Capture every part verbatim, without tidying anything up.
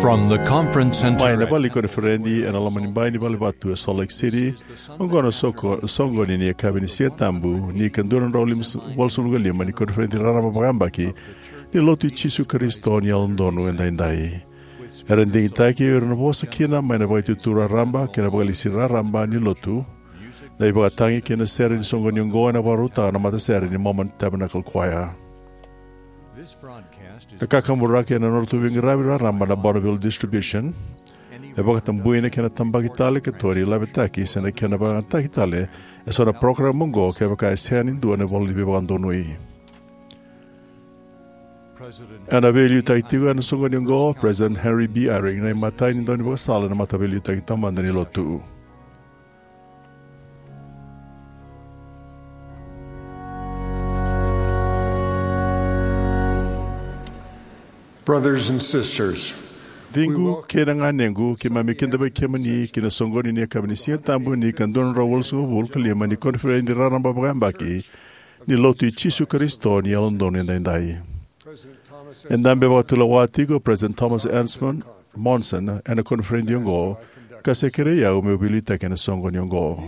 From the conference center Mai na vale ni koniferedi ena loma ni bai ni valevatu e Salt Lake City, oqo na soko, soqoni ni yakavi ni Siga Tabu ni ka dua na drau lima, walusagavulu ka lima ni koniferedi raraba vakayabaki ni Lotu i Jisu Karisito ni Yalododonu Edaidai. Era digitaki o ira na vosa kina mai na Vakaitutu Raraba kei na Vakalesi Raraba ni Lotu. Na ivakatagi kei na sere ni soqoni oqo ena vakarautaka na matasere ni Mormon Tabernacle Choir. E kakaburaki ena nodratou veiqaravi raraba na Bonneville Distribution. E vakatabui na kena tabaki tale ka toni lavetaki se na kena vakayagataki tale eso na parokaramu oqo kevaka e sega ni dua na ivola ni veivakadonui. Ena veiliutaki tiko ena soqoni oqo o President Henry B. Eyring, na imatai ni daunivakasala ena Mataveiliutaki Taumada ni Lotu. Brothers and sisters, ciqu kei na ganequ, keimami kidavaki kemuni ki na soqoni ni yakavi ni Siga Tabu ni ka dua na drau walusagavulu ka lima ni koniferedi raraba vakayabaki ni Lotu i Jisu Karisito ni Yalododonu Edaidai. E dabe vakatulewa tiko o President Thomas Ensman Monson ena koniferedi oqo, ka se kerei au meu veiliutaki ena soqoni oqo.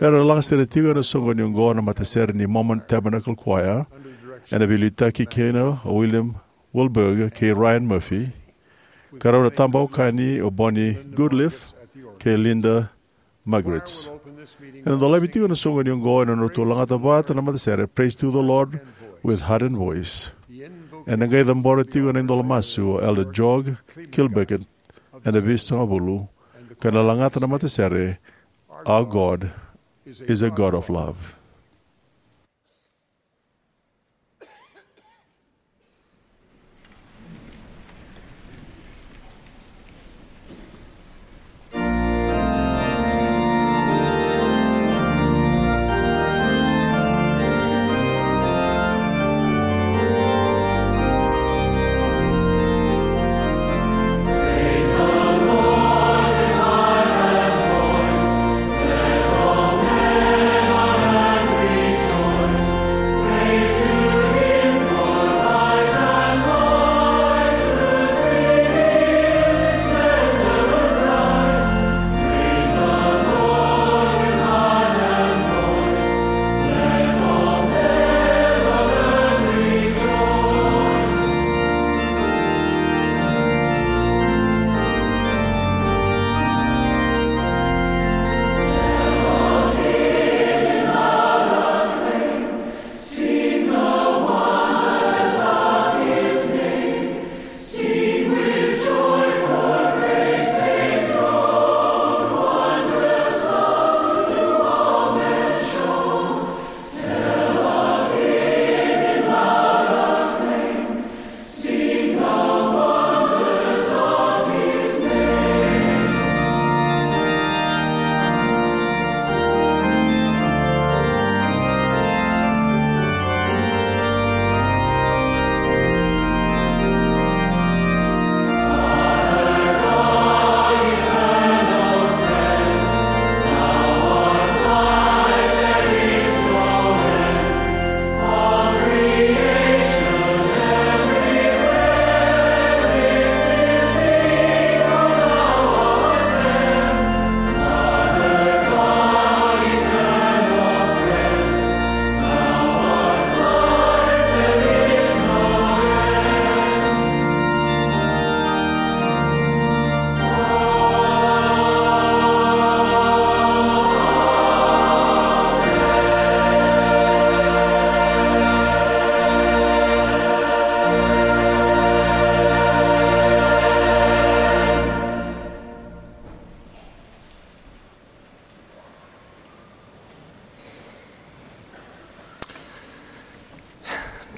Era lagasere tiko ena soqoni oqo na matasere ni Mormon Tabernacle Choir, ena veiliutaki kina o William Wilberg kei Ryan Murphy, ka rau na tabau kani o Bonnie Goodliff kei Linda Margaret. Ena dolavi tiko na soqoni oqo ena nodratou lagata vata na matasere Praise to the Lord with Heart and Voice. Ena qai cabora tiko na idola masu o Elder George Kilbeck ena veisagavulu, ka na lagata na matasere Our God is a God of Love.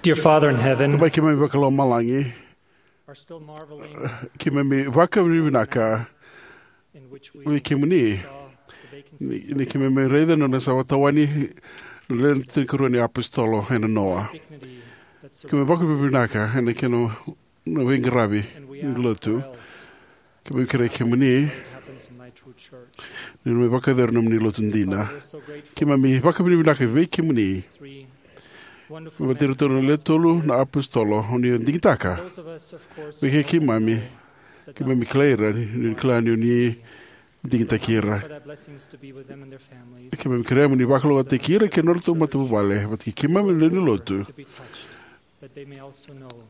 Dear Father in heaven, Tamai keimami vakalomalagi, are still marveling keimami vakavinavinaka in which we vei kemuni saw the vacancies ni, ni keimami raica na nona sa vakatawani na lewe tinikarua ni apositolo ena noa. Dignity that keimami surpasses vakavinavinaka ena kena na veiqaravi and we ni ask lotu. What else? Keimami kerei kemuni happens in thy true church. Ni mai vakayacori nomuni lotu dina. Father, we're so grateful. Keimami vakavinavinaka vei kemuni. Three wonderful men. Vata iratou na lewe tolu na apositolo, o ni digitaka. Those of us, of course, vei kei keimami, Keimami kilai ira ni, ni kila ni o ni digitaki ira. Keimami kerea mo ni vakalougatataki ira kei na nodratou matavuvale vata kei keimami na lewe ni lotu.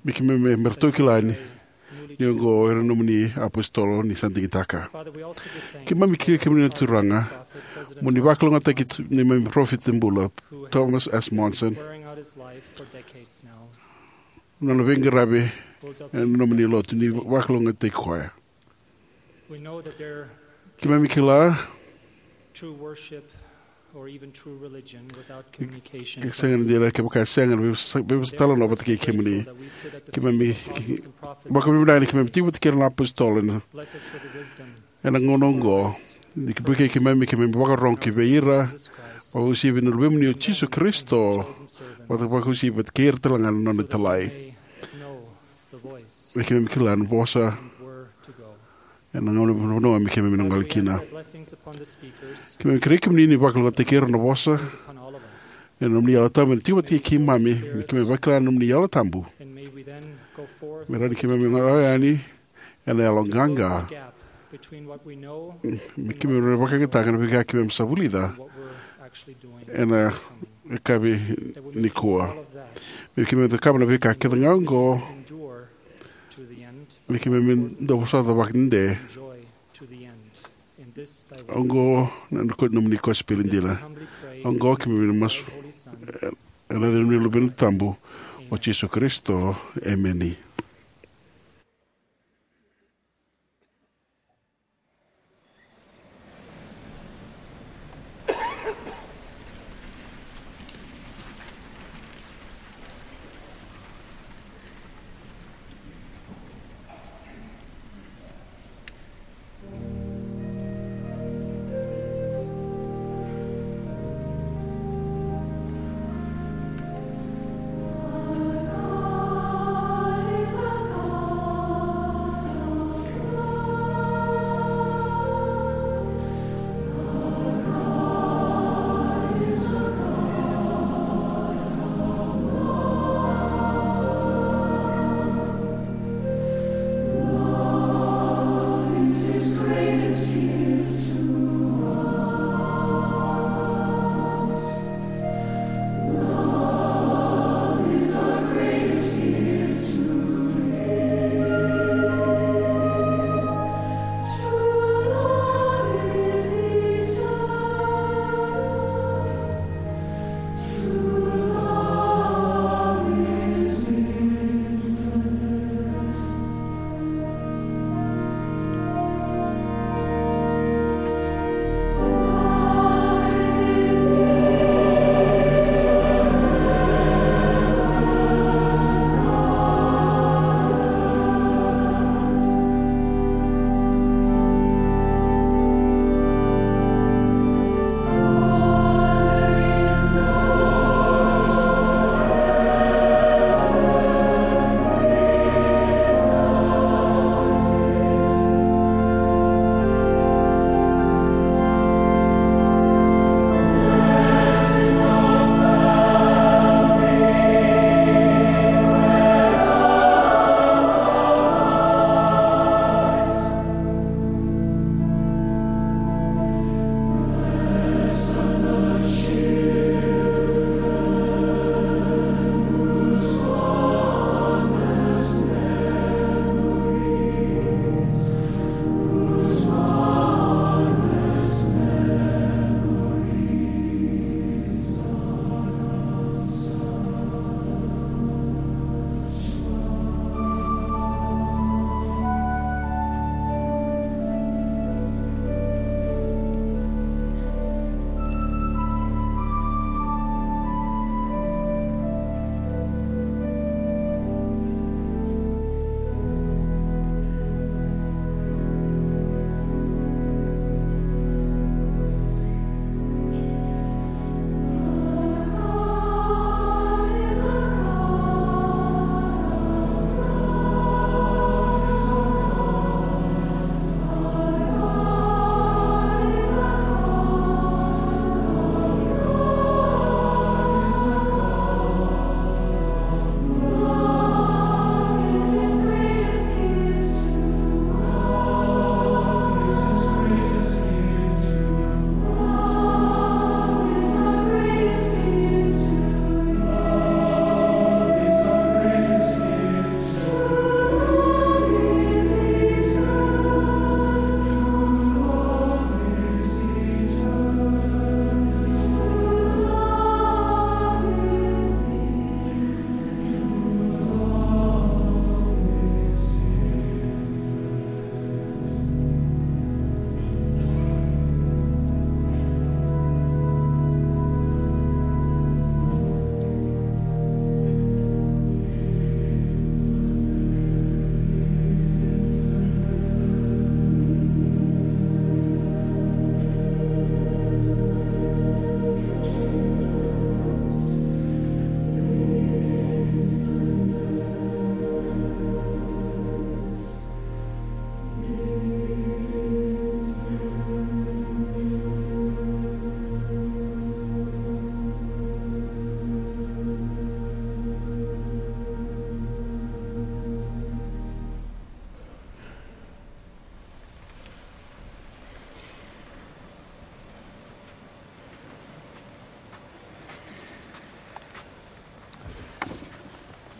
Me keimami, me ratou kila ni, ni oqo era nomuni apositolo ni sa digitaka. Keimami kerea kemuni na Turaga mo ni vakalougatataki tu neimami parofita bula, Thomas S. Monson. Nona veiqaravi ena nomuni lotu, ni vakalougatataki koya. Keimami kila e sega ni dina kevaka e sega na veivosa, veivosa talanoa vata kei kemuni. Keimami vakavinavinaka ni keimami tiko vata kei ira na apositolo ena, ena gauna oqo. Ni vukei keimami, keimami vakarorogo ki vei ira, vakauasivi na Luvemuni o Jisu Karisito, vata, vakauasivi vata kei ira talega na nona italai. Me keimami kila na vosa ena gauna, vanua me keimami na gole kina. Keimami kerei kemuni ni vakalougatataki ira na vosa ena nomuni Yalo Tabu ena tiko vata kei keimami, me keimami vakila na nomuni Yalo Tabu. Me rawa ni keimami gole yani ena yalo qaqa. Me keimami rawa ni vakayagataka na veika keimami sa vulica ena yakavi nikua. Me keimami cakava na veika kece ga oqo. Me keimami dau vosota vakadede. Oqo na nomuni kosipeli dina. Oqo keimami na masu ena yaca ni Luvena Tabu, o Jisu Karisito. Emeni.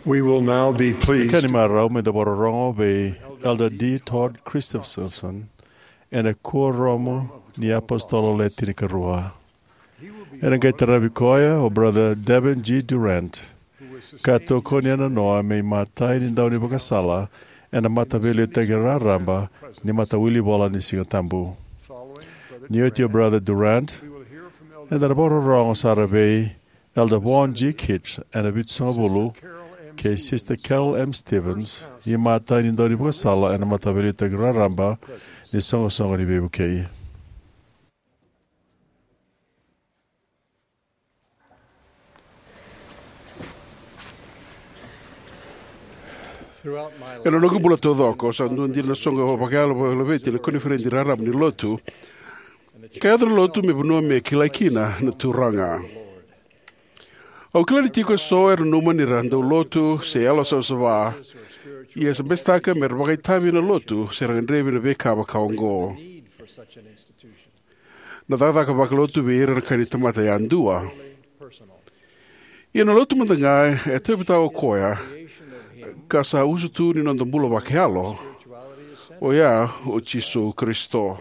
We will now be pleased. Ka ni marau me da vakarorogo vei Elder D. Todd Christofferson ena Kuoramu ni iApositolo Le Tinikarua. Ena qai taravi koya o Brother Devin G. Durrant, ka tokoni ena noa me imatai ni daunivakasala ena Mataveiliutaki Raraba ni Matawilivola ni Sigatabu. Ni oti o Brother Durrant, eda na vakarorogo sara vei Elder Vaughn G. Kitch ena Vitusagavulu kei Sister Carol M. Stevens, imatai ni daunivakasala ena Mataveiliutaki Raraba ni Soqosoqo ni Veivukei. Ena noqu bula taucoko, sa dua dina na soqo vakayalo vakalaveti ena koniferedi raraba ni Lotu, ka yaco na Lotu me vanua me kilai kina na Turaga. Au kila ni tiko eso era nanuma ni ra dau lotu se yalo savasava, ia sa besetaka me ra vakaitavi ena Lotu se ra gadrevi na veika vaka oqo. Na cakacaka vakalotu vei ira na ka ni tamata yadua. Ia na Lotu mada ga e tauyavutaka o koya, ka sa usutu ni noda bula vakayalo, oya o Jisu Karisito.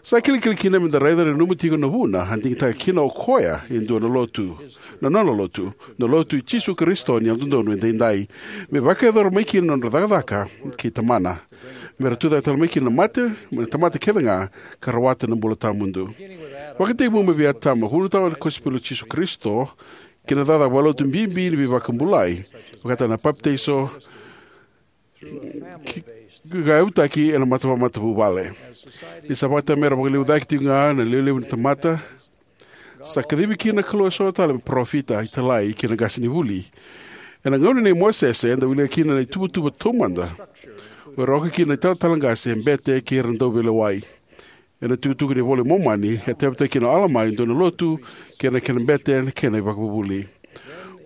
Sa kilikili kina me da raica ni nanuma tiko na vuna a digitaka kina o koya e dua na Lotu, na nona Lotu, na Lotu i Jisu Karisito ni Yalododonu Edaidai, me vakayacora mai kina na nodra cakacaka kei Tamana, me ra tucake tale mai kina na mate mai na tamata kece ga, ka rawata na bula tawamudu. Vakatekivu mai vei Atama, vunautaka na kosipeli i Jisu Karisito kei na cakacaka vakalotu bibi ni veivakabulai, vakataka na papitaiso, ki, ka yavutaki ena mata, vakamatavuvale. Ni sa vakatamera vakaliu cake tiko ga na lewe levu ni tamata, sa kacivi kina na Kalou eso tale me parofita, italai kei na qasenivuli. Ena gauna nei Mosese eda wilika kina na ituvatuva taumada, o ira oka kina na italatala qase, bete kei ira na dauveilewai. Ena tukutuku ni iVola i Momani e tauyavutaka kina o Alama e dua na lotu kei na kena bete kei na ivakavuvuli.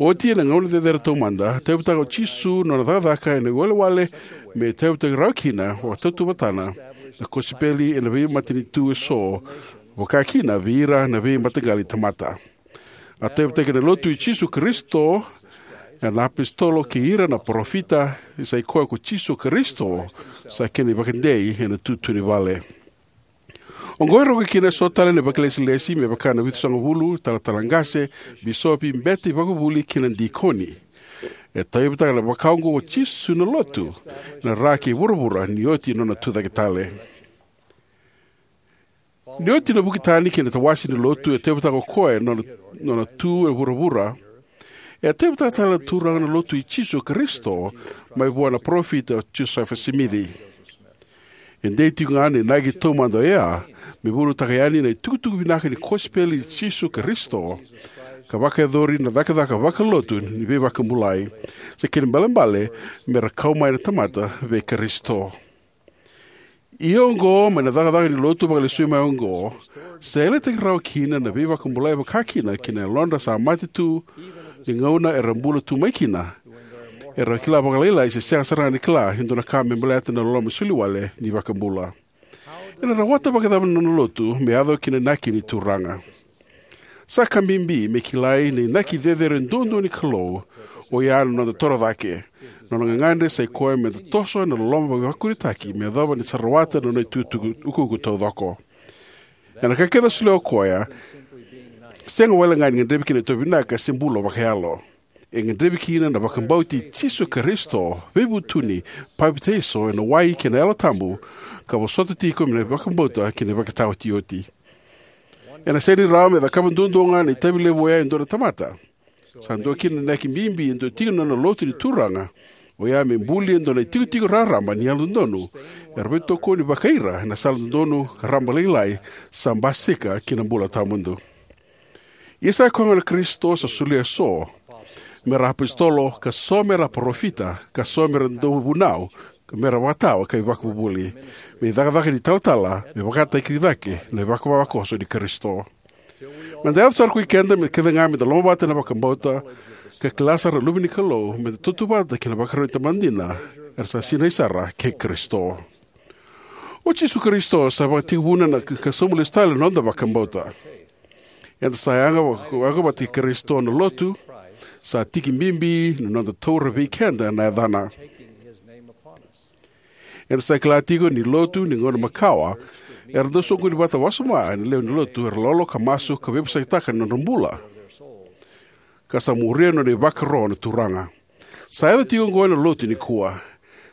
Oti ena gauna cecere taumada, tauyavutaka o Jisu na nona cakacaka ena iwalewale me tauyavutaki rawa kina vakatautauvatana na kosipeli ena veimatanitu eso, vaka kina vei ira na veimataqali tamata. A tauyavutaki na Lotu i Jisu Karisito ena apositolo kei ira na parofita, sa i koya ko Jisu Karisito sa kena ivakadei ena tutu ni vale. Oqo e roka kina eso tale na vakailesilesi me vaka na Vitusagavulu, talatala qase, bisopi, bete, ivakavuvuli kei na dikoni. E tauyavutaka na vaka oqo o Jisu na Lotu ena ra kei vuravura ni oti nona tucake tale. Ni oti na vuki tani kei na tawase ni Lotu, e tauyavutaka o koya na nona, nona tu e vuravura. E tauyavutaka tale na Turaga na Lotu i Jisu Karisito mai vua na parofita o Josefa Simici. E dei tiko ga na inaki taumada oya me vunautaka yani na itukutuku vinaka ni kosipeli i Jisu Karisito, ka vakayacori na cakacaka vakalotu ni veivakabulai, sa kena ibalebale me ra kau mai na tamata vei Karisito. Ia oqo, mai na cakacaka ni Lotu vakalesui mai oqo, sa yalataki rawa kina na veivakabulai, vaka kina ki na yalodra sa mate tu ni gauna era bula tu mai kina, era kila vakalailai se sega sara ga ni kila e dua na ka me baleta na loloma soliwale ni iVakabula. Ena rawata vakacava na nona Lotu me yaco ki na inaki ni Turaga? Sa ka bibi me kilai na inaki cecere duadua ni Kalou, oya na noda toro cake. Na nona gagadre sa i koya me da toso ena loloma veivakurabuitaki me yacova ni sa rawata na nona itukutuku, ukuuku taucoko. Ena ka kece a solia o koya, sega wale ga ni gadrevi kina na itovo vinaka se bula vakayalo. E gadrevi kina na vakabauti Jisu Karisito, veivutuni, papitaiso ena wai kei na Yalo Tabu, ka vosota tiko mai na vakabauta kei na ivakataotioti. Ena sega ni rawa me cakava duadua ga na itavi levu oya e dua na tamata. Sa dua kina na inaki bibi e dua tiko na nona Lotu ni Turaga, oya me buli e dua na itikotiko raraba ni yalododonu era veitokoni vakaira ena sala dodonu ka raba lailai, sa basika ki na bula tawamudu. Ia sa koya gona na Karisito sa solia eso me ra apositolo, ka so me ra parofita, ka so me ra dauvunau, ka me ra vakatawa ka ivakavuvuli, me icakacaka ni talatala me vakataki cake na ivakavakaso ni Karisito. Me da yaco sara ko i keda me kece ga me da lomavata ena vakabauta, ka kila sara na luve ni Kalou, me da tautauvata kei na ivakarau ni tamata dina era sa sinai sara kei Karisito. O Jisu Karisito sa vakatekivuna na ka, ka sobu lesu tale na noda vakabauta. Eda sa yaga vaka, yaga vata kei Karisito na Lotu, Sa tiki bibi na noda taura vei keda na yacana. Eda sa kila tiko ni lotu ni gauna makawa era dau soqoni vata wasoma ena lewe ni lotu, era lolo ka masu ka veivosakitaka na nodra bula, ka sa muria na nona ivakaro na Turaga. Sa yaco tiko oqo ena lotu nikua.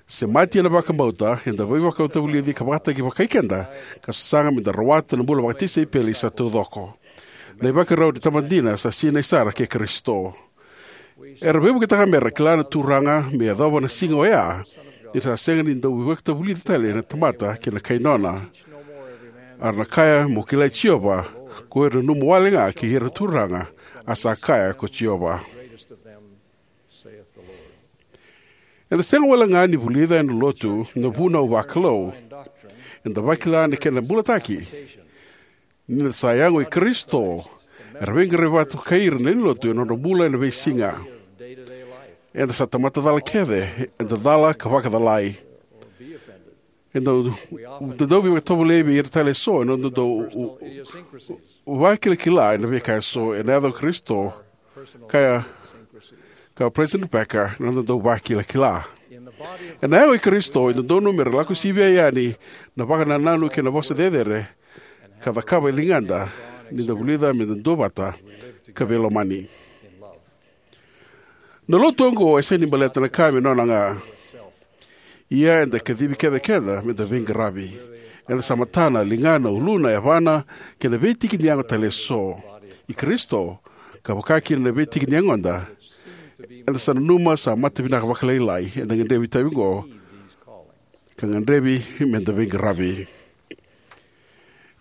Semati ena vakabauta, eda veivakatavulici ka vakataki vakai keda, ka sasaga meda rawata na bula vakatisaipeli sa taucoko. Na ivakarau ni tamata dina sa sinai sara kei Karisito. Era veivuketaka mera kila na Turaga me yacova na siga oya, ni sa sega ni dau veivakatavulici tale na tamata kei na kai nona. A ra na kaya, "Mo kilai Jiova ko ira na nomu wale ga kei ira na turaga," a sa kaya ko Jiova. Eda sega wale ga ni vulica ena lotu na vunau vakalou. Eda vakila na kena bulataki. Ni da sa yago i Karisito, era veiqaravi vata kei ira na lewe ni lotu ena nodra bula ena veisiga. Eda sa tamata cala kece, eda cala ka vakacalai. Eda dau, da dau veivakatovolei vei ira tale eso ena noda dau u-, u-, vakilakila ena veika eso ena yaca o Karisito, kaya ka President Packer, na noda dau vakilakila. Ena yago i Karisito, e dodonu mera lako sivia yani na vakanananu kei na vosa cecere, ka cakava e ligada, ni da vulica meda duavata ka veilomani. Na lotu oqo e sega ni baleta na ka me nona ga. Ia eda kacivi keda kece meda veiqaravi. Eda sa matana, ligana, uluna, yavana, kei na veitiki ni yago tale eso i Karisito, ka vaka kina na veitiki ni yagoda. Eda sa nanuma sa mata vinaka vakalailai, eda gadrevi itavi oqo, ka gadrevi meda veiqaravi.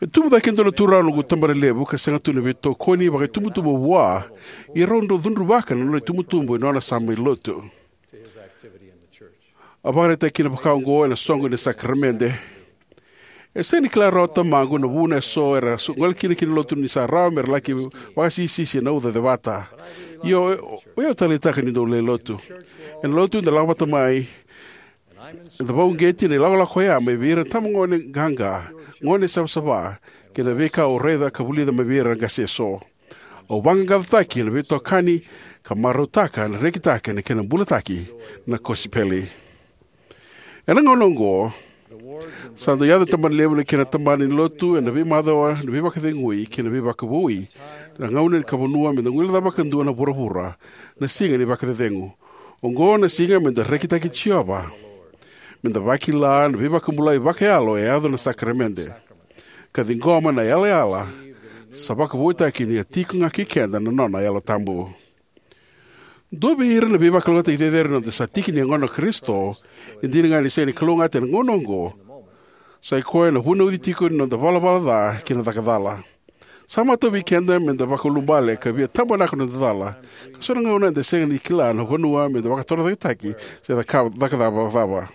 E tubu cake e dua na turaga na noqu tabanalevu ka sega tu na veitokoni vakaitubutubu vua, ia rau dau cudruvaka na nona itubutubu ena nona sa mai lotu. A vakaraitaka kina vaka oqo ena soqo ni sakaramede: "E sega ni kila rawa o tamaqu na vuna eso era so-, gole kina ki na lotu ni sa rawa mera laki vakasisisi ena uca cevata. Ia o, o, o yau taleitaka ni dou lai lotu. Ena lotu eda lako vata mai, eda vakauqeti na ilakolako oya mai vei ira na itabagone qaqa, gone savasava, kei na veika au raica ka vulica mai vei ira na qase eso. Au vaqaqacotaki ena veitokani ka marautaka na rekitaki ena kena bulataki na kosipeli." Ena gauna oqo, sa dau yaco na tabanalevu na kena tabana ni lotu ena veimacawa ni veivakacegui kei na veivakavoui. Na gauna ka vanua meda guilecava vakadua na vuravura, na siga ni vakacecegu. Oqo na siga meda rekitaki Jiova, meda vakila na veivakabulai vakayalo e yaco na sakaramede, ka ciqoma na yalayala sa vakavoutaki ni a tiko ga kei keda na nona Yalo Tabu. Dua vei ira na veivakalougatataki cecere ni noda sa tiki ni yagona o Karisito, e dina ga ni sega ni kalougata ena gauna oqo, sai koya na vunauci tiko ni noda valavala ca kei na caka cala. Sa matau vei keda meda vakaulubale ka via tabanaka na noda cala, ka so na gauna eda sega ni kila na vanua meda vakatorocaketaki se caka, caka cava, cava.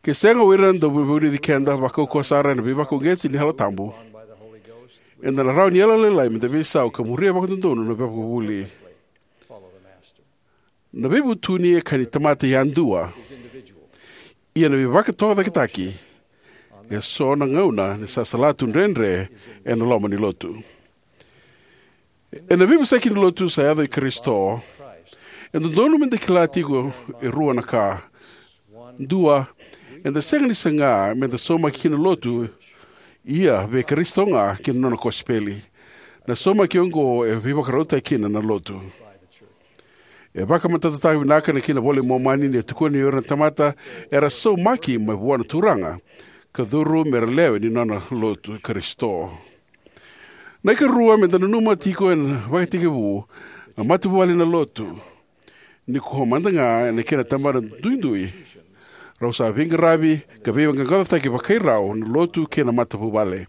Ke sega o ira na dau veivunuci keda vakaukauwa sara ena veivakauqeti ni Yalo Tabu, eda na rawa ni yalolailai meda veisau ka muria vakadodonu na veivakavuvuli. Na veivutuni e ka ni tamata yadua. Ia na veivakatorocaketaki e so na gauna ni sa salatu dredre ena loma ni lotu. Ena veivosaki ni lotu sa yaco i Karisito, e dodonu meda kila tiko e rua na ka. Dua, eda sega ni saga meda saumaki kina na lotu, ia vei Karisito ga kei na nona kosipeli. Na saumaki oqo e veivakarautaki kina na lotu. E vakamatatataka vinaka na kena iVola i Momani ni a tukuna ni o ira na tamata era saumaki mai vua na Turaga, ka curu mera lewe ni nona lotu Karisito. Na ikarua, meda nanuma tiko ena vakatekivu, na matavuvale na lotu. Nikua mada ga ena kena tabana duidui, rau sa veiqaravi ka veiqaqacotaki vakai rau na lotu kei na matavuvale.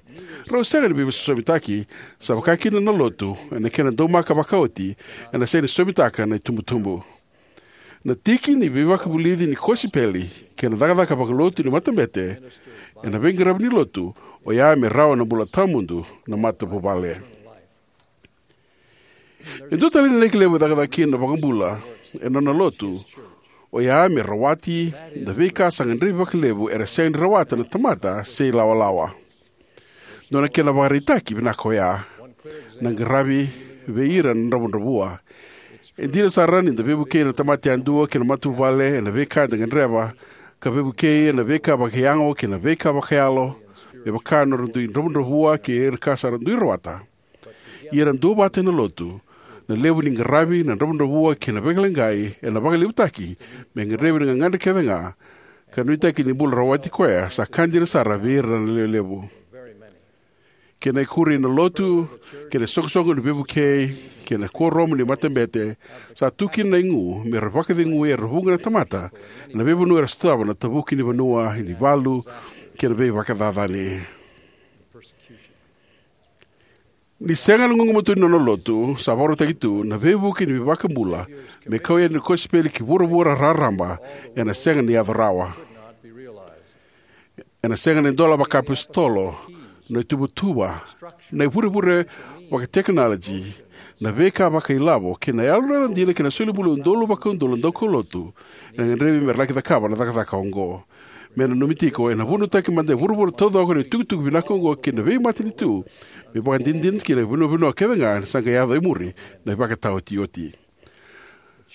Rau sega ni veisosomitaki, sa vaka kina na lotu ena kena daumaka vakaoti, ena sega ni sosomitaka na itubutubu. Na tiki ni veivakavulici ni kosipeli kei na cakacaka vakalotu ni matabete ena veiqaravi ni lotu, oya me rawa na bula tawamudu na matavuvale. E dua tale na inaki levu e cakacaka kina na iVakabula ena nona lotu, oya me rawati na veika sa gadrevi vakalevu era sega ni rawata na tamata se ilawalawa. Dua na kena ivakaraitaki vinaka oya na qaravi vei ira na dravudravua. E dina sara ni da veivukei na tamata yadua kei na matavuvale ena veika eda gadreva, ka veivukei ena veika vakayago kei na veika vakayalo, me vaka na nodra dui dravudravua kei ira ka sa dui rawata. Ia na duavata ena lotu, na levu ni qaravi, na dravudravua kei na vakaleqai ena vakalevutaki me gadrevi na gagadre kece ga, ka nuitaki ni bula rawati koya sa ka dina sara vei ira na lewe levu. Kei na ikuri ena lotu, kei na isoqosoqo ni veivukei, kei na kuoramu ni matabete, sa tu kina na igu me ra vakacegui era vuqa na tamata ena veivanua era sotava na tavuki ni vanua, ni valu, kei na veivakacacani. Ni sega na gugumatua ni nona lotu, sa vakarautaki tu na veivuke ni veivakabula me kau yani na kosipeli ki vuravura raraba, ena sega ni yaco rawa. Ena sega ni dola vakaapositolo, na ituvatuva, na ivurevure vakatekinolaji, na veika vakailavo kei na yalo yalodina kei na solibula udolu vakaudolu na daukaulotu ena gadrevi me ra laki cakava na cakacaka oqo. Me nanumi tiko, ena vunautaki mada e vuravura taucoko na itukutuku vinaka oqo kei na veimatanitu, me vakadinadinataki kina na veivanua kece ga ena sa qai yaco e muri na ivakataotioti.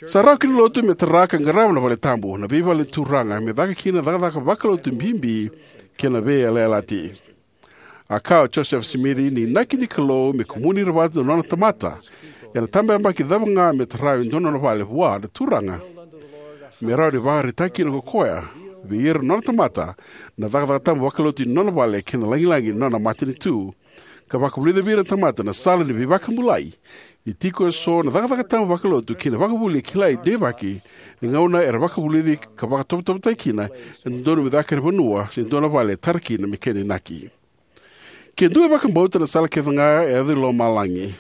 Sa rawa ki na lotu me tara ka qarava na vale tabu, na veivale ni Turaga, me caka kina na cakacaka vakalotu bibi kei na veiyalayalati. A kaya o Josefa Simici ni inaki ni Kalou me kumuni ira vata na nona tamata, ena tabakidavaki cava ga me tara e dua na nona vale vua na Turaga, me rawa ni vakaraitaki kina ko koya vei ira na nona tamata na cakacaka tabu vakalotu ni nona vale kei na lagilagi ni nona matanitu, ka vakavulica vei ira na tamata na sala ni veivakabulai, ni tiko eso na cakacaka tabu vakalotu kei na vakavuvuli e kilai deivaki ni gauna era vakavulici ka vakatovotovotaki kina e dodonu me caka ena vanua se dua na vale e tara kina me kena inaki. Ke dua e vakabauta na sala kece ga e yaco i lomalagi,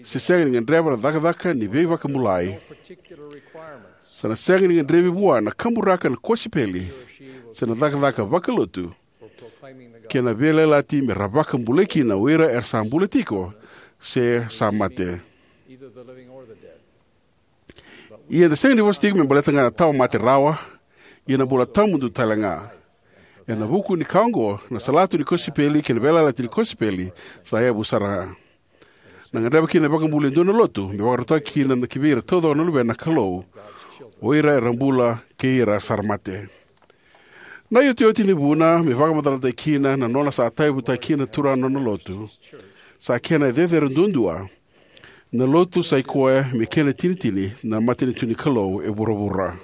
se sega ni gadreva na cakacaka ni veivakabulai, sa na sega ni gadrevi vua na kaburaka na kosipeli se na cakacaka vakalotu kei na veiyalayalati me ra vakabulai kina o ira era sa bula tiko se sa mate. Ia eda sega ni vosa tiko me baleta ga na tawa mate rawa, ia na bula tawamudu tale ga. Ena vuku ni ka oqo, na salatu ni kosipeli kei na veiyalayalati ni kosipeli sa yavu sara ga. Na gadreva kina na iVakabula e dua na lotu me vakarautaki kina na ki vei ira taucoko na luvena na Kalou, o ira era bula kei ira sa ra mate. Na iotioti ni vuna me vakamacalataki kina na nona sa tauyavutaki kina na Turaga na nona lotu, sa kena e cecere duadua, na lotu sa i koya me kena itinitini na matanitu ni Kalou e vuravura.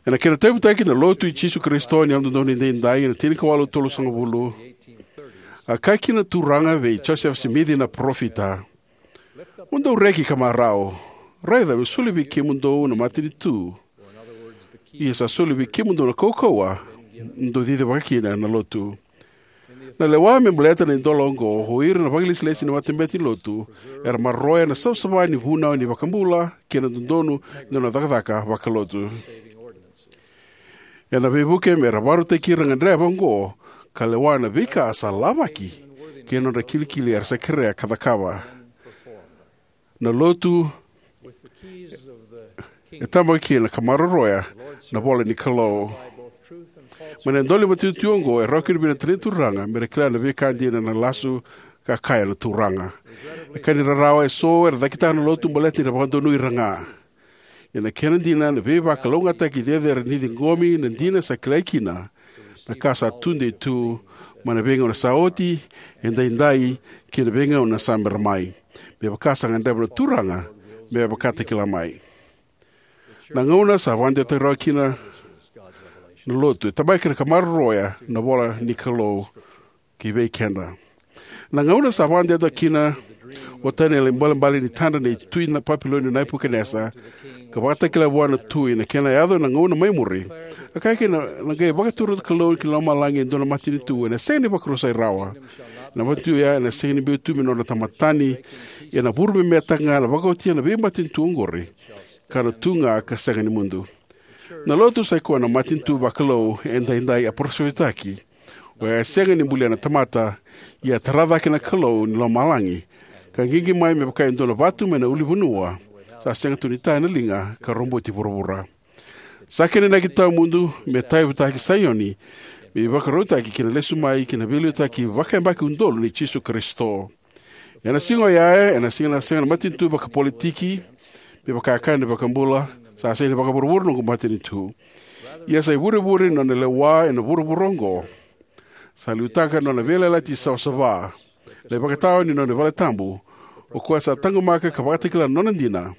Ena kena tauyavutaki na Lotu i Jisu Karisito ni Yalododonu Edaidai ena tinikawalu tolusagavulu, a kaya kina na Turaga vei Josefa Simici na parofita, "Mo dou reki ka marau, raica, meu solia vei kemudou na matanitu. Ia sa solia vei kemudou na kaukauwa, mo dou cicivaka kina na lotu." Na lewa me baleta na idola oqo, o ira na vakailesilesi ni matabete ni lotu era maroroya na savasava ni vunau ni iVakabula kei na dodonu ni nona cakacaka vakalotu. Ena veivuke me ra vakarautaki ira na gadreva oqo ka lewa na veika sa lavaki kei na nodra kilikili era sa kerea ka cakava. Na lotu e tabaki kina ka maroroya na ivola ni Kalou. Mai na idola ni matanitu oqo e rawa kina vei ira na talai ni Turaga me ra kila na veika dina na lasu ka kaya na Turaga. E ka ni rarawa, eso era cakitaka na lotu baleta ni ra vakadonui ira ga. Ia na kena dina, na veivakalougatataki cecere ni ciqomi na dina sa kilai kina na ka sa tudei tu mai na veigauna sa oti, edaidai, kei na veigauna sa bera mai, me vaka sa gadreva na Turaga me vakatakila mai. Na gauna sa vakadewataki rawa kina na lotu e tabaki kina ka maroroya na ivola ni Kalou ki vei keda. Na gauna sa vakadewataki kina o Taniela na ibalebale ni tadra nei Tui Papiloni o Nepukanesa, ka vakatakila vua na tui na kena yaco na gauna mai muri, a kaya kina, "Na qai vakatura na Kalou ki lomalagi e dua na matanitu ena sega ni vakarusai rawa. Na matanitu ya ena sega ni biu tu me nodra tamata tani, ia ena vuru me metaka ga na vakaotia na veimatanitu oqori, ka na tu ga ka sega ni mudu." Na lotu sa i koya na matanitu vakalou edaidai a parofisai, oya e sega ni bulia na tamata, ia tara cake na Kalou ni lomalagi, ka qiqi mai me vaka e dua na vatu mai na ulunivanua, sa sega tu ni ta ena liga ka roboti vuravura. Sa kena inaki tawamudu me tauyavutaki Saioni, me ivakarautaki ki na lesu mai ki na veiliutaki vakayabaki udolu nei Jisu Karisito. Ena siga oya, ena sega na, sega na matanitu vakapolitiki, me vaka e kaya na iVakabula, sa sega ni vakavuravura noqu matanitu. Ia sa ivurevure ni nona lewa ena vuravura oqo. Sa liutaka na nona veiyalayalati savasava, na ivakatawa ni nona vale tabu, o koya sa taqomaka ka vakatakila na nona dina,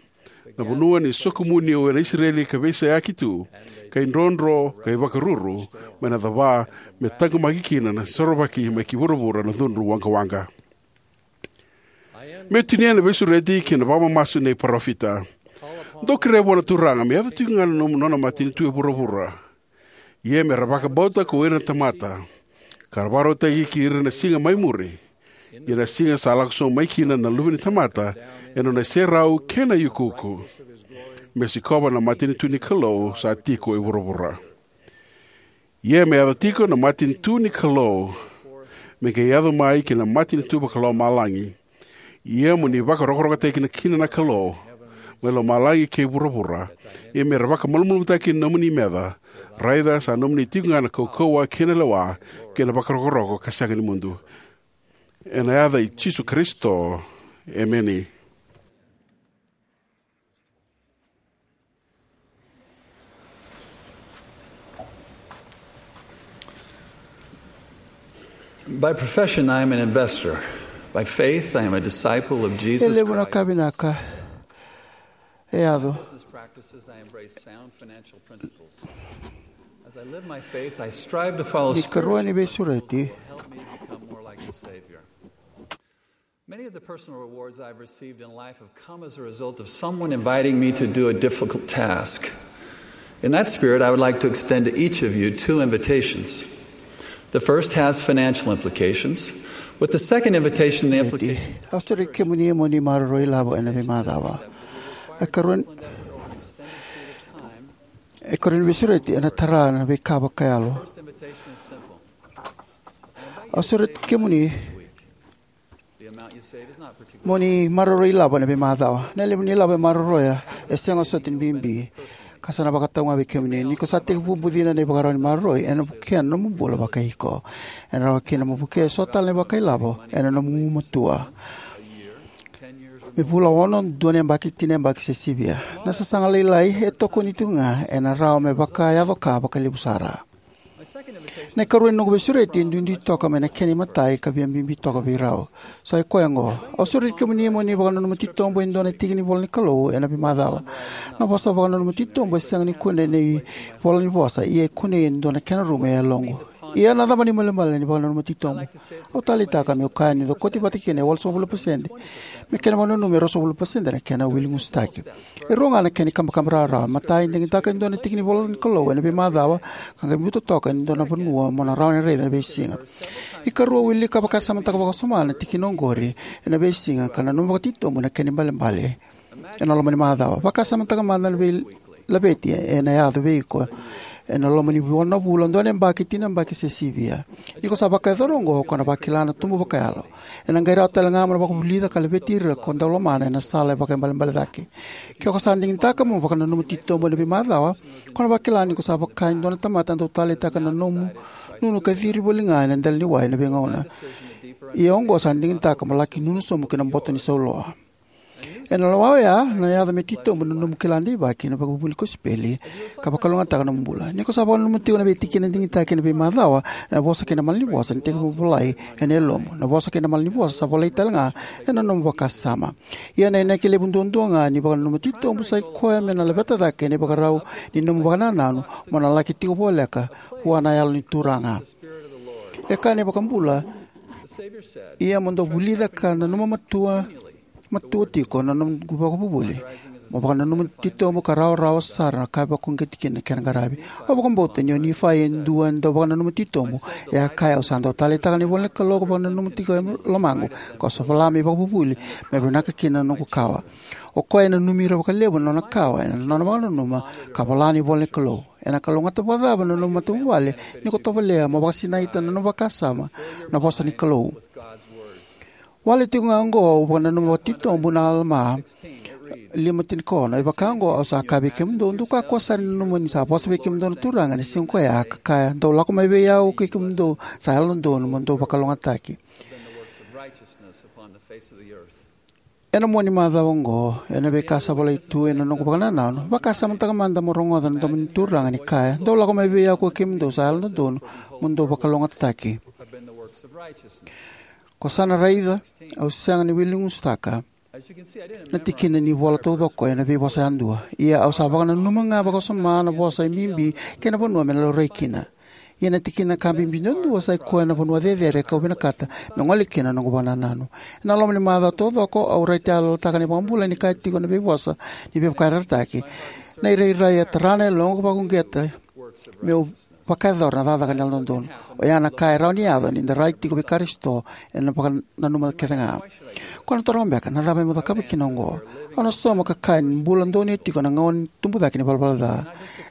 na vanua ni sokomuni o ira na Isireli ka veiseyaki tu, ka idrodro, ka ivakaruru, mai na cava, me taqomaki kina na sorovaki mai ki vuravura na cudru waqawaqa. Meu tinia na veisureti kei na vakamamasu nei parofita. Dou kerea vua na Turaga me yaco tiko ga na nona matanitu e vuravura. Ia me ra vakabauta ko ira na tamata, ka ra vakarautaki ki ira na siga mai muri. Ia na siga sa lako sobu mai kina na Luve ni tamata, ena nona iserau kei na iukuuku, me sikova na matanitu ni Kalou sa tiko e vuravura. Ia me yaco tiko na matanitu ni Kalou, me qai yaco mai kina matanitu vakalomalagi. Ia mo ni vakarokorokotaki kina na Kalou, mai lomalagi kei vuravura. Ia me ra vakamalumalumutaki na nomuni meca, raica sa nomuni tiko ga na kaukauwa kei na lewa, kei na vakarokoroko ka sega ni mudu. Ena yaca i Jisu Karisito. Emeni. By profession, I am an investor. By faith, I am a disciple of E Jesus levu na Christ. Ka vinaka e yaco. Business practices, I embrace sound financial principles. As I live my faith, I strive to follow Ni karua ni spiritual principles veisureti. That will help me become more like the Savior. Many of the personal rewards I've received in life have come as a result of someone inviting me to do a difficult task. In that spirit, I would like to extend to each of you two invitations. The first has financial implications, with the second invitation, the implication. Au sureti kemuni mo ni maroroi lavo ena veimacawa. E karua ni, e karua ni veisureti ena tara na veika vakayalo. Au sureti kemuni mo ni maroroi lavo ena veimacawa. Na levu ni lavo e maroroya e sega soti ni bibi, ka sa na vakatau ga vei kemuni. Ni ko sa tekivu bucina na ivakarau ni maroroi, ena vukea na nomu bula vakaiko. Ena rawa kina mo vukea eso tale na ivakailavo ena nomu gumatua. Me vula ono, dua na yabaki, tini na yabaki se sivia. Na sasaga lailai e tokoni tu ga ena rawa me vakayaco ka vakalevu sara. Na ikarua ni noqu veisureti e duidui toka mai na kena imatai ka via bibi toka vei rau. Sa i koya oqo. Au sureti kemuni mo ni vakananuma titobu e dua na tiki ni ivola ni Kalou ena veimacawa. Na vosa vakananuma titobu e sega ni kunei ena ivola ni vosa, ia e kunei e dua na kena rumu e yaloqu. Ia na cava na ibalebale ni vakananuma titobu? Au taleitaka meu kaya ni cokoti vata kina e walusagavulu na pasede. Me kena vakananumi e ruasagavulu na pasede na kena wiligusutaki. E rua ga na kena ikabakaba rawarawa. Matai, digitaka e dua na tiki ni ivola ni Kalou ena veimacawa, ka qai biuta toka e dua na vanua mo na rawa ni raica ena veisiga. Ikarua, wilika vakasamataka vakawasoma na tikina oqori ena veisiga, ka nanuma vakatitobu na kena ibalebale ena loma ni macawa. Vakasamataka mada na veilaveti ena yaco vei iko ena loma ni viwanavula, dua na yabaki, tini na yabaki se sivia. Ni ko sa vakayacora oqo, ko na vakila na tubu vakayalo. Ena qai rawa tale ga mo na vakavulica ka laveti ira ko dau lomana ena sala e vakaibalebale cake. Ke ko sa digitaka mo vakananuma titobu ena veimacawa, ko na vakila ni ko sa vaka e dua na tamata dau taleitaka na nomu nunu ka ciri voli ga ena dela ni wai ena veigauna. Ia oqo sa digitaka mo laki nunu sobu ki na boto ni sauloa. Ena loma oya, na yaco me titobu na nomu kila deivaki na vakavuvuli kosipeli, ka vakalougatataka na nomu bula. Ni ko sa vakananuma tiko na veitikina digitaki ena veimacawa, na vosa kei na malanivosa ni tekivu volai ena yalomu. Na vosa kei na malanivosa sa volai tale ga ena nomu vakasama. Ia na inaki levu duadua ga ni vakananuma titobu sa i koya me na laveta cake na ivakarau ni nomu vakanananu mo na laki tiko voleka vua na Yalo ni Turaga. E kaya na iVakabula, ia mo dou vulica ka nanuma matua, matua tiko na noqu vakavuvuli. Mo vakananuma titobu ka rawarawa sara na ka e vakauqeti kina na kena qaravi. Au vakabauta ni o Nifai e dua e dau vakananuma titobu. E a kaya, au sa dau taleitaka na ivola ni Kalou ka vakananuma tiko e lomaqu, kau sa vola me ivakavuvuli, me vinaka kina na noqu kawa. O koya e nanumi ira vakalevu na nona kawa ena nona vakananuma ka vola na ivola ni Kalou. Ena kalougata vakacava na nomu matavuvale ni ko tovolea mo vakasinaita na nomu vakasama na vosa ni Kalou? Wale tiko ga oqo au vakananuma vakatitobu na Alama lima tinikaono. E vaka oqo au sa kaya vei kemudou, dou kakua sara ni nanuma ni sa vosa vei kemudou na Turaga ena siga ko ya, ka kaya, dou lako mai vei au kei kemudou sa yalododonu mo dou vakalougatataki. Ena mua ni macawa oqo, ena veika sa volai tu ena noqu vakanananu, vakasamataka mada mo rogoca na domo ni Turaga ni kaya, "Dou lako mai vei au ko kemudou sa yalododonu, mo dou vakalougatataki." Ko sa na raica, au sega ni wili gusutaka na tikina ni vola taucoko ena veivosa yadua. Ia au sa vakananuma ga vakawasoma na vosa e bibi kei na vanua me na laurai kina. Ia na tikina ka bibi duadua sa i koya na vanua cecere kau vinakata me gole kina na noqu vakanananu. Ena loma ni macawa taucoko au raitayaloyalotaka na iVakabula ni kaya tiko na veivosa ni veivakayarayarataki. Na irairai e tara na yaloqu, vakauqeta meu vakayacora na cakacaka ni yalododonu. Oya na ka e rawa ni yaco ni da rai tiko vei Karisito ena vakananuma kece ga. Ko na toroga beka, na cava meu cakava kina oqo? Au na sauma ka kaya ni bula donuya tiko na gauna ni tubu cake ni valavala ca.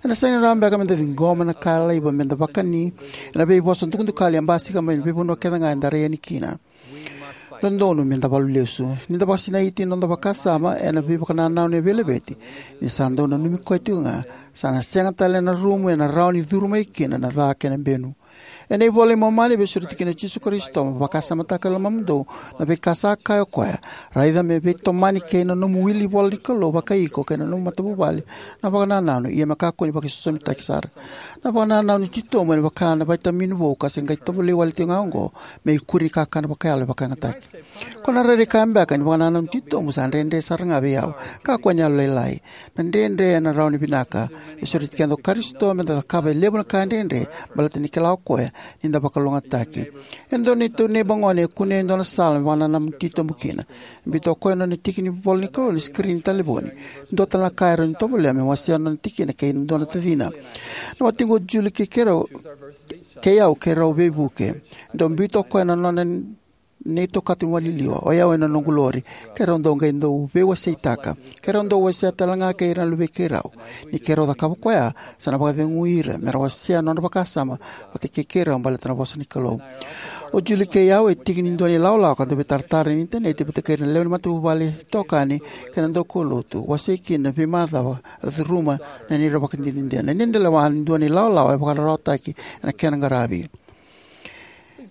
Ena sega ni rawa beka meda ciqoma na ka e laiva meda vakani ena veivosa dukadukali e basika mai na veivanua kece ga eda rai yani kina. Dodonu meda valu lesu. Ni da vakasinaiti na noda vakasama ena veivakanananu e veilaveti, ni sa dau nanumi koya tiko ga, sa na sega tale na rumu ena rawa ni curu mai kina na ca kei na benu. Ena iVola i Momani e veisureti kina o Jisu Karisito, "Mo vakasamataka e lomamudou na veika sa kaya o koya. Raica me veitomani kei na nomu wili ivola ni Kalou vakai iko kei na nomu matavuvale na vakanananu, ia me kakua ni vakaisosomitaki sara." Na vakanananu titobu ena vaka na vaitamini vou ka se qai tovolei wale tiko ga oqo me ikuri ni kakana vakayalo e vakayagataki. Ko na rairai kaya beka ni vakanananu titobu sa dredre sara ga vei au, kakua ni yalolailai. Na dredre ena rawa ni vinaka. E sureti keda o Karisito meda cakava e levu na ka dredre, baleta ni kila o koya ni da vakalougatataki. E dua na neitou neiba gone e kunea e dua na sala me vakanananu titobu kina. Biuta o koya na nona tiki ni ivola ni Kalou ena sikirini ni talevoni. Dua tale na ka e rawa ni tovolea me wasea na nona tikina kei na dua na tacina. Na watiqu o Julie kei keirau, kei au keirau veivuke. Dau biuta o koya na nona neitou kato ni waliliwa, o yau ena noqu lori. Keirau dau qai dau veiwaseitaka. Keirau dau wasea tale ga kei ira na luvei keirau. Ni keirau cakava koya, sa na vakacegui ira mera wasea na nodra vakasama vata kei keirau baleta na vosa ni Kalou. O Julie kei au e tiki ni dua na ilawalawa ka dau veitaratara ena initaneti vata kei ira na lewe ni matavuvale, itokani kei na daukaulotu, wasei kina na veimacawa, curuma na neirau ivakadinadina. Ni da lewa ni dua na ilawalawa e vakararawataki ena kena qaravi.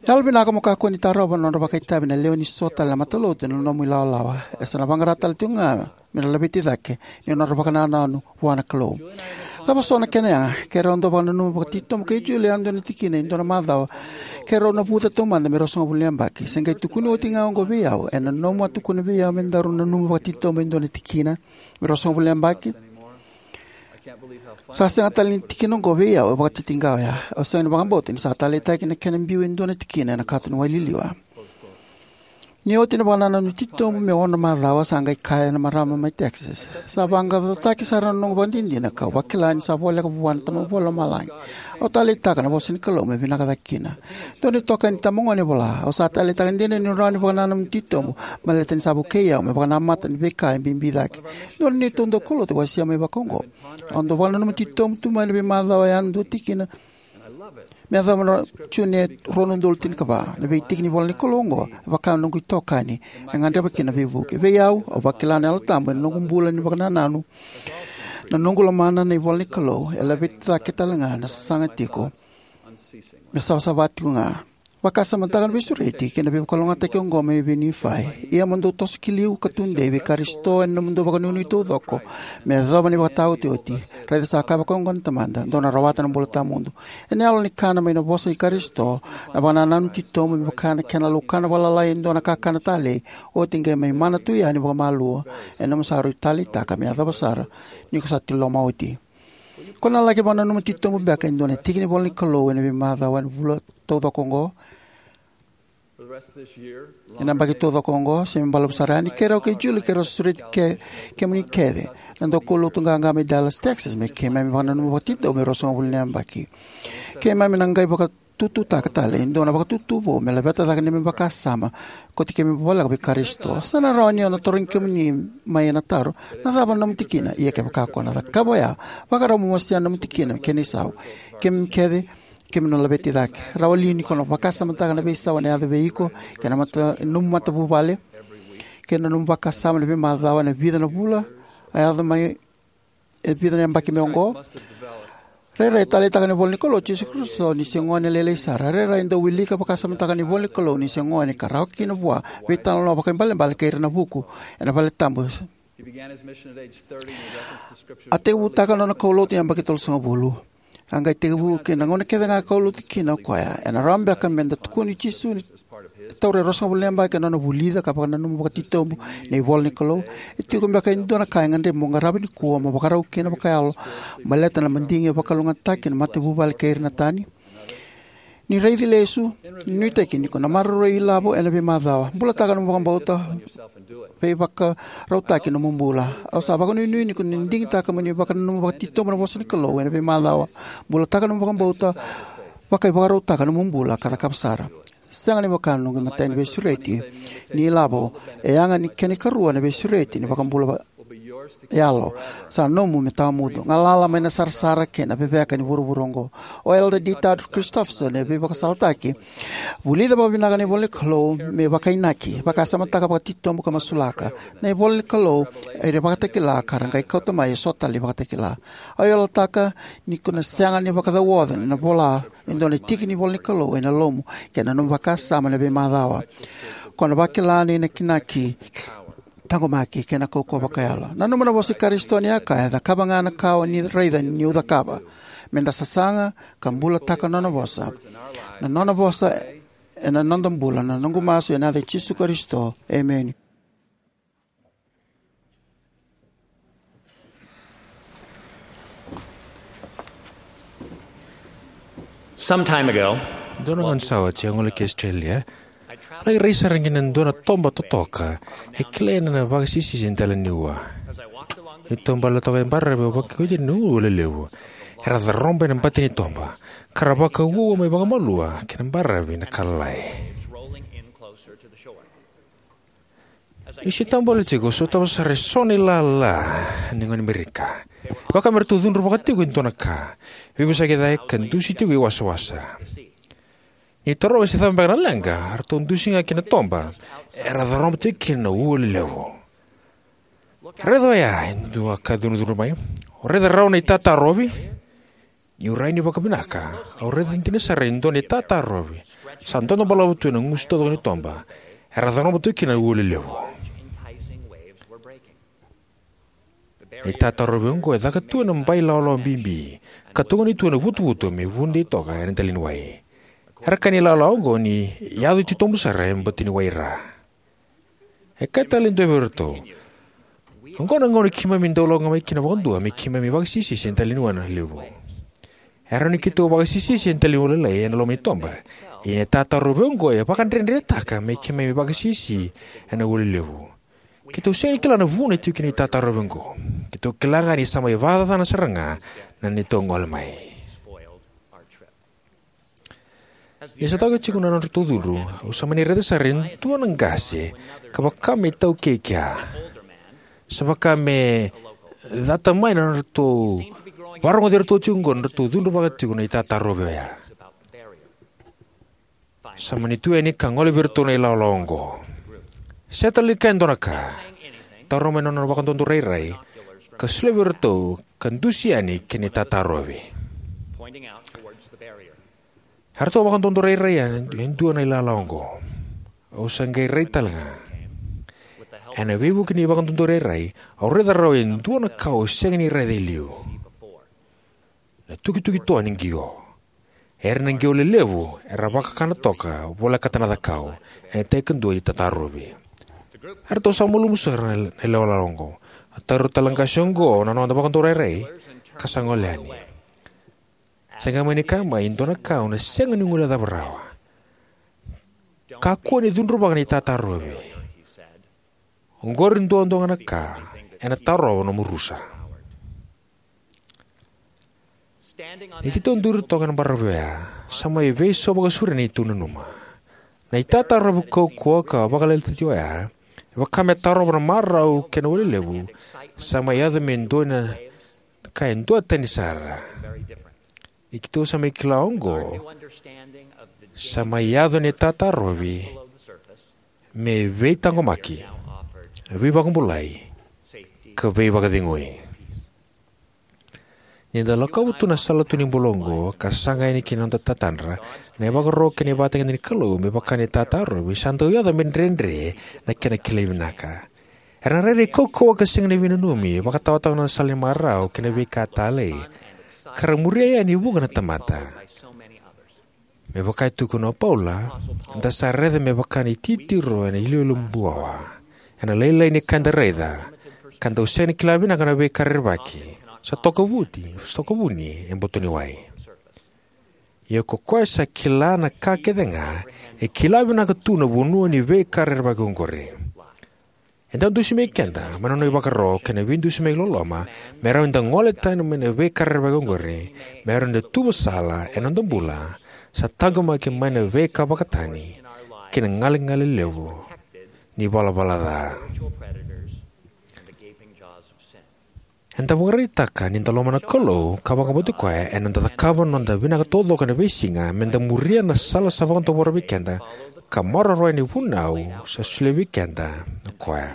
Yalovinaka mo kakua ni tarova na nodra vakaitavi na lewe ni so tale na matalotu ena nomu ilawalawa. E sa na vaqara tale tiko ga mera laveti cake ni nodra vakanananu vua na Kalou. Cava so na kena yaga? Keirau dau vakananuma vakatitobu kei Julie e dua na tikina e dua na macawa keirau navuca taumada me ruasagavulu na yabaki. Se qai tukuni oti ga oqo vei au, ena nomu a tukuna vei au me daru nanuma vakatitobu e dua na tikina me ruasagavulu na yabaki? Sa sega tale ni tikina oqo vei au e vakatitiqa oya. Au sega ni vakabauta ni sa taleitaki na kena biu e dua na tikina ena kato ni waliliwa. Ni oti na vakanananu titobu me ono na macawa, sa qai kaya na marama mai Texas, "Sa vaqaqacotaki sara na noqu ivakadinadina kau vakila ni sa voleka vua na Tamaqu Vakalomalagi. Au taleitaka na vosa ni Kalou me vinaka cake kina." Dua na itokani itabagone e vola, "Au sa taleitaka dina ni rawa ni vakanananu titobu baleta ni sa vukei au me vakanamata na veika e bibi cake." Dua na neitou daukaulotu e wasea mai vakaoqo, "Au dau vakananuma titobu tu mai na veimacawa yadua tikina me yacova na June rua na udolu tinikava. Na veitiki ni ivola ni Kalou oqo e vaka na noqu itokani. E gadreva kina na veivuke." Vei au, au vakila na Yalo Tabu ena noqu bula ni vakanananu. Na noqu lomana na ivola ni Kalou e laveti cake tale ga na sasaga tiko me savasava tiko ga. Vakasamataka na veisureti kei na veivakalougatataki oqo mai vei Nifai. "Ia mo dou toso ki liu ka tudei vei Karisito ena nomudou vakanuinui taucoko, me yacova na ivakataotioti. Raica sa kaya vakaoqo na Tamada, dou na rawata na bula tawamudu." Ena yalo ni kana mai na vosa i Karisito, na vakanananu titobu me vaka na kena laukana vakalalai e dua na kakana talei, oti qai mai mana tu yani vakamalua. Ena nomu sa rui taleitaka me yacova sara ni ko sa tiloma oti. Ko na laki vakananuma titobu beka e dua na tiki ni ivola ni Kalou ena veimacawa ena vula taucoko oqo? Ena yabaki taucoko oqo, se me balavu sara yani, keirau kei Julie keirau sureti ke, kemuni kece na daukaulotu qaqa mai Dallas, Texas, me keimami vakananuma vakatitobu me ruasagavulu na yabaki. Keimami na qai vakatututaka tale e dua na vakatutu vou me laveta cake na neimami vakasama, kauti keimami voleka vei Karisito. Sa na rawa ni o na tarogi kemuni mai ena taro, "Na cava na nomu tikina?" Ia kevaka ko na cakava oya, vakarau mo wasea na nomu tikina kei na isau. Keimami kece, keimami na laveti cake. Rawa li ni ko na vakasamataka na veisau ena yaco vei iko kei na mata, nomu matavuvale, kei na nomu vakasama ena veimacawa, ena vica na vula a yaco mai, e vica na yabaki mai oqo? Rairai taleitaka na ivola ni Kalou o Jisu Karisito ni se gone lailai sara. Rairai dau wilika vakasamataka na ivola ni Kalou ni se gone ka rawa kina vua veitalanoa vakaibalebale kei ira na vuku ena valetabu. A tekivutaka na nona kaulotu ena yabaki tolusagavulu. A qai tekivu kei na gauna kece ga e kaulotu kina o koya. Ena rawa beka meda tukuna o Jisu ni taura e ruasagavulu na yabaki na nona vulica ka vakananuma vakatitobu na ivola ni Kalou? E tiko beka e dua na ka e gadrevi mo qarava nikua mo vakarau kina vakayalo, baleta na madigi e vakalougatataki na matavuvale kei ira na tani? Ni raici lesu, ni nuitaki ni ko na maroroi ilavo ena veimacawa. Bulataka nomu vakabauta, veivakarautaki nomu bula. Au sa vakanuinui ni ko na digitaka mo ni vakananuma vakatitobu na vosa ni Kalou ena veimacawa. Bulataka nomu vakabauta, vakaivakarautaka nomu bula ka cakava sara. Sega ni vaka na noqu imatai ni veisureti ni ilavo, e yaga ni kena ikarua na veisureti ni vakabula va- yalo. Sa nomu me tawamudu. Galala mai na sarasara kei na veveka ni vuravura oqo. O Elder D. Todd Christofferson e veivakasalataki. Vulica vakavinaka na ivola ni Kalou me vakainaki, vakasamataka vakatitobu ka masulaka. Na ivola ni Kalou e ira vakatakila ka ra qai kauta mai e so tale vakatakila. Au yalataka ni ko na sega ni vakacauoca na vola e dua na tiki ni ivola ni Kalou ena lomamu kei na nomu vakasama ena veimacawa. Ko na vakila na inakinaki, taqomaki kei na kaukauwa vakayalo. Nanuma na vosa i Karisito ni a kaya, cakava ga na ka o ni raica niu cakava, meda sasaga ka bulataka na nona vosa. Na nona vosa ena noda bula, na noqu masu ena yaca i Jisu Karisito. Emeni. Some time ago, dua na gauna sa oti au gole ki Australia. Laki rai sara qi na dua na toba totoka e kilai ena vakasisisi e dela ni ua. Ni toba la toka e baravi au vakauti na ua lelevu. Era caroba ena bati ni toba ka ra vakauaua mai vakamalua ki na baravi na ka lalai. Ni se tabu wale tiko, sotava sara e so na ilala ni gone Merika. Vaka me ratou cudruvaka tiko e dua na ka, veivosaki cake ka dusi tiko i wasawasa. Ni taroga se cava beka na leqa, ratou dusi ga ki na toba era caroba tiko kina na ua lelevu. Raica oya e dua ka cudrucudru mai. O raica rawa na itatarovi? Niu rai ni vakavinaka, au raica dina sara e dua na itatarovi sa dodo balavu tu ena gusu taucoko ni toba era caroba tu kina na ua lelevu. Na itatarovi oqo e caka tu ena bai lawalawa bibi ka tukuni tu ena vutuvutu me vudei toka ena dela ni wai. Era kaya na ilawalawa oqo ni yaco titobu sara e bati ni wai ra. E kaya tale e dua vei iratou, oqo na gauna keimami dau lako ga mai kina vakadua me keimami vakasisisi e dela ni ua na levu. E rawa ni keitou vakasisisi e dela ni ua lailai ena loma ni toba, ia na itatarovi oqo e vakadredretaka me keimami vakasisisi ena ua lelevu. Keitou sega ni kila na vuna e tiko kina na itatarovi oqo. Keitou kila ga ni sa mai vakacacana sara ga na neitou gole mai. Ni sa toka tiko na nodratou cudru, au sa mani raica sara e dua na qase ka vaka me taukei kea. Sa vaka me cata mai na nodratou varogoci iratou tiko oqo na nodratou cudruvaka tiko na itatarovi oya. Sa mani tu yani ka gole vei iratou na ilawalawa oqo. Sega tale ni kaya e dua na ka. Taura mai na nona vakadoudou rairai ka solia vei iratou ka dusi yani ki na itatarovi. Eratou vakadoudou rairai yani e dua na ilala oqo. Au sa qai rai tale ga. Ena veivuke ni vakadoudou rairai, au raica rawa e dua na ka au sega ni raica e liu. Na tukituki toa ni qio. Era na qio lelevu era vakakana toka volekata na cakau ena tai kadua ni tatarovi. Eratou sa malumu sara na ilawalawa oqo. A taura tale na qase oqo na noda vakadoudou rairai ka sa gole yani. Sa qai mani kaya mai e dua na ka au na sega ni guilecava rawa. Kakua ni cudruvaka na itatarovi. Oqori duadua ga na ka ena tarova nomu rusa. Ni keitou duri toka ena baravi oya, sa mai veisau vakasauri na neitou nanuma. Na itatarovi kaukauwa ka vakalialiai oya e vaka me tarova na marau kei na ua lelevu. Sa mai yaco me dua na ka e duatani sara. Ni keitou sa mai kila oqo, sa mai yaco na itatarovi me veitaqomaki, veivakabulai, ka veivakacegui. Ni da lakova tu na sala tu ni bula oqo ka saga yani ki na noda tatadra, na ivakaro kei na ivakatakila ni Kalou me vaka ni tatarovi sa dau yaco me dredre na kena kilai vinaka. Era na rairai kaukauwa ka sega ni veinanumi, vakataotaka na sala ni marau kei na veika talei, ka ra muria yani e vuqa na tamata. Me vaka e tukuna o Paula, da sa raica me vaka na ititiro ena iloilo buawa, ena lailai ni ka eda raica, ka dau sega ni kila vinaka na veika rerevaki sa tokavuni, sa tokavuni e boto ni wai. Ia ko koya sa kila na ka kece ga, e kila vinaka tu na vanua ni veika rerevaki oqori. E dau dusimaki keda mai na nona ivakaro kei na veidusimaki loloma me rawa ni da gole tani mai na veika rerevaki oqori, me rawa ni da tuva sala ena noda bula sa taqomaki mai na veika vakatani kei na galegale levu ni valavala ca. Eda vakaraitaka ni da lomana na Kalou ka vakabauti koya ena noda cakava na noda vinaka taucoko ena veisiga me da muria na sala sa vakadavora vei keda ka maroroya na ivunau sa solia vei keda o koya.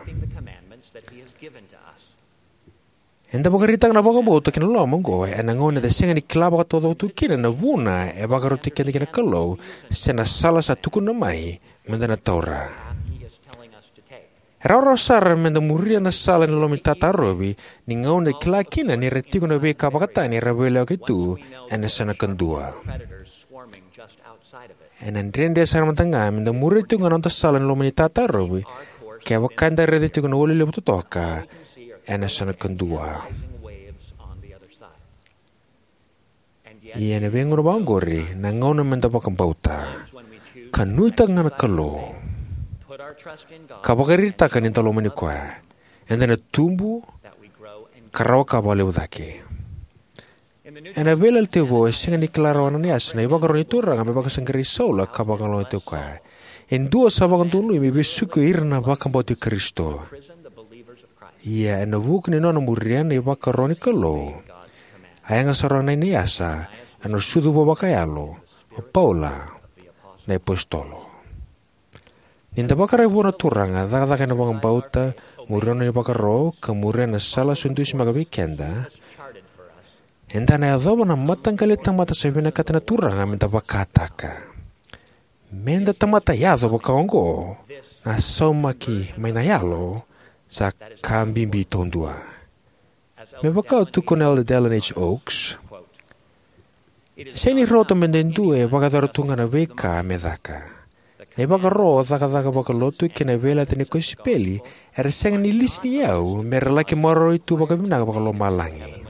Eda vakaraitaka na vakabauta kei na loloma oqo ena gauna eda sega ni kila vakataucoko tu kina na vuna e vakarautaki keda kina na Kalou se na sala sa tukuna mai me da na taura. E rawarawa sara me da muria na sala ni loma ni tatarovi ni gauna e kila kina ni ra tiko na veika vakatani era veilakoyaki tu ena yasana kadua. Ena dredre sara mada ga me da muria tiko ga na noda sala ni loma ni tatarovi kevaka eda raica tiko na ua lelevu totoka ena yasana kadua. Ia ena veigauna vaqori na gauna me da vakabauta ka nuitaka ga na Kalou ka vakaraitaka ni da lomani koya, eda na tubu ka rawa ka vakalevu cake. Ena Veiyalayalati Vou, e sega ni kila rawa o Ananiasi na ivakaro ni Turaga me vakasaqarai Saula ka vakalougatataki koya. E dua sa vakadonui me vesuki ira na vakabauti Karisito. Ia ena vuku ni nona muria na ivakaro ni Kalou, a yaga sara o Ananiasi ena sucu vou vakayalo o Paula na iApositolo. Ni da vakarau vua na Turaga, cakacaka ena vakabauta, muria na nona ivakaro ka muria na sala sa dusimaka vei keda, eda na yacova na mataqali tamata sa vinakata na Turaga me da vakataka. Me da tamata yaco vaka oqo, na saumaki mai na yalo sa ka bibi taudua. Me vaka e tukuna o Elder Dallin H. Oaks, sega ni rauta me da dua e vakayacora tu ga na veika me caka. Na ivakaro, cakacaka vakalotu kei na veiyalayalati ni kosipeli era sega ni lisi ni yau me ra laki maroroi tu vakavinaka vakalomalagi.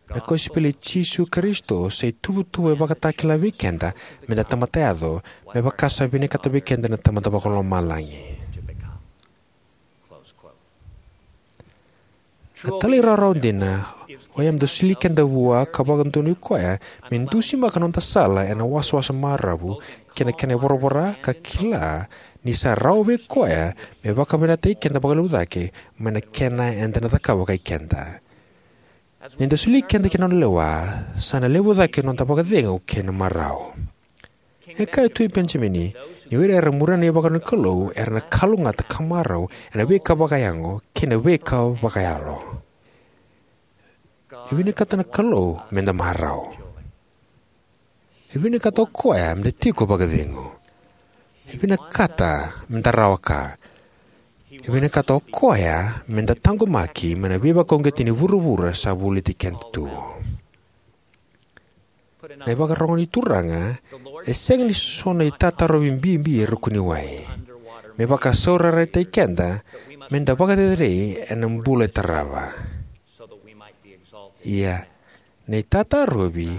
Na kosipeli i Jisu Karisito sa ituvatuva e vakatakila vei keda me da tamata yaco, me vaka sa vinakata vei keda na Tamada Vakalomalagi. Na talairawarawa dina oya me da soli keda vua ka vakadonui koya me dusimaka na noda sala ena wasawasa maravu kei na kena voravora ka kila ni sa rawa vei koya me vakavinavinakataki keda vakalevu cake mai na kena eda na cakava vakai keda. Ni da soli keda ki na nona lewa, sa na levu cake na noda vakacegu kei na marau. E kaya o Tui Penijamini ni o ira era muria na ivakaro ni Kalou era na kalougata ka marau ena veika vakayago kei na veika vakayalo. E vinakata na Kalou me da marau. E vinakata o koya me da tiko vakacegu. E vinakata me da rawa ka. E vinakata o koya me da taqomaki mai na veivakauqeti ni vuravura sa voliti keda tu. Na ivakarogo ni Turaga e sega ni so na itatarovi bibi e ruku ni wai me vakasaurarataki keda me da vakacerecerei ena bula e tarava. Ia, na itatarovi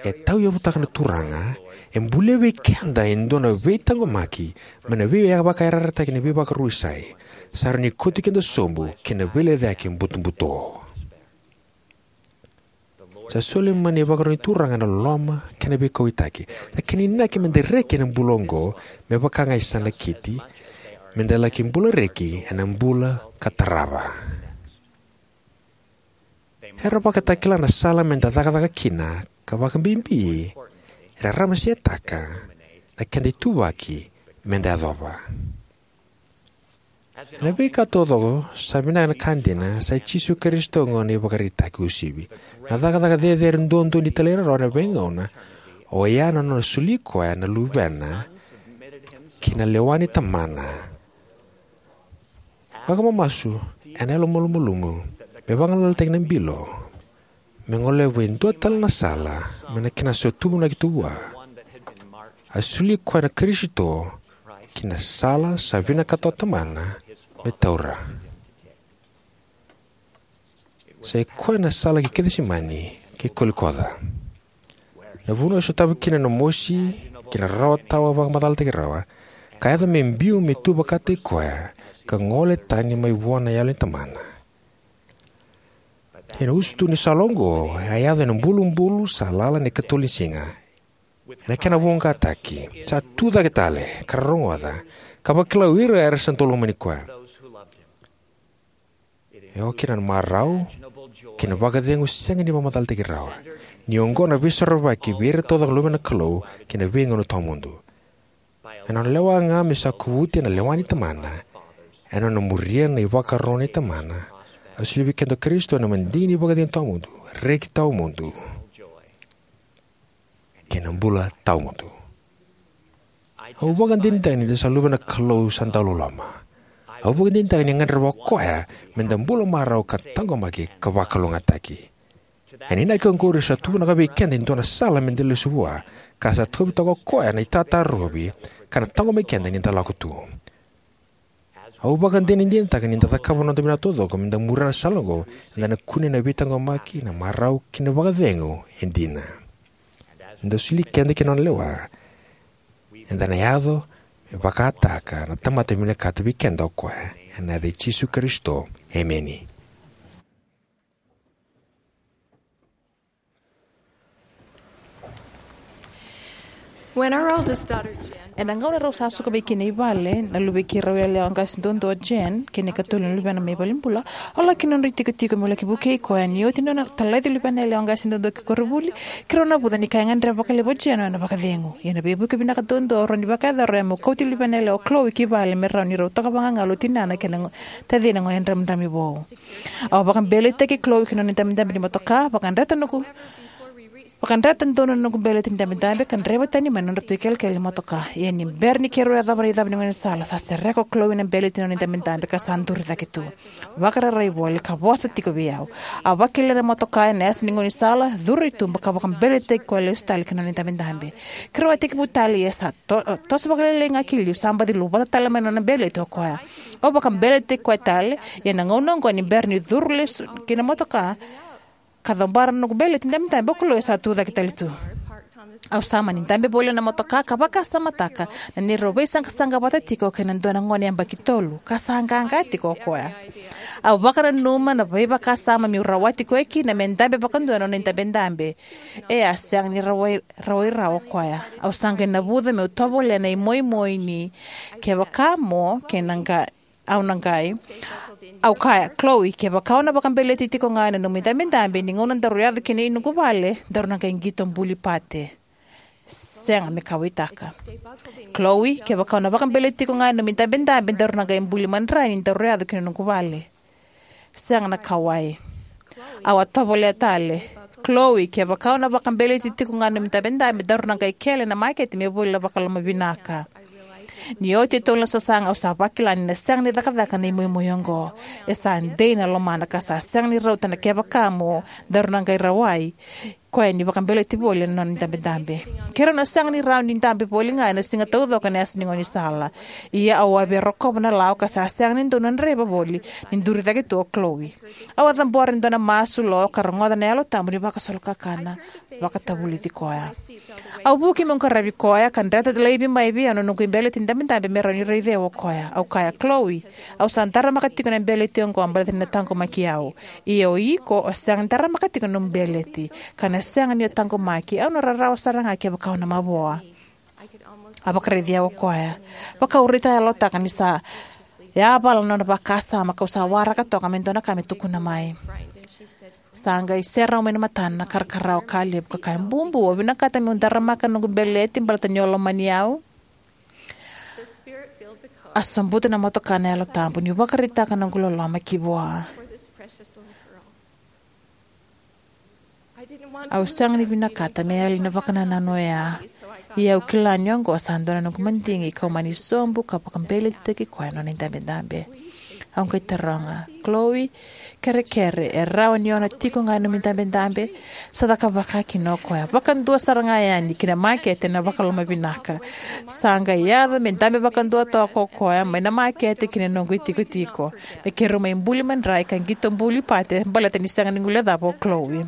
e tauyavutaka na Turaga e bulia vei keda e dua na veitaqomaki mai na veivakayarayarataki ni veivakarusai sa rawa ni kauti keda sobu ki na veilecayaki butobuto. Sa soli mai na ivakaro ni Turaga na loloma kei na veikauwaitaki. Na kena inaki me da reki ena bula oqo me vaka ga e sa nakiti, me da laki bula reki ena bula ka tarava. Era vakatakila na sala me da cakacaka kina ka vakabibi era ramasetaka na keda ituvaki me da yacova. Ena veika taucoko, sa vinaka na ka dina, sa i Jisu Karisito gona na ivakaraitaki uasivi. Na cakacaka cecere duadua ni talairawarawa ena veigauna, oya na nona soli koya na Luvena ki na lewa ni Tamana. Vakamamasu ena yalomalumalumu me vagalalataki na bilo, me goleva e dua tale na sala me na kena sotumunaki tu vua. A soli koya na Karisito ki na sala sa vinakata o Tamana me taura. Sa i koya na sala ki Kecisemani kei Kolikoca, na vanua e sotava kina na mosi kei na rarawa tawa vakamacalataki rawa, ka yaco me biu me tu vakataki koya ka gole tani mai vua na Yalo ni Tamana. Ena usutu ni sala oqo, a yaco ena bulubulu sa lala ena ikatolu ni siga. Ena kena voqataki, sa tu cake tale ka ra rogoca, ka vakila o ira era sa dau lomani koya. E oka kina na marau kei na vakacegu sega ni vakamacalataki rawa, ni oqo na veisorovaki vei ira taucoko na luve na Kalou kei na veigauna tawamudu. Ena nona lewa ga me sa kovuti ena lewa ni Tamana, ena nona muria na ivakaro nei Tamana, a soli vei keda o Karisito ena madigi ni vakacegu tawamudu, reki tawamudu, kei na bula tawamudu. Au vakadinadina ni da sa luve na Kalou sa dau loloma. Au vakadinadina ni gadreva o koya me da bula marau ka taqomaki ka vakalougatataki. Ena inaki oqori sa tuvanaka vei keda e dua na sala me da lesu vua, ka sa tauvi toka o koya na itatarovi ka na taqomaki keda ni da lako tu. Au vakadinadinataka ni da cakava na noda vinaka taucoko me da muria na sala oqo, eda na kunea na veitaqomaki, na marau kei na vakacegu e dina. Ni da soli keda ki na nona lewa, eda na yaco me vakataka na tamata vinakata vei keda o koya. Ena yaca i Jisu Karisito, emeni. When our oldest daughter, Jen, ena gauna rau sa suka mai kina i vale na luvei keirau yalewa qase duadua o Jen kei na ikatolu ni luvena mai valenibula, au laki nodra itikotiko meu laki vukei koya. Ni oti nona talaici luvena yalewa qase duadua ki koronivuli, keirau navuca ni ka e gadreva vakalevu o Jen o na vakacegu. Ia na veivuke vinaka duadua au rawa ni vakayacora oya meu kauti luvena yalewa o Chloe ki vale me rawa ni rau toka vagagalu o tinana kei na go- tacina gone dramidrami vou. Au a vakabeletaki Chloe ki na nona idabedabe ni motoka, vakadreta noqu vakadreta donu na noqu beleti ni dabedabe ka draiva tani mai na nodratou ikelekele ni motoka. Ia ni bera ni keirau yacova na icava ni gaunisala, sa sereka o Chloe na beleti ni nona idabedabe ka sa duri cake tu, vakararai voli, ka vosa tiko vei au. Au a vakilaia na motoka ena yasa ni gaunisala, curu i tuba ka vakabeletaki koya lesu tale ki na nona idabedabe. Keirau a tekivu tale, ia sa to- toso vakalailai ga ki liu, sa baci luvata tale mai na nona beleti o koya. Au vakabeletaki koya tale, ia na gauna oqo ni bera ni curu lesu ki na motoka ka cabora na noqu beleti ni dabedabe, o Chloe sa tu cake tale tu. Au sa mani dabe voli ena motoka ka vakasamataka na neirau veisaqasaqa vata tiko kei na dua na gone yabaki tolu, ka sa qaqa tiko o koya. Au vakananuma na veivakasama meu rawati koya kina me dabe vakadua na nona idabedabe. E a sega ni rawai, rawai rawa o koya. Au sa qai navuca meu tovolea na imoimoi ni kevaka mo kei na qai au na qai. Au kaya, Chloe, kevaka o na vakabeleti tiko ga na nomu idabedabe ni gauna daru yaco kina i noqu vale, daru na qai qito buli pate. Sega me kauwaitaka. Chloe, kevaka o na vakabeleti tiko ga na nomu idabedabe, daru na qai buli madrai ni daru yaco kina noqu vale. Sega na kauwai. Au a tovolea tale, Chloe, kevaka o na vakabeleti tiko ga na nomu idabedabe, daru na qai kele na makete me voli na vakalomavinaka. Ni oti e tolu na sasaga, au sa vakila ni na sega ni cakacaka na imoimoi oqo. E sa dei na lomana ka sa sega ni rauta na kevaka mo daru na qai rawai koya ni vakabeleti voli na nona idabedabe. Keirau na sega ni rawa ni dabe voli ga ena siga taucoko ena yasa ni gaunisala. Ia au a via rokova na lawa ka sa sega ni dau na draiva voli ni duri cake tu o Chloe. Au a cabora e dua na masu lo ka rogoca na Yalo Tabu ni vakasolokakana, vakatavulici koya. Au vuki meu qaravi koya ka dreta laivi mai vei au na noqu ibeleti ni dabedabe me rawa ni raici au o koya. Au kaya, Chloe, au sa daramaka tiko na beleti oqo baleta ni na taqomaki au. Ia o iko o sega ni daramaka tiko na nomu beleti, ka na sega ni o taqomaki. Au na rarawa sara ga kevaka o na mavoa. A vakaraici au o koya. Vaka au raitayalotaka ni sa yavala na nona vakasama, kau sa waraka toka me dua na ka me tukuna mai. Sa qai serau mai na matana na karakarawa ka levu ka kaya, Bubu, au vinakata meu daramaka na noqu beleti baleta ni o lomani au. A sobuta na motoka na Yalo Tabu niu vakaraitaka noqu loloma ki vua. Au sega ni vinakata me yali na vakanananu oya, ia au kila ni oqo sa dua na noqu madigi kau mani sobu ka vakabeletitaki koya na nona idabedabe. Au qai taroga, Chloe, kerekere, e rawa ni o na tiko ga ena nomu idabedabe? Sa caka vaka kina o koya, vakadua sara ga yani ki na makete ena vakalomavinaka. Sa qai yaco me dabe vakadua toka o koya mai na makete ki na noqu itikotiko, me keirau mai buli madrai ka qito buli pate baleta ni sega ni guilecava o Chloe.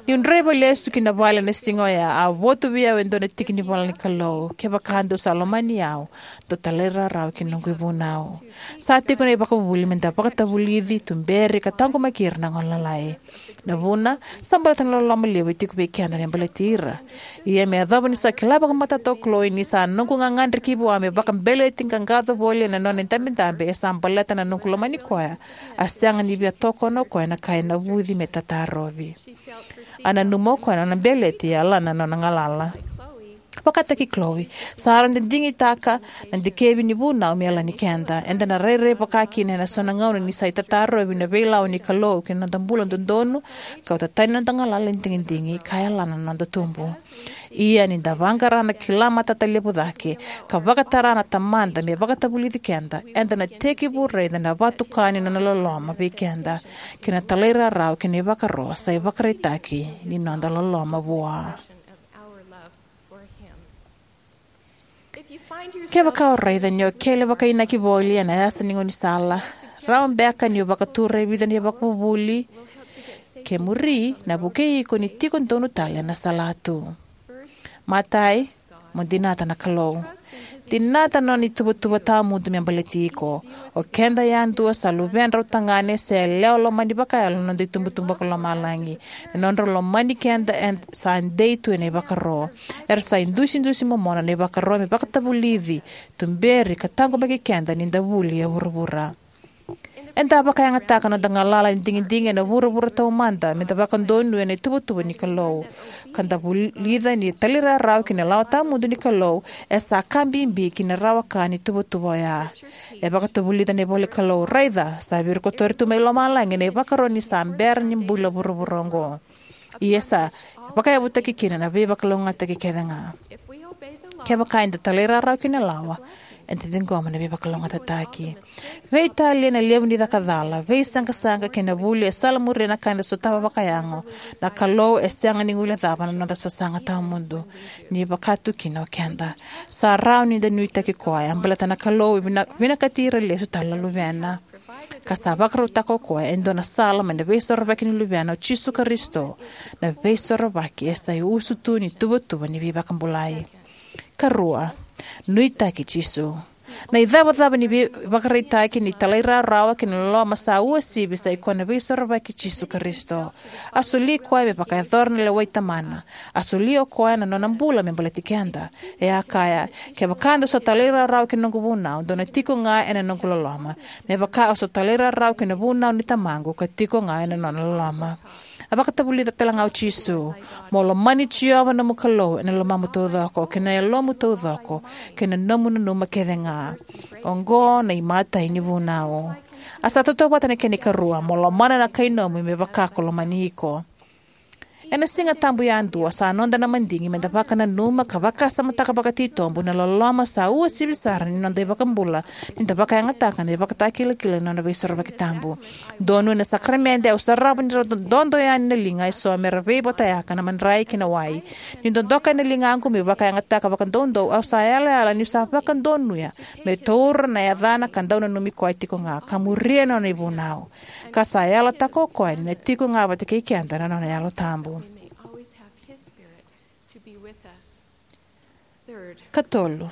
Niu draiva lesu ki na vale na siga oya, a votu vei au e dua na tiki ni ivola ni Kalou: Kevaka dou sa lomani au, dou talairawarawa ki na noqu ivunau. Sa tiko na ivakavuvuli me da vakatavulici, tuberi, ka taqomaki ira na gone lalai. Na vuna, sa baleta na loloma levu e tiko vei keda me baleti ira. Ia me yacova ni sa kila vakamatata o Chloe ni sa noqu gagadre ki vua me vakabeleti qaqaco voli ena nona idabedabe, e sa baleta na noqu lomani koya, a sega ni via tokona o koya na ka e navuci me tatarovi. A nanuma o koya na nona beleti e yalana na nona galala. Vakataki Chloe, sa rau da digitaka na dikevi ni vunau me yalani keda. Eda na rairai vaka kina ena so na gauna ni sa itatarovi na veilawa ni Kalou ki na noda bula dodonu, kauta tani na noda galala ni digidigi ka yalana na noda tubu. Ia ni da vaqara na kila matata levu cake, ka vakatara na Tamada me vakatavulici keda, eda na tekivu raica na vatuka ni nona loloma vei keda kei na talairawarawa ki na ivakaro sa ivakaraitaki ni noda loloma vua. Kevaka o raica ni o kele vakainaki voli ena yasa ni gaunisala, rawa beka niu vakatura e vica na ivakavuvuli ke muri na vukei iko ni tiko donu tale ena salatu. Matai, mo dinata na Kalou. Dinata na nona ituvatuva tawamudu me baleti iko. O keda yadua sa luvedrau tagane se yalewa lomani vakayalo na noda itubutubu vakalomalagi. Na nodrau lomani keda e sa dei tu ena ivakaro. Era sa idusidusi momona na ivakaro me vakatavulici, tuberi, ka taqomaki keda ni da vuli e vuravura. Eda vakayagataka noda galala ni digidigi ena vuravura taumada me da vakadonuya na ituvatuva ni Kalou, ka da vulica ni talairawarawa ki na lawa tawamudu ni Kalou e sa ka bibi ki na rawa ka ni tuvatuva oya. E vakatavulica na ivola ni Kalou, raica, sa virikotori tu mai lomalagi na ivakaro ni sa bera ni bula vuravura oqo. Ia sa vakayavutaki kina na veivakalougatataki kece ga. Kevaka eda talairawarawa ki na lawa, eda ciqoma na veivakalougatataki. Veitalia na levu ni cakacala, veisaqasaqa kei na vuli e salamuria na ka eda sotava vakayago, na Kalou e sega ni guilecava na noda sasaga tawamudu, ni vaka tu kina o keda. Sa rawa ni da nuitaki koya baleta na Kalou e vina- vinakati ira lesu tale na luvena. Ka sa vakarautaka o koya e dua na sala mai na Veisorovaki ni Luvena o Jisu Karisito, na Veisorovaki e sa iusutu ni tuvatuva ni veivakabulai. Karua, nuitaki Jisu. Na icavacava ni veivakaraitaki ni talairawarawa kei na loloma sa uasivi sa ikoya na Veisorovaki i Jisu Karisito. A soli koya me vakayacora na lewa i Tamana. A solia o koya na nona bula me baleti keda. E a kaya, kevaka dou sa talairawarawa ki na noqu vunau, dou na tiko ga ena noqu loloma, me vaka au sa talairawarawa ki na vunau ni Tamaqu ka tiko ga ena nona loloma. A vakatavulica tale ga o Jisu, mo lomani Jiova na nomu Kalou ena lomamu taucoko, kei na yalomu taucoko, kei na nomu nanuma kece ga. Oqo na imatai ni vunau. A sa tautauvata na kena ikarua, mo lomana na kainomu me vaka ko lomani iko. Ena Siga Tabu yadua sa noda na madigi me da vakananuma ka vakasamataka vakatitobu na loloma sa uasivi sara ni noda iVakabula ni da vakayagataka na ivakatakilakila ni Nona Veisorovaki tabu. Donuya na sakaramede, au sarava ni ra dodo yani na liga eso me ra veivotayaka na madrai kei na wai. Ni dodoka na ligaqu meu vakayagataka vakadoudou, au sa yalayala niu sa vakadonuya meu taura na yacana ka dau nanumi koya tiko ga, ka muria na nona ivunau. Ka sa yalataka o koya ni na tiko ga vata kei keda na nona Yalo Tabu. Katolu,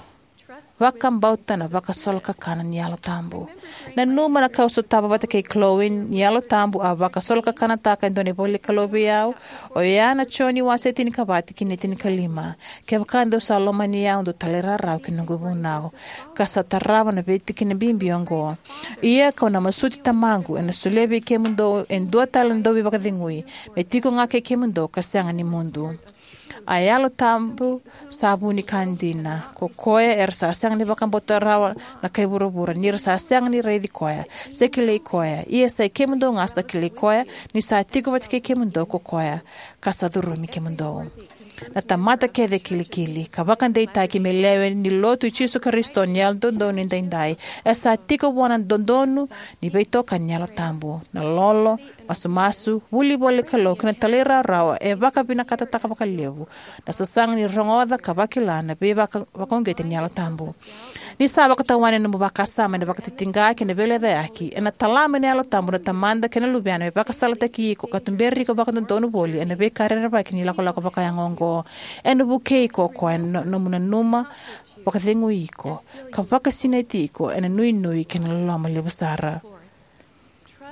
vakabauta na vakasolokakana ni Yalo Tabu. Nanuma na ka au sotava vata kei Chloe ni Yalo Tabu a vakasolokakanataka e dua na ivola ni Kalou vei au, oya na Joni wase tinikava tikina e tinikalima. Kevaka dou sa lomani au, dou talairawarawa ki na noqu ivunau. Ka sa tarava na veitikina bibi oqo. Ia kau na masuti Tamaqu, ena solia vei kemudou e dua tale na dauveivakacegui, me tiko ga kei kemudou ka sega ni mudu. A Yalo Tabu sa vu ni ka dina. Ko koya era sa sega ni vakabauta rawa na kai vuravura, ni ra sa sega ni raici koya, se kilai koya. Ia sa i kemudou ga sa kilai koya, ni sa tiko vata kei kemudou ko koya, ka sa curumi kemudou. Na tamata kece e kilikili ka vakadeitaki me lewe ni lotu i Jisu Karisito ni Yalododonu Edaidai, e sa tiko vua na dodonu ni veitokani ni Yalo Tabu. Na lolo, masumasu, vuli voli Kalou kei na talairawarawa e vakavinakatataka vakalevu na sasaga ni rogoca ka vakila na veivaka-, vakauqeti ni Yalo Tabu. Ni sa vakatawani na nomu vakasama ena vakatitiqa kei na veilecayaki, ena tala mai na Yalo Tabu na Tamada kei na Luvena me vakasalataki iko ka tuberi iko vakadodonu voli ena veika rerevaki ni lakolako vakayago oqo. Ena vukei iko o koya ena no-, nomu nanuma, vakacegui iko, ka vakasinaiti iko ena nuinui kei na loloma levu sara.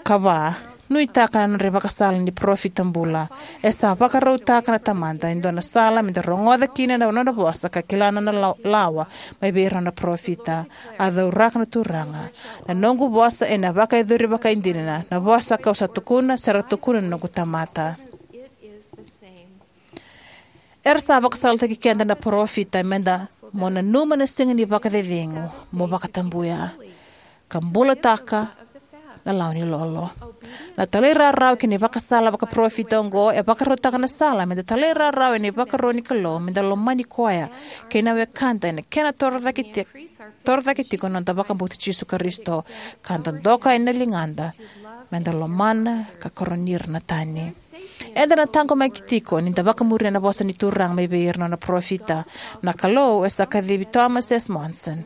Ka va, nuitaka na nodra ivakasala ni parofita bula. E sa vakarautaka na Tamada e dua na sala meda rogoca kina na nona vosa ka kila na nona la-, lawa mai vei ira na parofita. A cauraka na Turaga: Na noqu vosa ena vakayacori vakaidina, na vosa kau sa tukuna, sa ra tukuna na noqu tamata. Era sa vakasalataki keda na parofita meda mo nanuma na siga ni vakacecegu, mo vakatabuya, ka bulataka na lawa ni lolo. Na talairawarawa kei na ivakasala vakaparofita oqo e vakarautaka na sala meda talairawarawa ena ivakaro ni Kalou, meda lomani koya kei na wekada ena kena torocake ti-, torocake tiko na noda vakabauti Jisu Karisito, ka dodoka ena ligada meda lomana ka karoni ira na tani. Eda na taqomaki tiko nida vakamuria na vosa ni Turaga mai vei ira na nona parofita. Na Kalou e sa kacivi Thomas S. Monson,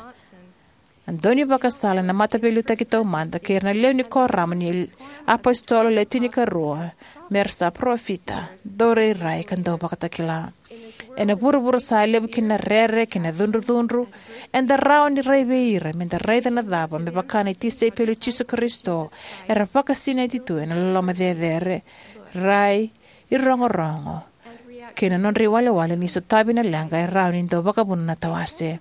na daunivakasala ena Mataveiliutaki Taumada, kei ira na lewe ni Kuoramu ni Apositolo Le Tinikarua, me ra sa parofita, daurairai, ka dauvakatakila. Ena vuravura sa levu kina na rere kei na cudrucudru, eda rawa ni rai vei ira meda raica na cava me vaka na tisaipeli i Jisu Karisito era vakasinaiti tu ena loloma cecere, rai, irogorogo, kei na nodra iwalewale ni sotavi na leqa e rawa ni dau vakavuna na tawase.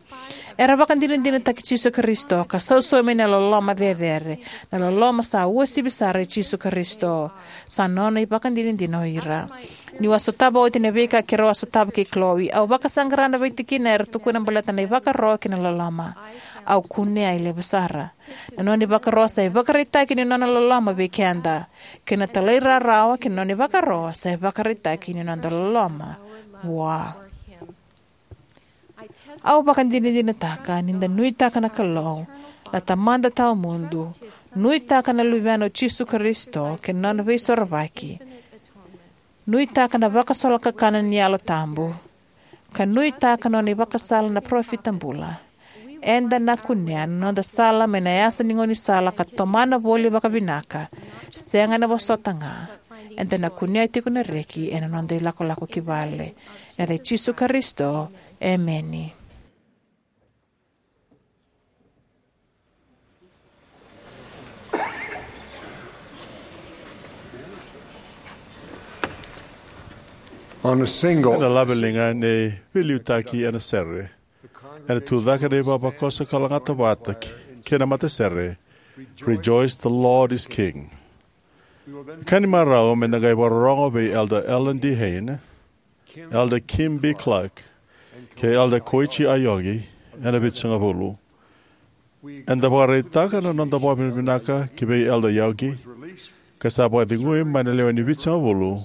Era vakadinadinataki Jisu Karisito ka sausaumi ena loloma cecere, na loloma sa uasivi sara i Jisu Karisito. Sa nona ivakadinadina o ira. Niu a sotava oti na veika keirau a sotava kei Chloe, au vakasaqara na veitikina era tukuna baleta na ivakaro kei na loloma. Au kunea e levu sara. Na nona ivakaro sa ivakaraitaki ni nona loloma vei keda, kei na talairawarawa kei na nona ivakaro sa ivakaraitaki ni noda loloma vua. Au vakadinadinataka nida nuitaka na Kalou, na Tamada Tawamudu, nuitaka na Luvena o Jisu Karisito kei na nona Veisorovaki, nuitaka na vakasolokakana ni Yalo Tabu, ka nuitaka na nona ivakasala na parofita bula, eda na kunea na noda sala mai na yasa ni gaunisala ka tomana voli vakavinaka, sega na vosota ga. Eda na kunea tiko na reki ena noda ilakolako ki vale. Ena yaca i Jisu Karisito, emeni. On a single Ena laveliga ni veiliutaki ena sere, ena tucake na ivavakoso ka lagata vata kei na matasere, Rejoice, the Lord is King. Ka ni marau meda qai vakarorogo vei Elder Alan D. Hain, Elder Kim B. Clark, kei Elder Koichi Aoyagi ena Vitusagavulu. Eda vakaraitaka na noda vakavinavinaka ki vei Elder Aoyagi, ka sa vakacegui mai na lewe ni Vitusagavulu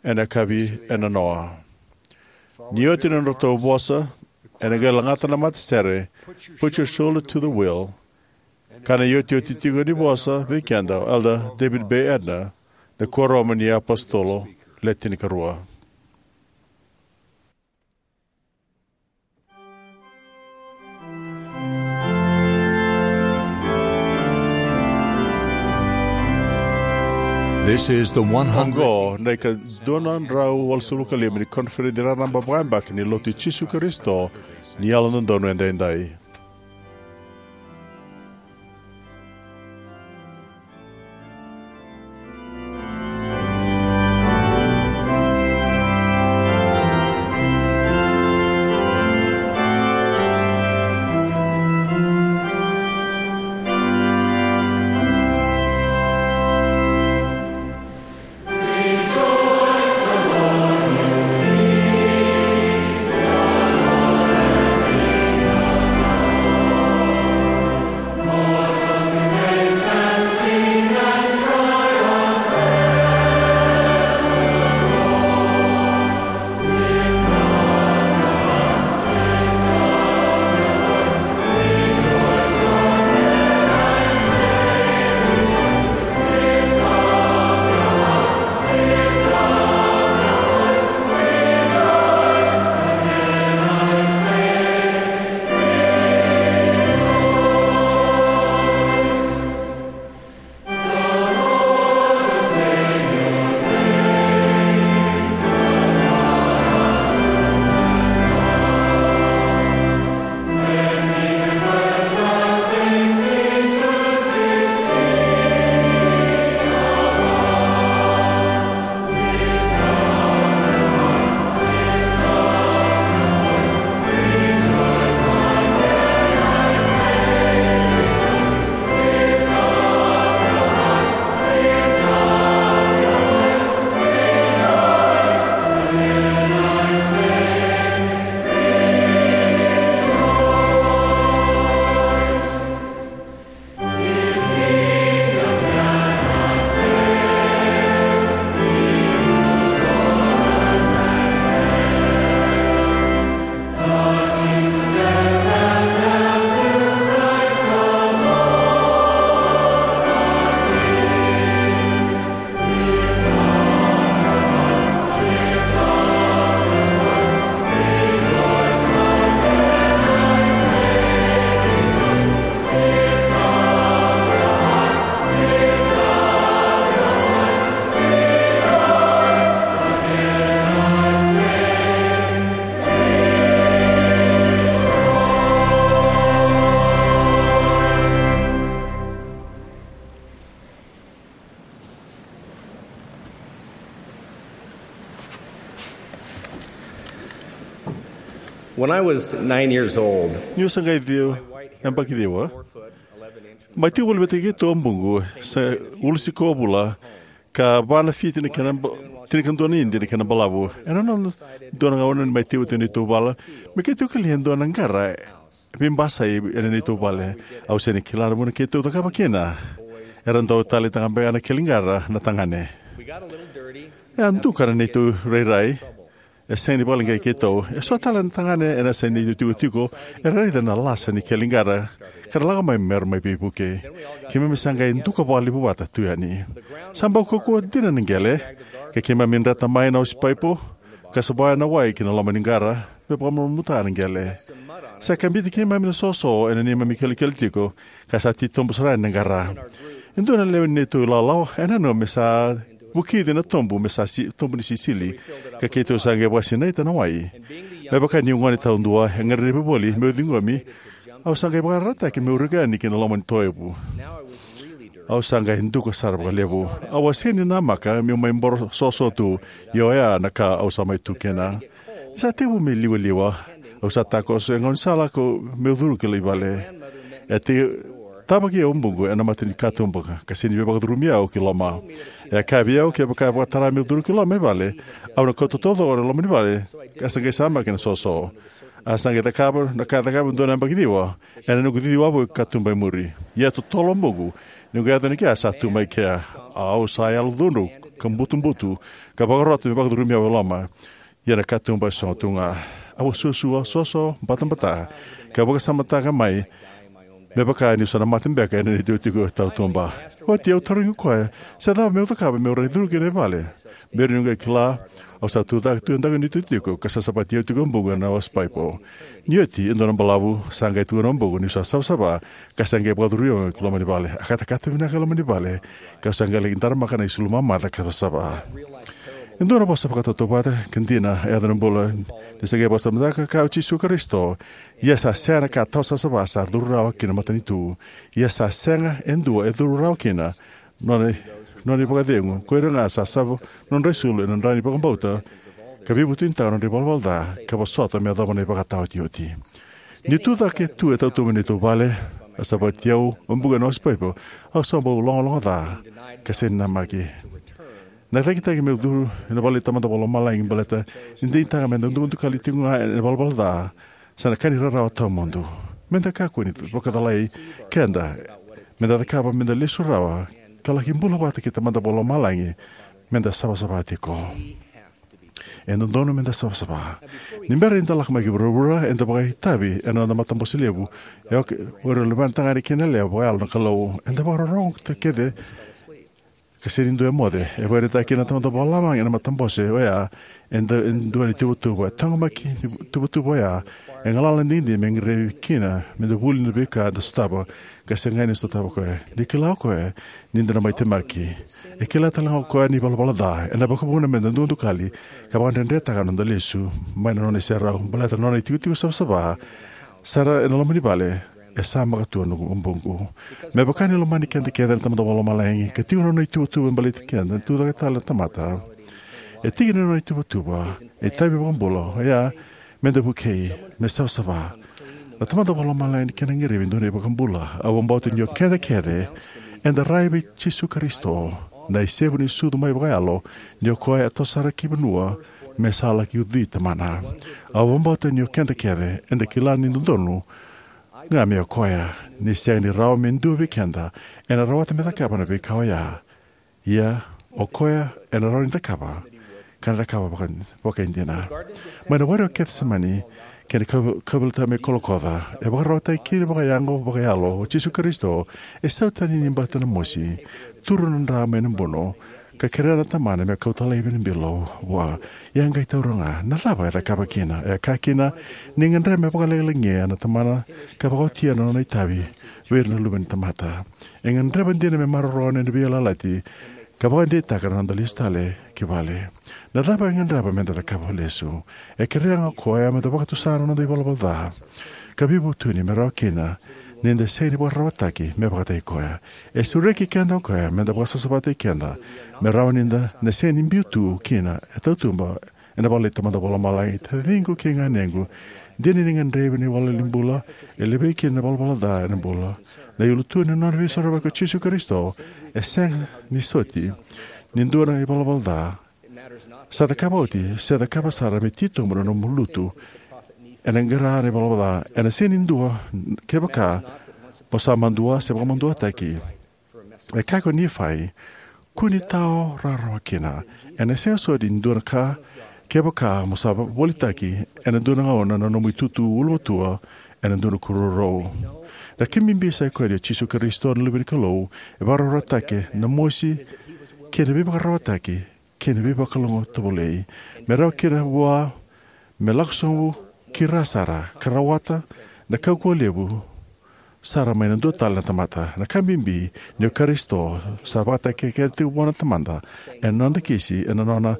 ena yakavi e nanoa. Ni oti na nodratou vosa, ena qai lagata na matasere, Put Your Shoulder to the Wheel, ka na iotioti tiko ni vosa vei keda o Elder David Bay Edner, na Kuoramu ni iApositolo Le Tinikarua. This is the one hundred. Oqo na ika dua na drau walusagavulu ka lima ni koniferedi raraba vakayabaki ni Lotu i Jisu Karisito ni Yalododonu Edaidai. When I was nine years old, niu sa qai ciwa, yabaki ciwa, mai tiko voli vata kei keitou o buqu, sa ulusi ko vula, ka va na fiti na kena ba-, tinikadua na idi na kena balavu. Ena nona dua na gauna ni mai tiko vata neitou vale, me keitou kila e dua na qara veibasai ena neitou vale. Au sega ni kila na vuna keitou cakava kina. Era dau taleitaka beka na keli qara na tagane. E a duka na neitou rairai. E sega ni vakaleqai keitou. E so tale na tagane ena yasa ni neitou tikotiko, era raica na lasa ni keli qara ka ra lako mai mera mai veivuke. Keimami sa qai duka vakalevu vata tu yani. Sa bau kaukauwa dina na qele, ka keimami dreta mai na osipaipo ka savaya na wai ki na loma ni qara me vakamalumalumutaka na qele. Sa kabiti keimami na soso ena neimami kelekele tiko, ka sa titobu sara yani na qara. E dua na lewe ni neitou ilawalawa e nanuma me sa vukici na tobu, me sa si-, tobu ni sisili, ka keitou sa qai vakasinaita na wai. Me vaka niu gone taudua, e gadrevi voli meu ciqomi. Au sa qai vakarautaki meu rika yani ki na loma ni toevu. Au sa qai duka sara vakalevu. Au a sega ni namaka meu mai boro soso tu, ia oya na ka au sa mai tu kina. Ni sa tekivu me liwaliwa, au sa takoso e gaunisala ko meu curu ki lai vale. E te tavaki au buqu ena mata ni katuba ka sega ni veivakacurumi au ki loma. E a kaya vei au kevaka e vakatara meu curu ki loma i vale, au na kauta taucoko na loma ni vale ka sa qai samaki na soso. A sa qai cakava na ka e cakava e dua na yabaki ciwa ena noqu cici wavoki katuba e muri. Ia totolo buqu, ni qai yaco ni kea sa tu mai kea. Au sa yalocudru ka butubutu ka vakarota me vakacurumi au e loma. Ia na katuba e sogo tu ga. Au a suasua, soso, batabata, ka vakasamataka mai me vaka niu sa na mate beka ena neitou tiko tautuba. Oti au tarogi koya se cava meu cakava meu rawa ni curu ki na vale. Meu rawa ni qai kila, au sa tu cake tu e daku ni neitou tiko ka savasavati au tiko buqu ena osipaipo. Ni oti e dua na balavu, sa qai tukuna o buqu niu sa savasava ka sa qai vakacurumi au ki loma ni vale. A katakata vinaka e loma ni vale, ka sa qai laki daramaka na isulu mamaca ka savasava. E dua na vosa vakatautauvata ka dina e yaco na bula ni sa qai vakasamataka ka o Jisu Karisito. Ia sa sega na ka tawa savasava sa curu rawa ki na matanitu. Ia sa sega e dua e curu rawa kina nona, nona ivakacegu. Ko ira ga sa sava nodra isulu ena dra ni vakabauta ka veivutunitaka nodra ivalavala ca ka vosota me yacova na ivakataotioti. Ni tu cake tu e tautuba ni neitou vale, a savati au o buqu ena osipaipo, au sa bau logaloga ca ka sega ni namaki. Na cakitaki meu curu ena vale i Tamada Vakalomalagi baleta ni digitaka meda dukadukali tiko ga ena ivalavala ca sa na ka ni rarawa tawamudu. Meda kakua ni vakacalai keda, meda cakava meda lesu rawa ka laki bula vata kei Tamada Vakalomalagi, meda savasava tiko. E dodonu meda savasava. Ni bera ni da lako mai ki vuravura, eda vakaitavi ena noda matabose levu. E oka o ira na luvena tagane kei na yalewa vakayalo na Kalou. Eda vakarorogo kece ka sega ni dua e moce. E vakaraitaka kina na Tamada Vakalomalagi ena matabose oya e dua na ituvatuva. E taqomaki ni tuvatuva oya e galala digidigi me gadrevi kina meda vuli na veika eda sotava ka sega ni sotava o koya. Ni kila o koya ni da na mai temaki, e kila tale ga o koya na ivalavala ca. Ena vakavuna meda dukadukali ka vakadredretaka na noda lesu mai na nona iserau baleta na nona itikotiko savasava sara ena loma ni vale. E sa maka tu na noqu buqu. Me vaka ni lomani keda kece na Tamada Vakalomalagi ka tiko na nona ituvatuva baleti keda, tu cake tale na tamata. E tiki ni nona ituvatuva na itavi vakabula oya meda vukei, me savasava. Na Tamada Vakalomalagi ni kena gadrevi e dua na iVakabula. Au vakabauta ni o keda kece eda rai vei Jisu Karisito, na isevu ni sucu mai vakayalo, ni o koya e toso sara ki vanua me sa laki ucui Tamana. Au vakabauta ni o keda kece eda kila ni dodonu ga me o koya, ni sega ni rawa me dua vei keda ena rawata me cakava na veika oya. Ia o koya ena rawa ni cakava, ka na cakava vaka, vakaidina. Mai na were o Kecisemani kei na kau-, kauveilatai mai Kolokoca, e vakararawataki kina vakayago vakayalo o Jisu Karisito. E sautani ni baleta na mosi, turu na dra mai na buno, ka kerea na Tamana me kauta laivi na bilo vua. Ia qai taura ga, na cava e cakava kina? E kaya kina, ni gadreva me vakalagilagi na Tamana ka vakaotia na nona itavi vei ira na luve ni tamata. E gadreva dina me maroroya na veiyalayalati ka vakadeitaka na noda lesu tale ki vale. Na cava e gadreva meda cakava lesu? E kerea ga o koya meda vakatusa na noda ivalavala ca ka veivutuni me rawa kina ni da sega ni vakararawataki me vakataki koya. E sureti keda o koya meda vakasavasavataki keda me rawa ni da na sega ni biu tu kina e tautuba ena vale i Tamada Vakalomalagi. Taciqu kei ganequ, Dina ni gadrevi na iwalewale ni bula e levei kina na ivalavala ca ena bula. Na iulu tu ni nona veisorovaki o Jisu Karisito e sega ni soti ni dua na ivalavala ca sa cakava oti se cakava sara me titobu na nomu lutu. Ena qara na ivalavala ca ena sega ni dua kevaka mo sa madua se vakamaduataki. E kaya ko Nifai, kua ni tao rawarawa kina. Ena sega soti ni dua na ka kevaka mo sa volitaki ena dua na gauna na nomu itutu ulumatua ena dua na kurorou. Na kena bibi sa i koya ni o Jisu Karisito na Luve ni Kalou e vakarawarawataki na mosi kei na veivakararawataki kei na veivakalougatataki tovolei me rawa kina vua me lako sobu ki ra sara ka rawata na kaukauwa levu sara mai na dua tale na tamata. Na ka bibi ni o Karisito sa vakatakekere tiko vua na Tamada ena noda kisi ena nona,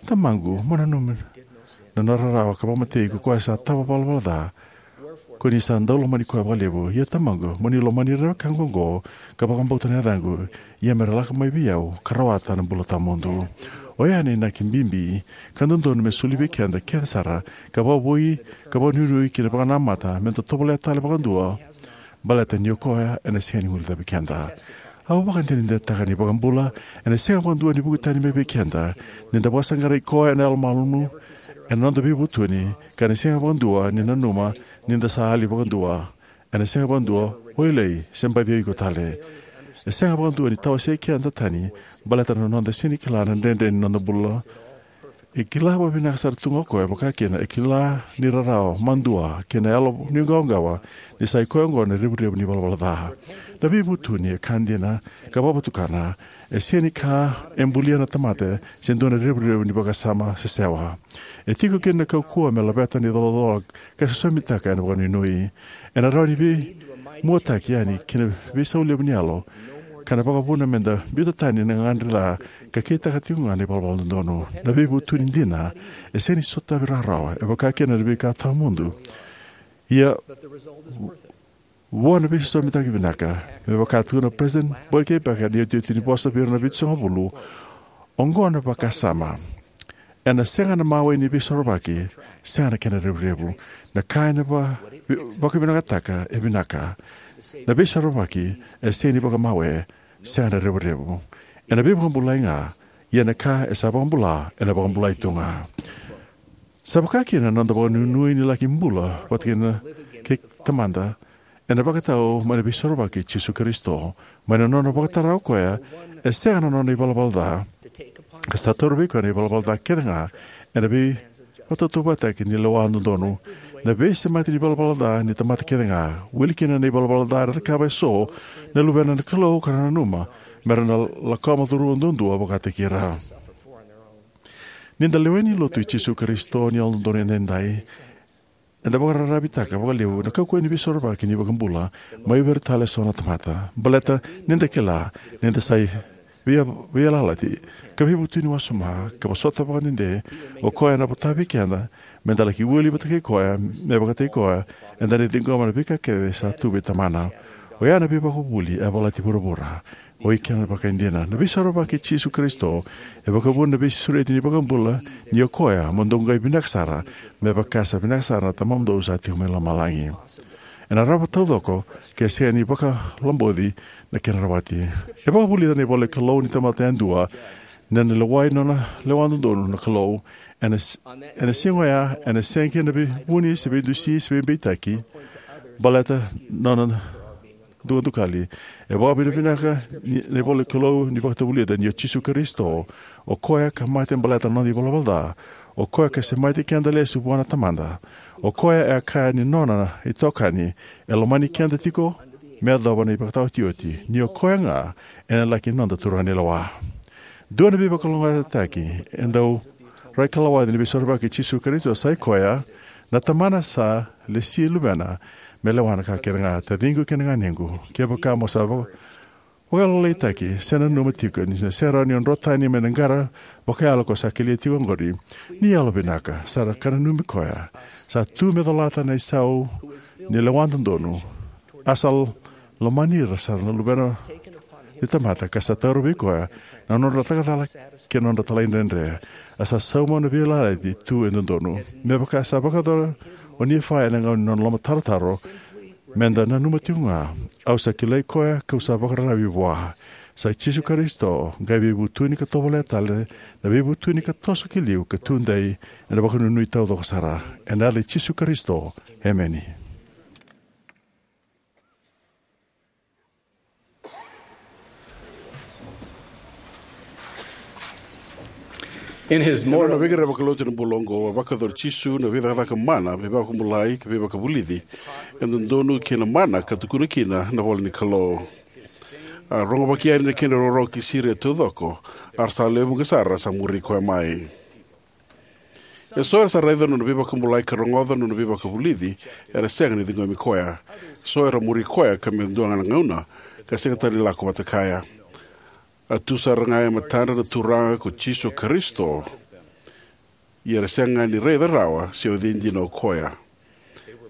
Tamaqu, mo nanumi na nona rarawa ka vakamatei ko koya sa tava ivalavala ca, ko ni sa dau lomani koya vakalevu. Ia Tamaqu, mo ni lomani ira na wekaqu oqo ka vakabauta na yacaqu, ia me ra lako mai vei au ka rawata na bula tawamudu. Oya na inaki bibi ka dodonu me soli vei keda kece sara, ka vakavoui ka vakanuinui ki na vakanamata me da tovolea tale vakadua, baleta ni o koya ena sega ni guilecavi keda. Au vakadinadinataka ni iVakabula ena sega vakadua ni vuki tani mai vei keda ni da vakasaqarai koya ena yalomalua ena noda veivutuni, ka ena sega vakadua ni nanuma ni da sa yali vakadua. Ena sega vakadua o ilei se baci o iko tale. E sega vakadua ni tawasei keda tani baleta na noda sega ni kila na dredre ni noda bula. E kila vakavinaka sara tu ga o koya, vaka kina e kila ni rarawa, madua, kei na yalo ni qawaqawa, ni sa i koya oqo na revurevu ni ivalavala ca. Na veivutuni e ka dina ka vakavatukana. E sega ni ka e bulia na tamata se dua na revurevu ni vakasama sesewa. E tiko kina na kaukauwa me laveta na icolacola ka sosomitaka ena vakanuinui. Ena rawa ni veimuataki yani ki na veisau levu ni yalo, ka na vakavuna me da biuta tani na gagadre ca ka kitaka tiko ga na ivalavala dodonu. Na veivutuni dina e sega ni sotavi rawarawa, e vaka kina na veika tawamudu. Ia, vua na veisosomitaki vinaka, me vaka tukuna o President Boyd K. Packer ena iotioti ni vosa vei ira na Vitusagavulu, oqo na vakasama: ena sega na mawe ni veisorovaki, sega na kena revurevu. Na ka ena va-, vi-, vakavinakataka e vinaka. Na veisorovaki e sega ni vakamawe, sega na revurevu. Ena veivakabulai ga, ia na ka e sa vakabula ena vakabulai tu ga. Sa vaka kina na noda vakanuinui ni laki bula vata kei na, kei Tamada, ena vakatau mai na veisorovaki i Jisu Karisito, mai na nona vakatara o koya e sega na nona ivalavala ca, ka sa taura vei koya na ivalavala ca kece ga ena veivakatautauvatataki ni lewa dodonu. Na veisemati ni ivalavala ca ni tamata kece ga, wili kina na ivalavala ca era cakava eso na luvena na Kalou ka ra nanuma me ra na lakoma curuma duadua vakataki ira. Ni da lewena na Lotu i Jisu Karisito ni Yalododonu Edaidai, eda vakararavitaka vakalevu na kaukauwa ni veisorovaki ni iVakabula mai vei ira tale eso na tamata. Baleta ni da kila ni da sa via-, veiyalayalati ka veivutuni wasoma, ka vosota vakadede o koya ena vota vei keda me da laki wili vata kei koya, me vakataki koya, eda na ciqoma na veika kece sa tu vei Tamana. Oya na veivakavuvuli e yavalati vuravura. O ikeda na vakaidina. Na veisorovaki i Jisu Karisito e vakavuna na veisureti ni iVakabula, ni o koya mo dou qai vinaka sara, me vaka sa vinaka sara na Tamamudou sa tiko mai lomalagi. Ena rawa taucoko ke sega ni vakaloboci na kena rawati. E vakavulica na ivola ni Kalou ni tamata yadua na nona lewai nona lewa dodonu na Kalou. Ena s-, ena siga oya, ena sega kina na veivuni se veidusi se veibeitaki baleta na nona dukadukali. E vakavinavinaka ni, na ivola ni Kalou ni vakatavulica ni o Jisu Karisito, o koya ka mate baleta na noda ivalavala ca, o koya ka semati keda lesu vua na Tamada, o koya e a kaya ni nona itokani e lomani keda tiko me yacova na ivakataotioti, ni o koya ga ena laki noda turaganilewa. Dua na veivakalougatataki e dau raikalawati ni veisorovaki i Jisu Karisito sa i koya, na Tamana sa lesi Luvena me lewa na ka kece ga. Taciqu kei na ganequ, kevaka mo sa vaka-, vakalailaitaki se nanuma tiko ni sa sega ni o drotani mai na qara vakayalo ko sa kelia tiko oqori, ni yalovinaka sara ka nanumi koya sa tu me colata na isau ni lewa dodonu. A sa lomani ira sara na Luvena tamata, ka sa taura vei koya na nodra cakacala kei na nodra talaidredre. A sa sauma na veiyalayalati tu e dodonu. Me vaka sa vakayacora o Nifae ena gauna ni nona lomatarotaro, me da nanuma tiko ga, au sa kilai koya kau sa vakararavi vua. Sa i Jisu Karisito, qai veivutuni ka tovolea tale na veivutuni ka toso ki liu ka tudei ena vakanuinui taucoko sara. Ena yaca i Jisu Karisito, emeni. In his Ena nona more veiqaravi vakalotu ena bula oqo, a vakayacora o Jisu na veicakacaka mana, veivakabulai, ka veivakavulici e dodonu kei na mana ka tukuna kina na ivola ni Kalou. A rogovaki yani na kena rorogo ki Siria taucoko, a ra sa lewe vuqa sara sa muri koya mai. Eso era sa raica na nona veivakabulai ka rogoca na nona veivakavulici, era sega ni ciqomi koya. Eso era muri koya ka me dua ga na gauna, ka sega tale ni lako vata kaya. A tu sara ga e matadra na Turaga ko Jisu Karisito, ia era sega ga ni raica rawa se o cei dina o koya.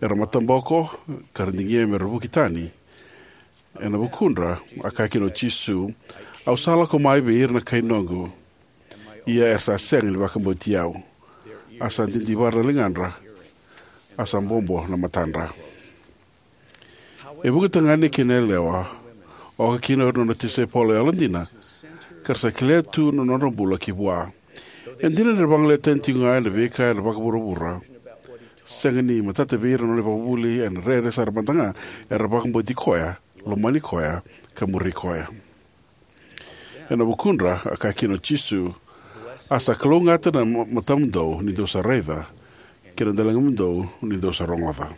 Era mataboko, ka ra digia me ra vuki tani. Ena vukudra, a kaya kina o Jisu, au sa lako mai vei ira na kai noqu, ia era sa sega ni vakabauti au. A sa didivara na ligadra, a sa bobo na matadra. E vuqa tagane kei na yalewa, oka kina o ira na nona tisaipeli yalodina, ka ra sa kerea tu na nodra bula ki vua. E dina ni ra vagolea tani tiko ga ena veika ena vakavuravura, sega ni matata vei ira na nona ivakavuvuli, ena rere sara mada ga era vakabauti koya, lomani koya, ka muri koya. Ena vukudra, a kaya kina o Jisu, a sa kalougata na ma-, matamudou ni dou sa raica, kei na daligamudou ni dou sa rogoca.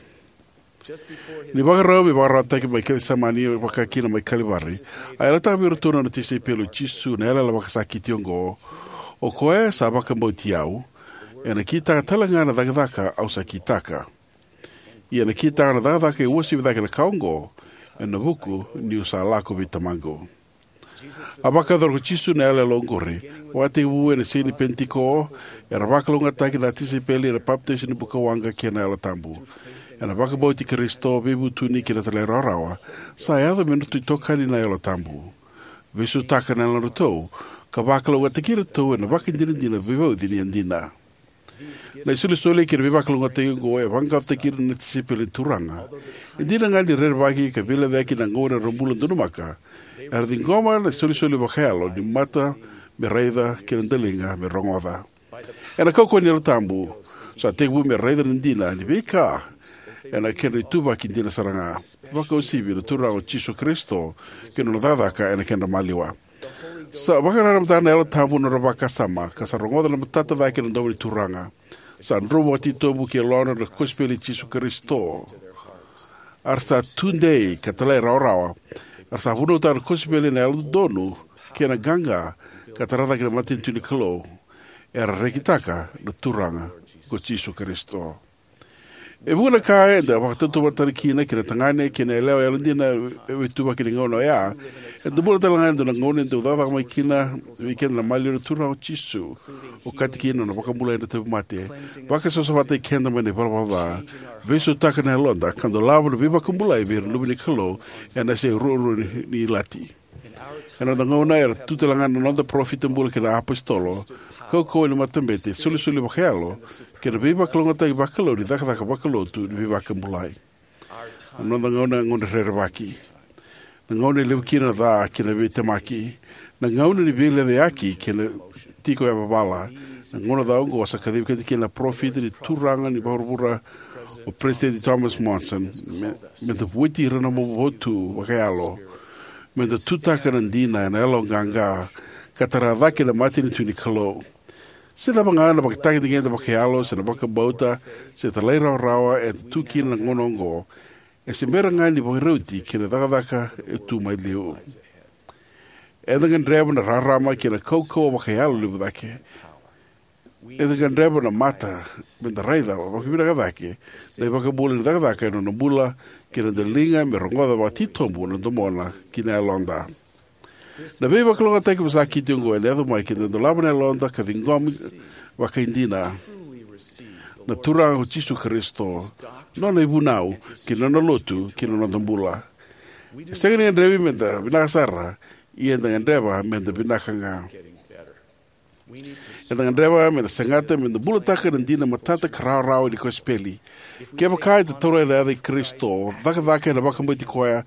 Ni vakarau me vakararawataki mai Kecisemani, vaka kina mai Kalivari, a yalataka vei iratou na nona tisaipeli o Jisu na yalayala vakasakiti oqo: O koya sa vakabauti au, ena kitaka tale ga na cakacaka au sa kitaka. Ia ena kitaka na cakacaka e uasivi cake na ka oqo, ena vuku niu sa lako vei Tamaqu. A vakayacora ko Jisu na yalayala oqori. Vakatekivu ena siga ni Penitiko, era vakalougatataki na tisaipeli ena papitaiso ni bukawaqa kei na Yalo Tabu. Ena vakabauti Karisito, veivutuni kei na talairawarawa, sa yaco me nodratou itokani na Yalo Tabu. Veisautaka na yalodratou, ka vakalougatataki iratou ena vakadinadina veivauci ni yadina. Na isolisoli kei na veivakalougatataki oqo e vaqaqacotaki ira na tisaipeli ni Turaga. E dina ga ni rerevaki ka veilecayaki na gauna era bula donumaka, era ciqoma na isolisoli vakayalo ni mata me raica kei na daliga me rogoca. Ena kaukauwa ni Yalo Tabu, sa tekivu me raica na dina ni veika ena kedra ituvaki dina sara ga, vakauasivi na Turaga o Jisu Karisito kei na nona cakacaka ena kedra maliwa. Sa vakararamata na Yalo Tabu na nodra vakasama, ka sa rogoca na matata cake na domo ni Turaga. Sa dromu vakatitobu ki yalodra na kosipeli i Jisu Karisito. A ra sa tudei ka talairawarawa. A ra sa vunautaka na kosipeli ena yalododonu kei na qaqa, ka tara cake na matanitu ni Kalou. Era rekitaka na Turaga ko Jisu Karisito. E vuqa na ka eda vakatautauvatataki kina kei na tagane kei na yalewa yalodina ena ituvaki ni gauna oya. Eda bula tale ga ena dua na gauna e dau cakacaka mai kina vei keda na maliwa ni Turaga o Jisu, okati kina na nona vakabulai na tauvimate, vakasausauvataki keda mai na ivalavala ca, veisautaka na yaloda, ka dolava na veivakabulai vei ira na luve ni Kalou ena yasai ruarua ni, ni ilati. Ena noda gauna, era tu tale ga na noda parofita bula kei na iapositolo, kaukauwa ni matabete, solisoli vakayalo, kei na veivakalougatataki vakalou ni cakacaka vakalotu ni veivakabulai. Na noda gauna e gauna rerevaki. Na gauna e levu kina na ca kei na veitemaki. Na gauna ni veilecayaki kei na tiko yavavala. Na gauna ca oqo sa kacivi keda kina na parofita ni Turaga ni vuravura, o Peresitedi Thomas Monson, me, me da vueti ira na noda ivakavuvuli vakayalo. Me da tutaka na dina ena yaloqaqa, ka tara cake na matanitu ni Kalou. Se cava ga na ivakatagedegede vakayalo, se na vakabauta, se talairawarawa eda tu kina ena gauna oqo, e se bera ga ni vakarauti kei na cakacaka e tu mai liu. Eda gadreva na rarama kei na kaukauwa vakayalo levu cake. Eda gadreva na mata me da raica vakavinaka cake na iVakabula ni cakacaka ena noda bula, kei na daliga me rogoca vakatitobu na domona kei na yaloda. Na veivakalougatataki vakasakiti oqo ena yaco mai ke da dolava na yaloda ka ciqoma vakaidina na Turaga ko Jisu Karisito, nona ivunau, kei na nona lotu, kei na noda bula. E sega ni gadrevi me da vinaka sara, Ia eda gadreva meda vinaka ga. Eda gadreva meda segata meda bulataka na dina matata ka rawarawa ni kosipeli. Kevaka eda taura na yaca i Karisito, cakacaka ena vakabauti koya,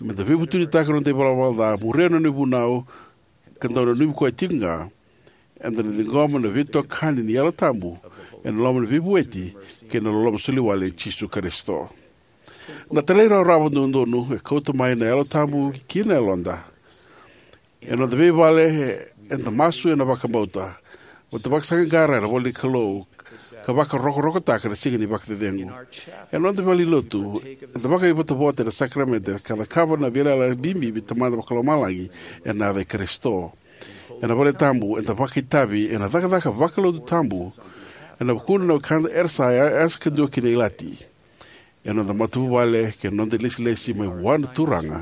meda veivutunitaka na noda ivalavala ca, muria na nona ivunau, ka dau nanumi koya tiko ga, eda na ciqoma na veitokani ni Yalo Tabu ena loma ni veivueti kei na loloma soliwale i Jisu Karisito. Na talairawarawa dodonu e kauta mai na Yalo Tabu ki na yaloda. Ena noda veivale, eda masu ena vakabauta, vata vakasaqaqara ena ivola ni Kalou, ka vakarokorokotaka na siga ni vakacecegu. Ena noda valenilotu, eda vakaivotavota ena sakaramede ka cakava na veiyalayalati bibi vei Tamada Vakalomalagi ena yaca i Karisito. Ena valetabu, eda vakaitavi ena cakacaka vakalotu tabu ena vukudra na wekada era sa yasa kadua ki na ilati. Ena noda matavuvale kei na noda ilesilesi mai vua na Turaga,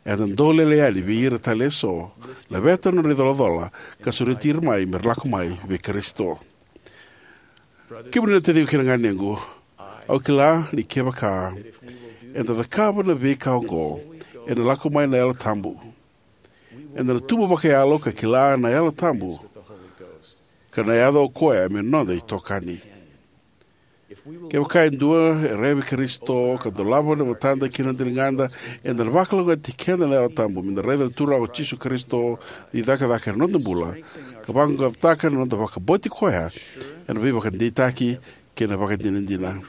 eda dolele yani vei ira tale eso, laveta na nodra icolacola, ka sureti ira mai me ra lako mai vei Karisito. Kemuni na taciqu kei na ganequ, au kila ni kevaka eda cakava na veika oqo, ena lako mai na Yalo Tabu. Eda na tubu vakayalo ka kila na Yalo Tabu, ka na yaco o koya me noda itokani. Kevaka e dua e raica vei Karisito, ka dolava na matada kei na daligada, eda na vakalougatataki keda na Yalo Tabu, meda raica na Turaga o Jisu Karisito ni cakacaka ena noda bula, ka vaqaqacotaka na noda vakabauti koya ena veivakadeitaki kei na vakadinadina.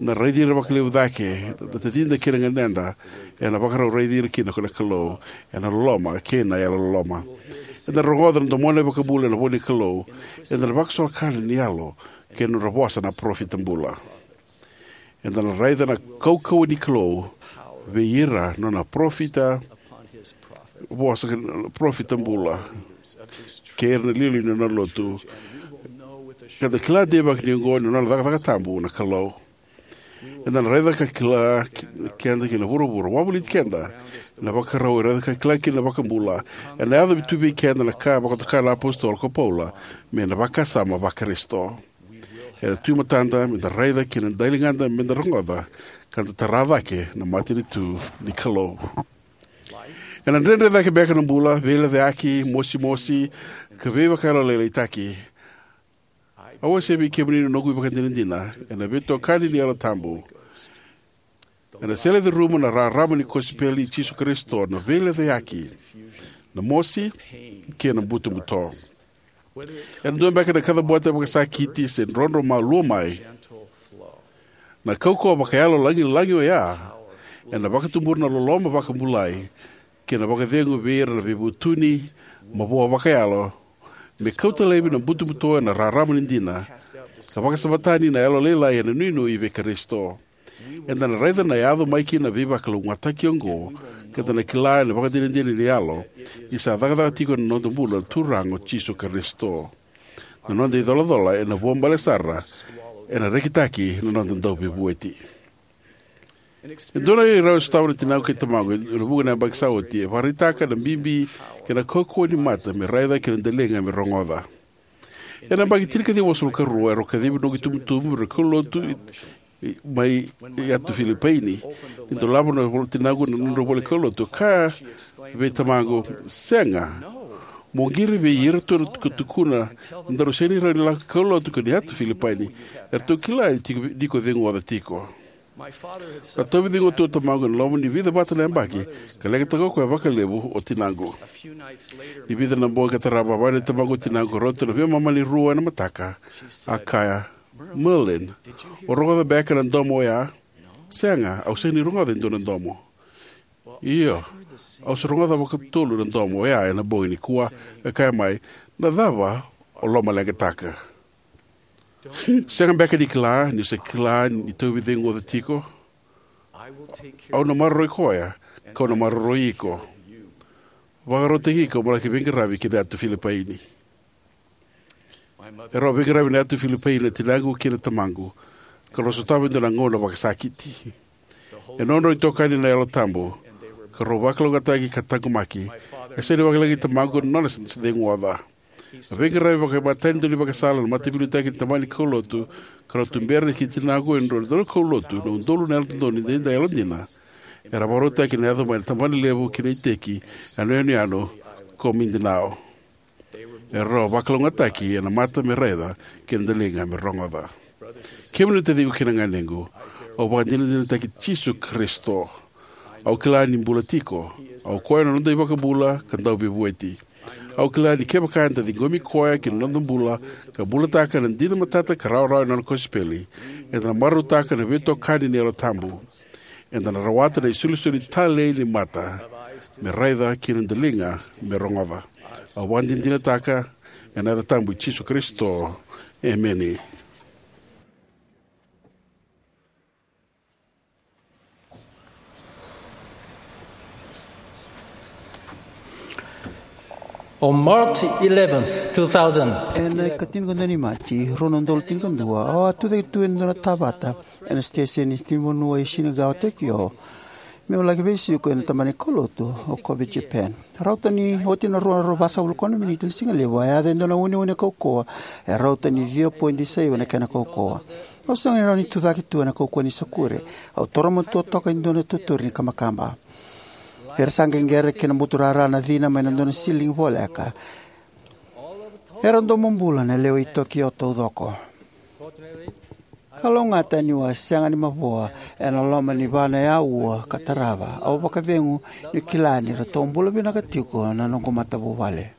Na raici ira vakalevu cake na tacida kei na ganeda, ena vakarau raici ira kina ko na Kalou ena loloma kei na yalololoma. Eda na rogoca na domona na iVakabula ena ivola ni Kalou. Eda na vakasolokana ni yalo kei na nodra vosa na parofita bula. Eda na raica na kaukauwa ni Kalou vei ira na nona parofita, vosa na parofita bula, kei ira na iliuliu ni nona lotu. Ka da kila deivaki ni oqo ni nona cakacaka tabu na Kalou. Eda na raica ka kila ki-, keda kina vuravura, wavoliti keda ena vakarau e raica ka kila kina na iVakabula. Ena yaco tu vei keda na ka e vakatoka na apositolo ko Paula me na vakasama vaKarisito. Ena tu e matada meda raica kei na daligada meda rogoca, ka da tara cake na matanitu ni Kalou. Ena dredre cake beka na bula, veilecayaki, mosimosi, ka veivakayalolailaitaki. Au wasea vei kemuni na noqu ivakadinadina ena veitokani ni Yalo Tabu, ena sele curuma na rarama ni kosipeli i Jisu Karisito na veilecayaki, na mosi, kei na butobuto. Ena dua beka na kacabote vakasakiti se drodro malua mai, na kaukauwa vakayalo lagilagi oya ena vakatubura na loloma vakabulai kei na vakacegu vei ira na veivutuni, mavoa vakayalo, me kauta laivi na butobuto ena rarama ni dina, ka vakasamatani na yalolailai ena inuinui vei Karisito. Eda na raica na yaco mai kina na veivakalougatataki oqo, ka da na kila ena vakadinadina ni yalo ni sa cakacaka tiko ena noda bula na Turaga o Jisu Karisito. Na noda icolacola ena vuabale sara, ena rekitaki na noda Dauveivueti. E dua na irau e sotava na tinaqu kei tamaqu ena vuqa na yabaki sa oti, e vakaraitaka na bibi kei na kaukauwa ni mata me raica kei na daliga me rogoca. Ena yabaki tinikaciwa walusagavulu ka rua, erau kacivi noqu itubutubu me rau kaulotu i, i, mai Yatu Filipaini. Ni dolava na ivola, tinaqu na nodrau ivola kaulotu, kaya vei tamaqu, "Sega, mo qiri vei iratou na tukatukuna, daru sega ni rawa ni lako kaulotu ki na Yatu Filipaini. Eratou kila ni tiko, ni ko ceguoca tiko." A tauvi cegu tu o tamaqu ena loma ni vica vata na yabaki, ka leqataka o koya vakalevu o tinaqu. Ni vica na bogi ka tarava, vakayagataka o tamaqu o tinaqu, rauta na veimama ni rua ena mataka. A kaya, "Merlin, o rogoca beka na domo oya?" "Sega, au sega ni rogoca e dua na domo." "Io, au sa rogoca vakatolu na domo oya ena bogi nikua." A kaya mai, "Na cava o lomaleqataka?" "Sega beka ni kila, ni sa kila ni tauvi cegu o tiko? Au na maroroi koya, kau na maroroi iko. Vakarautaki iko mo laki veiqaravi ki na Yatu Filipaini." Erau veiqaravi na Yatu Filipaini na tinaqu kei na tamaqu, ka rau sotava e dua na gauna vakasakiti. E nodrau itokani na Yalo Tabu, ka rau vakalougatataki ka taqomaki. E sega ni vakalagi tamaqu na nona se, se ceguoca. A veiqaravi vakaimatai ni daunivakasala na mataveiliutaki ni tabana ni kaulotu, ka rau tubera ki tinaqu e dua na daukaulotu na udolu na Yalododonu Edaidai yalodina. Era vakarautaki na yaco mai na tabana levu ki na iteki ena yanuyanu ko Mindanao. Era rau vakalougatataki ena mata me raica kei na daliga me rogoca. Kemuni na taciqu kei na ganequ, au vakadinadinataki Jisu Karisito. Au kila ni bula tiko. Au koya na noda iVakabula ka Dauveivueti. Au kila ni kevaka eda ciqomi koya ki na noda bula ka bulataka na dina matata ka rawarawa ena nona kosipeli, eda na marautaka na veitokani ni Yalo Tabu. Eda na rawata na isolisoli talei ni mata me raica kei na daliga me rogoca. Au vakadinadinataka ena yaca tabu i Jisu Karisito. Emeni. On March eleventh, two thousand. Ena ikatinikarua ni Maji, rua na udolu tinikadua, au a tucake tu ena dua na tavata ena siteseni ni vanua e Shinagawa, Tokyo, meu laki veisiko ena tabana ni kaulotu o Kobe, Japan. Rauta ni oti na rua na drau vasagavulu ka ono miniti na sigalevu, a yaco e dua na uneune kaukauwa e rauta ni ciwa poidi saiva na kena kaukauwa. Au sega ni rawa ni tucake tu ena kaukauwa ni sakure. Au toro matua toka e dua na tuturi ni kabakaba. Era sa qeqera kei na buturara na cina mai na dua na siligi voleka. Era domobula na lewe i Tokyo taucoko. Kalougata niu a sega ni mavoa ena loma ni va na aua ka tarava, au vakacegu niu kila ni ratou bula vinaka tiko na noqu matavuvale.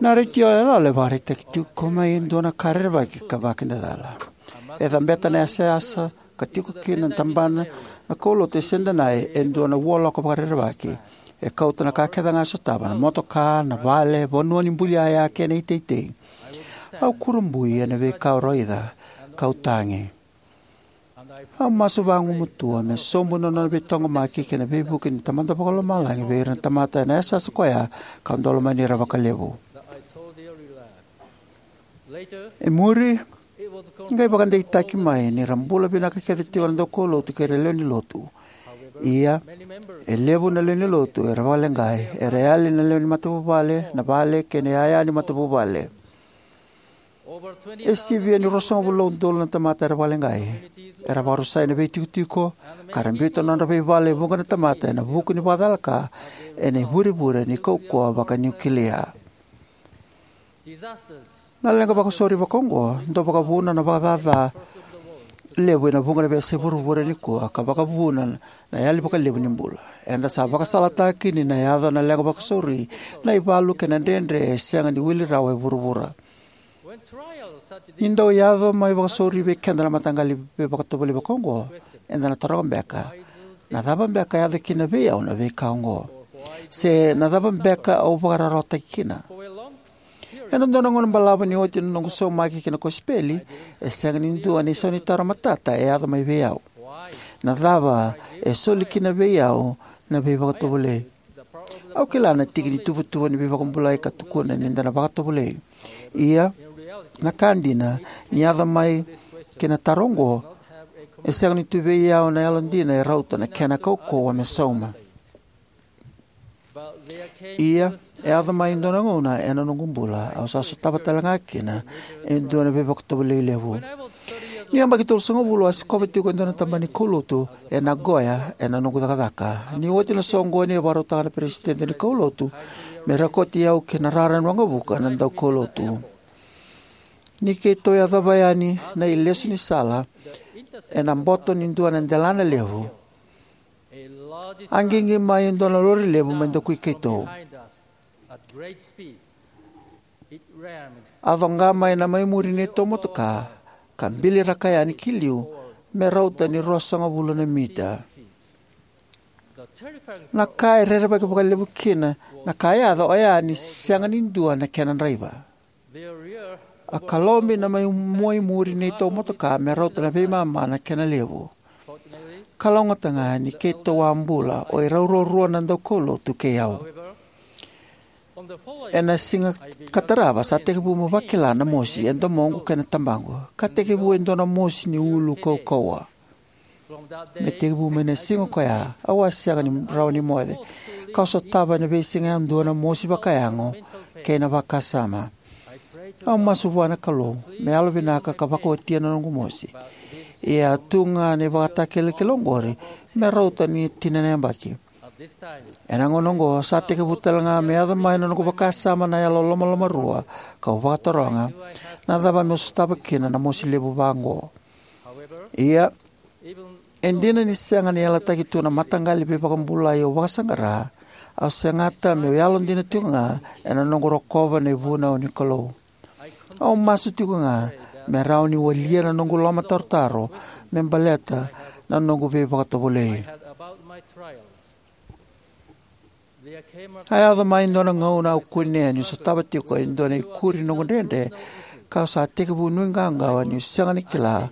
Na retio yaloyalo e vakaraitaki tiko mai e dua na ka rerevaki ka vakidacala. E cabeta na yasayasa ka tiko kina na tabana na kaulotu e Sendanai e dua na vualoka vakarerevaki. E kauta na ka kece ga e sotava: na motoka, na vale, vanua ni buli yaya kei na iteitei. Au kurabui ena veika au raica, kau tagi. Au masu vagumatua me sobu na nona veitaqomaki kei na veivuke ni Tamada Vakalomalagi vei ira na tamata ena yasayasa ko ya, kau dau lomani ira vakalevu. E muri, qai vakadeitaki mai ni ra bula vinaka kece tiko na daukaulotu kei ira na lewe ni lotu. Ia, e levu na lewe ni lotu era vakaleqai, era yali na lewe ni matavuvale, na vale kei na yaya ni matavuvale. E sivia ni ruasagavulu na udolu na tamata era vakaleqai. Era vakarusai na veitikotiko ka ra biuta na nodra veivale e vuqa na tamata ena vuku ni vakacalaka ena ivurevure ni kaukauwa vakaniukilia. Na leqa vakasauri vakaoqo dau vakavuna na vakacaca levu ena vuqa na veiyasai vuravura nikua ka vakavuna na yali vakalevu ni bula. Eda sa vakasalataki ni na yaco na leqa vakasauri, na ivalu kei na dredre e sega ni wili rawa e vuravura. Ni dau yaco mai vakasauri vei keda na mataqali veivakatovolei vakaoqo, eda na taroga beka: Na cava beka e yaco kina vei au na veika oqo? Se na cava beka au vakararawataki kina? Ena dua na gauna balavu ni oti na noqu saumaki ki na kosipeli, e sega ni dua na isaunitaro matata e yaco mai vei au: Na cava e soli kina vei au na veivakatovolei? Au kila na tiki ni tuvatuva ni veivakabulai ka tukuna ni da na vakatovolei. Ia, na ka dina, ni yaco mai kina na taro oqo, e sega ni tu vei au na yalodina e rauta na kena kaukauwa me sauma. Ia, e yaco mai e dua na gauna ena noqu bula au sa sotava tale ga kina e dua na veivakatovolei levu. Niu yabaki tolusagavulu, au a sikova tiko e dua na tabana ni kaulotu e Nagoya ena noqu cakacaka. Ni oti na soqoni, e vakarautaka na peresitedi ni kaulotu me rekoti au ki na rara ni waqavuka na daukaulotu. Ni keitou yacova yani na ilesu ni sala ena boto ni dua na delana levu, a qiqi mai e dua na lori levu me dakui keitou. A coqa mai na mai muri neitou motoka ka biliraka yani ki liu me rauta ni ruasagavulu na mita. Na ka e rerevaki vakalevu kina na ka e yaco oya ni sega ni dua na kena draiva. A kalobi na mai mua i muri neitou motoka me rauta na veimama na kena levu. Kalougata ga ni keitou a bula, o irau ruarua na daukaulotu kei au. Ena siga ka tarava sa tekivu meu vakila na mosi e domoqu kei na tabaqu, ka tekivu e dua na mosi ni ulu kaukauwa. Me tekivu mai na siga ko ya, au a sega ni rawa ni moce, kau sotava ena veisiga yadua na mosi vakayago kei na vakasama. Au masu vua na Kalou me yalovinaka ka vakaotia na noqu mosi. Ia a tu ga na ivakatakilakila oqori me rauta ni tini na yabaki. Ena gauna oqo sa tekivu tale ga me yaco mai na noqu vakasama na yalo lomalomarua, kau vakataroga, na cava meu sotava kina na mosi levu vaqo? Ia, e dina ni sega ni yalataki tu na mataqali veivakabulai au vakasaqara, au segata meu yalodina tiko ga ena noqu rokova na ivunau ni Kalou. Au masu tiko ga me rawa ni walia na noqu lomatarotaro me baleta na noqu veivakatovolei. A yaco mai e dua na gauna au kunea niu sotava tiko e dua na ikuri ni noqu dredre, kau sa tekivu nuiqawaqawa niu sega ni kila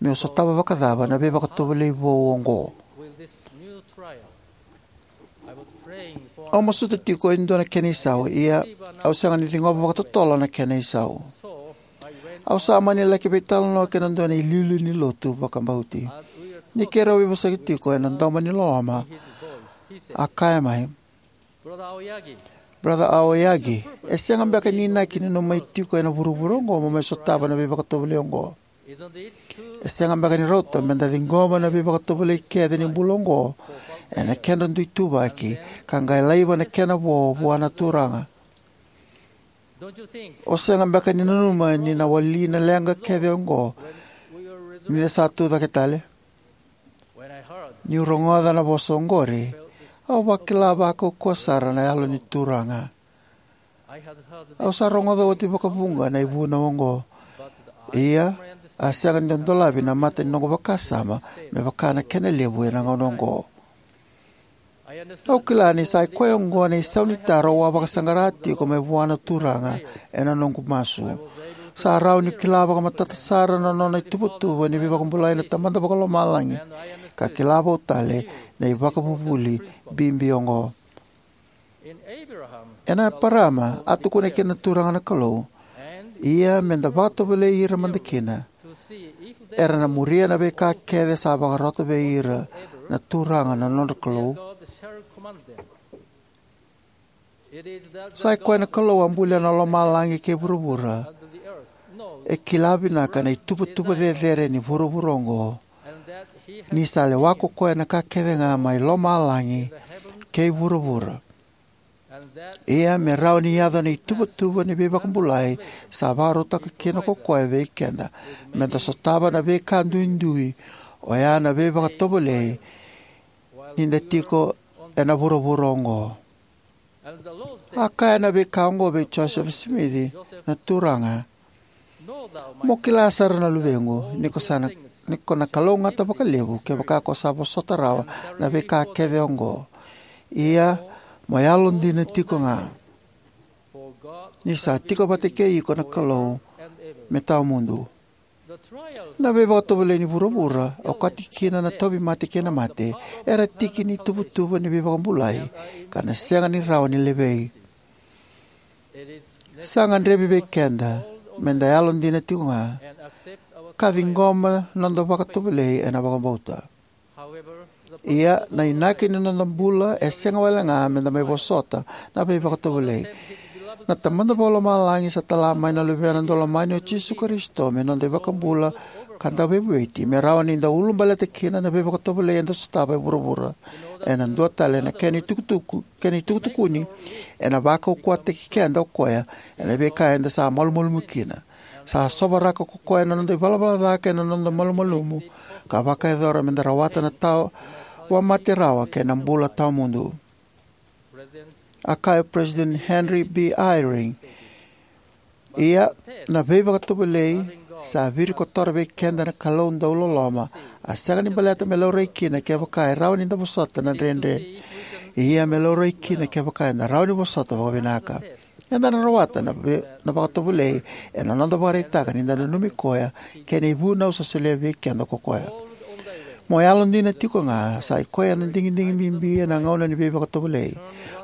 meu sotava vakacava na veivakatovolei vou oqo. Au masuta tiko e dua na kena isau, ia au sega ni ciqoma vakatotolo na kena isau. Au sa mani laki veitalanoa kei na dua na iliuliu ni lotu vakabauti. Ni keirau veivosaki tiko ena domo ni loloma, a kaya mai, "Brother Aoyagi, e sega beka ni inaki ni nomu mai tiko ena vuravura oqo mo mai sotava na veivakatovolei oqo? E sega beka ni rauta meda ciqoma na veivakatovolei kece ni bula oqo ena kedra dui ituvaki, ka qai laiva na kena vo vua na Turaga? O sega beka ni nanuma ni na wali na leqa kece oqo ni da sa tu cake tale?" Niu rogoca na vosa oqori, au vakila vakaukauwa sara na Yalo ni Turaga. Au sa rogoca oti vakavuqa na ivunau oqo, ia a sega ni dodolavi na mata ni noqu vakasama me vaka na kena levu ena gauna oqo. Au kila ni sa i koya oqo na isau ni taro au a vakasaqara tiko mai vua na Turaga ena noqu masu. Sa rawa niu kila vakamatata sara na nona ituvatuva ni veivakabulai na Tamada Vakalomalagi, ka kila vou tale na ivakavuvuli bibi oqo. Ena Eparama, a tukuna kina na Turaga na Kalou, "Ia meda vakatovolei ira mada kina, era na muria na veika kece sa vakarota vei ira na Turaga na nodra Kalou." Sa i koya na Kalou a bulia na lomalagi kei vuravura e kila vinaka na ituvatuva cecere ni vuravura oqo, ni sa lewa ko koya na ka kece ga mai lomalagi kei vuravura. Ia me rawa ni yaco na ituvatuva ni veivakabulai sa vakarautaka kina ko koya vei keda, meda sotava na veika duidui, oya na veivakatovolei, ni da tiko ena vuravura oqo. A kaya na veika oqo vei Josefa Simici na Turaga, "Mo kila sara na luvequ, ni ko sa na, ni ko na kalougata vakalevu kevaka ko sa vosota rawa na veika kece oqo. Ia mo yalodina tiko ga, ni sa tiko vata kei iko na Kalou me tawamudu." Na veivakatovolei ni vuravura, okati kina na tauvimate kei na mate, era tiki ni tuvatuva ni veivakabulai, ka na sega ni rawa ni levei. Sa gadrevi vei keda meda yalodina tiko ga ka ciqoma noda vakatovolei ena vakabauta. Ia, na inaki ni noda bula e sega wale ga meda mai vosota na veivakatovolei. Na Tamada Vakalomalagi sa tala mai na Luvena daulomani o Jisu Karisito me noda iVakabula ka Dauveivueti, me rawa ni da ulabaleta kina na veivakatovolei eda sotava e vuravura. Ena dua tale na kena itukutuku, kena itukutukuni, ena vakaukauwataki keda o koya ena veika eda sa malumalumu kina. Sa sovaraka ko koya na noda ivalavala ca kei na noda malumalumu, ka vakayacora meda rawata na tawamate rawa kei na bula tawamudu. A kaya o Peresitedi Henry B. Eyring, "Ia, na veivakatovolei sa virikotora vei keda na Kalou dauloloma, a sega ni baleta me laurai kina kevaka e rawa ni da vosota na dredre. Ia me laurai kina kevaka eda rawa ni vosota vakavinaka." Eda na rawata na, ve-, na vakatovolei ena noda vakaraitaka ni da nanumi koya kei na ivunau sa solia vei keda ko koya. Mo yalodina tiko ga, sa i koya na digidigi bibi ena gauna ni veivakatovolei.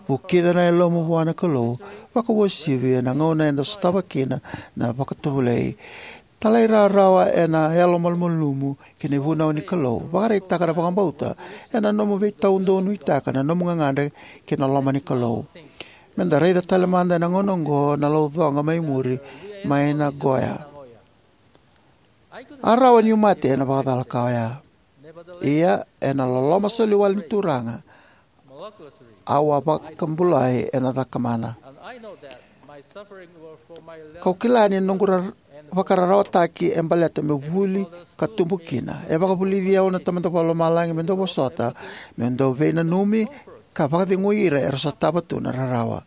Vukica na yalomu vua na Kalou, vakauasivi ena gauna eda sotava kina na vakatovolei. Talairawarawa ena yalomalumalumu ki na ivunau ni Kalou. Vakaraitaka na vakabauta ena nomu veitaudonuitaka na nomu gagadre ki na loma ni Kalou. Meda raica tale mada ena gauna oqo na laucoqa mai muri mai Nagoya. A rawa niu mate ena vakacala ka oya. Ia, ena loloma soli wale ni Turaga, au a vakabulai ena cakamana. Kau kila ni noqu ra-, vakararawataki e baleta meu vuli ka tubu kina. E vakavulici au na Tamada Vakalomalagi meu dau vosota, meu dau veinanumi ka vakacegui ira era sotava tu na rarawa.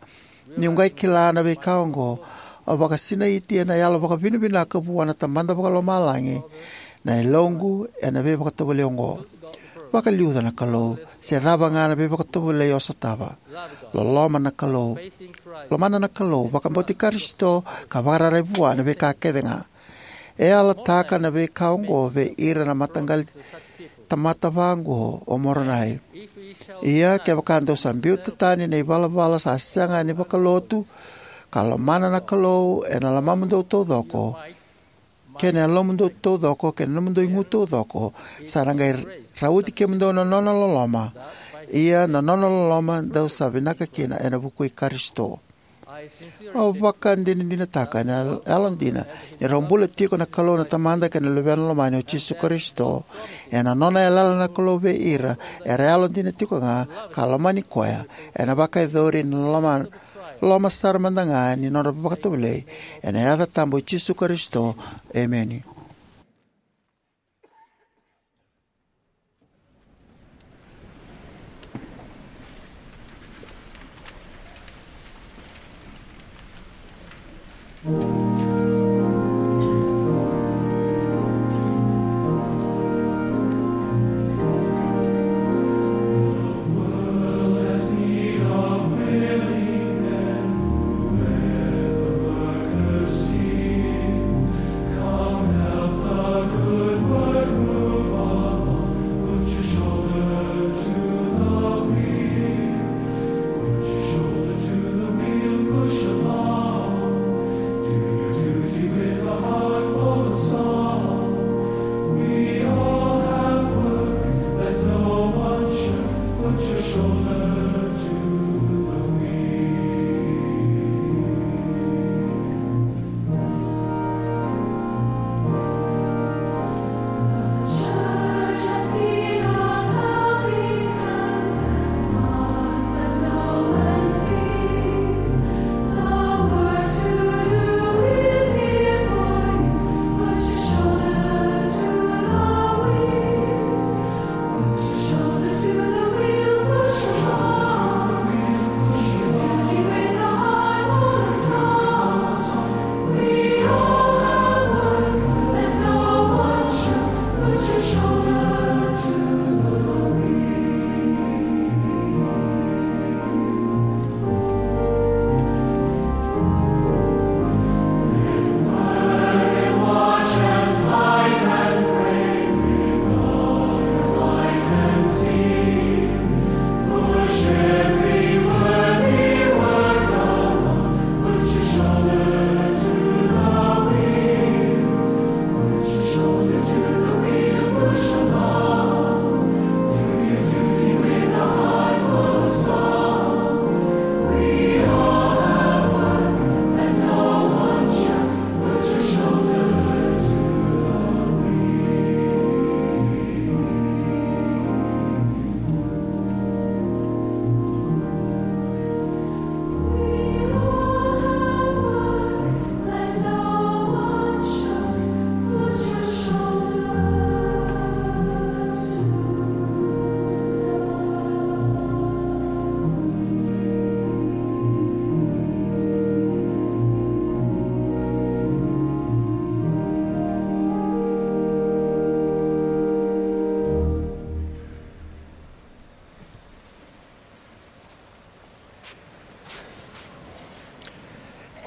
Niu qai kila na veika oqo, au vakasinaiti ena yalo vakavinavinaka vua na Tamada Vakalomalagi na yaloqu ena veivakatovolei oqo. Vakaliuca na Kalou, se cava ga na veivakatovolei o sotava. Loloma na Kalou. Lomana na Kalou, vakabauti Karisito, ka vakararai vua na veika kece ga. E yalataka na veika oqo vei ira na mataqali tamata vaqo o Moronai. Ia, kevaka dou sa biuta tani na ivalavala sa sega ni vakalotu, ka lomana na Kalou ena lomamudou taucoko, kei na yalomudou taucoko, kei na nomudou igu taucoko, sa na qai rauti kemudou na nona loloma. Ia, na nona loloma dou sa vinaka kina ena vuku i Karisito. Au vakadinadinataka ena yalodina ni rau bula tiko na Kalou na Tamada kei na Luvena Lomani o Jisu Karisito. Ena nona yalayala na Kalou vei ira era yalodina tiko ga ka lomani koya, ena vakayacori na loma, loma sara mada ga ni nodra vakatovolei. Ena yaca tabu i Jisu Karisito. Emeni.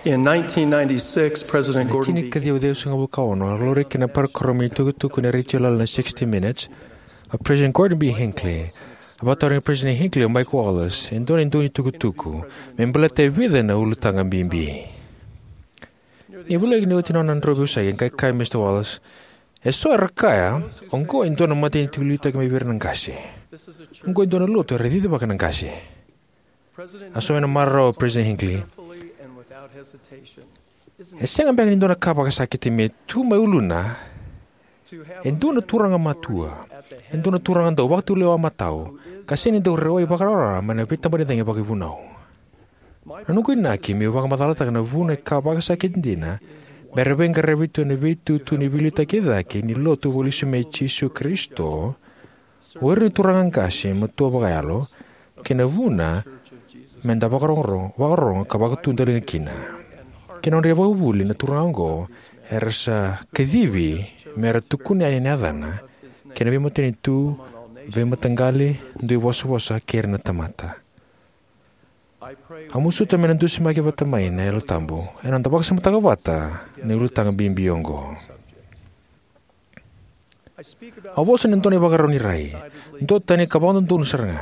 In nineteen ninety-six, President Gordon B. Tinikaciwa ciwasagavulu ka ono, a laurai kina na parokaramu ni tukutuku ni retio lala na sixty Minutes, a President Gordon B. Hinckley. A vakatarogi President Hinckley o Mike Wallace e dua na dau ni tukutuku me baleta e vica na ulutaga bibi. Ni voleka ni oti na nona drau veivosaki, e qai kaya o Mister Wallace, "E so era kaya, oqo e dua na matanitu liutaki mai vei ira na qase. Oqo e dua na lotu era cicivaka na qase." A sauma ena marau o President Hinckley, "E sega beka ni dua na ka vakasakiti me tu mai uluna E dua na turaga matua, e dua na turaga dau vakatulewa matau, ka sega ni dau rawai vakarawarawa mai na veitabanicagi vakaivunau. Na noqu inaki meu vakamacalataka na vuna e ka vakasakiti dina me ra veiqaravi tu ena veitutu ni veiliutaki cake ni Lotu vakalesuimai i Jisu Karisito o ira na turaga qase matua vakayalo, kei na vuna me da vakarorogo, vakarorogo ka vakatudaliga kina. Kei na nodra ivakavuvuli, na turaga oqo era sa kacivi me ra tukuna yani na yacana kei na veimatanitu, veimataqali, dui vosavosa kei ira na tamata. Au masuta me na dusimaki vata mai na Yalo Tabu ena noda vakasamataka vata na ulutaga bibi oqo. Au vosa ni dua na ivakarau ni rai, duatani ka vakadodonu sara ga.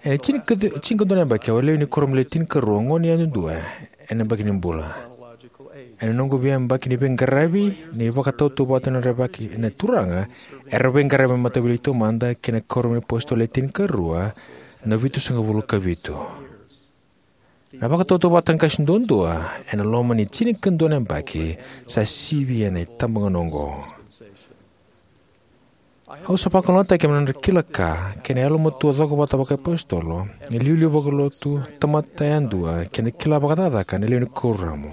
Ena tini ka, tini ka dua na yabaki au a lewe ni kuoramu le tinikarua, gone yadudua ena yabaki ni bula. Ena noqu veiyabaki ni veiqaravi ni vakatautauvata na draki ena Turaga, era veiqaravi mai Mataveiliutaki Taumada kei na Kuoramu ni iApositolo Le Tinikarua na vitusagavulu ka vitu. Na vakatautauvata qase duadua ena loma ni tini ka dua na yabaki sa sivia na itabagone oqo. Au sa vakalougatataki ena nodra kila ka kei na yalomatua cokovata vakaiapositolo, na iliuliu vakalotu, tamata yadua kei na kila vakacakacaka na lewe ni kuoramu.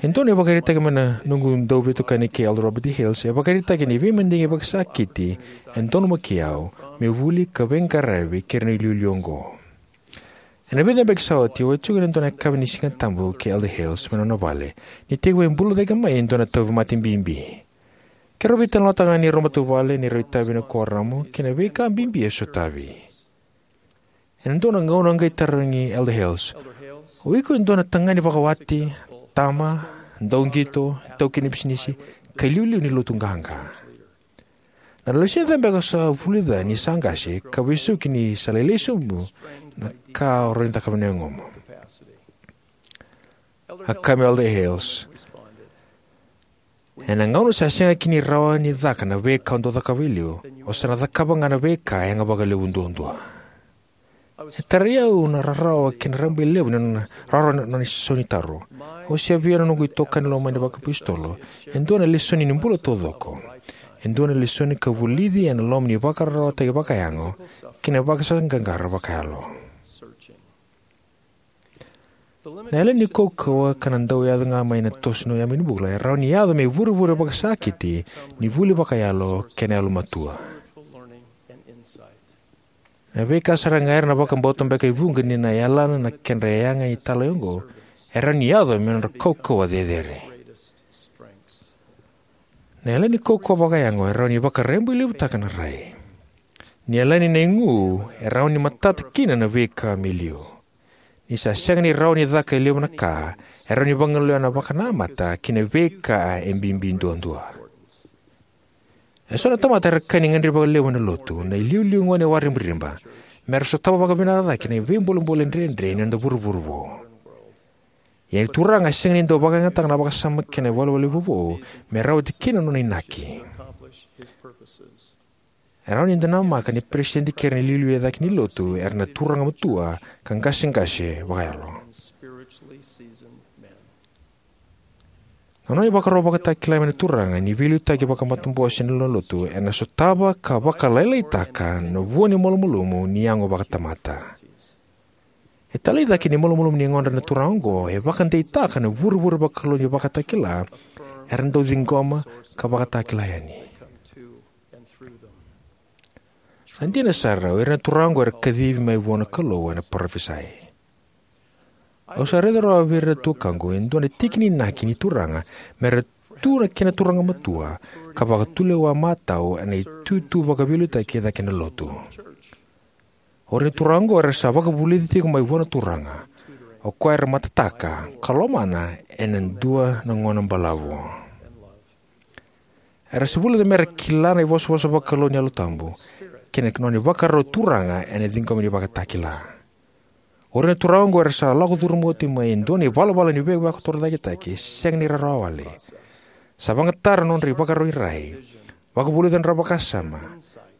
E dua na ivakaraitaki mai na noqu dauveitokani kei Elder Robert D. Hales e vakaraitaka ni veimadigi vakasakiti e donumaki au meu vuli ka veiqaravi kei ira na iliuliu oqo. Ena vica na yabaki sa oti au a tiko ena dua na yakavi ni Sigatabu kei Elder Hales mai na nona vale, ni tekivu bula cake mai e dua na tauvimate bibi. Keirau veitalanoataka na neirau matavuvale, neirau itavi ena kuoramu kei na veika bibi e sotavi. Ena dua na gauna a qai tarogi Elder Hales, "O iko e dua na tagane vakawati, tama, dauqito, taukei ni bisinisi, ka iliuliu ni lotu qaqa. Na lesoni cava beka o sa vulica ni sa qase ka vesuki ni sa lailai sobu na ka o rawa ni cakava ena yagomu?" A kaya mai o Elder Hales, "Ena gauna sa sega kina ni rawa ni caka na veika o dau cakava e liu, o sa na cakava ga na veika e yaga vakalevu duadua." E tarai au na rarawa kei na rabailevu ni nona rawarawa na nona isaunitaro. Au a via na noqu itokani lomani vakaiapositolo e dua na lesoni ni bula taucoko, e dua na lesoni ka vulici ena loma ni vakararawataki vakayago kei na vakasaqaqara vakayalo. Na yalani kaukauwa ka na dau yaco ga mai na toso ni yabaki ni bula e rawa ni yaco me ivurevure vakasakiti ni vuli vakayalo kei na yalomatua. Na veika sara ga era na vakabauta beka e vuqa ni na yalana na kedra yaga italai oqo e rawa ni yaco me nodra kaukauwa cecere. Na yalani kaukauwa vakayago e rawa ni vakarabailevutaka na rai. Ni yalani na igu e rawa ni matata kina na veika me liu. Ni sa sega ni rawa ni caka e levu na ka, e rawa ni vagolea na vakanamata ki na veika e bibi duadua. E so na tamata era kaya ni gadrevi vakalevu ena lotu na iliuliu gone waribariba me ra sotava vakavinaka cake na veibolebole dredre ni noda vuravura vou. Ia na Turaga e sega ni dau vakayagataka na vakasama kei na iwalewale vovou me rawati kina na nona inaki. E rawa ni da namaka ni peresitedi kei ira na iliuliu e cake ni lotu era na turaga matua ka qaseqase vakayalo. Na nona ivakaro vakatakila mai na Turaga ni veiliutaki vakamatabose ni lewena lotu ena sotava ka vakalailaitaka na vua ni malumalumu ni yago vakatamata. E talai cake ni malumalumu ni yagodra na turaga oqo e vakadeitaka na vurevure vakalou ni vakatakila era dau ciqoma ka vakatakila yani. Sa dina sara, o ira na turaga oqo era kacivi mai vua na Kalou ena parofisai. Au sa raica rawa vei ira na tuakaqu e dua na tiki ni inaki ni Turaga me ra tu na kena turaga matua ka vakatulewa matau ena itutu vakaveiliutaki e cake na lotu. O ira na turaga oqo era sa vakavulici tiko mai vua na Turaga, o koya era matataka ka lomana ena dua na gauna balavu. Era sa vulica me ra kila na ivosavosa vakalou ni Yalo Tabu kei na nona ivakarau turaga ena ciqoma ni vakatakila. O ira na turaga oqo era sa lako curuma oti mai e dua na ivalavala ni veivakatorocaketaki e sega ni rawarawa wale. Sa vakayagataka na nodra ivakarau ni rai, vakavulica na nodra vakasama,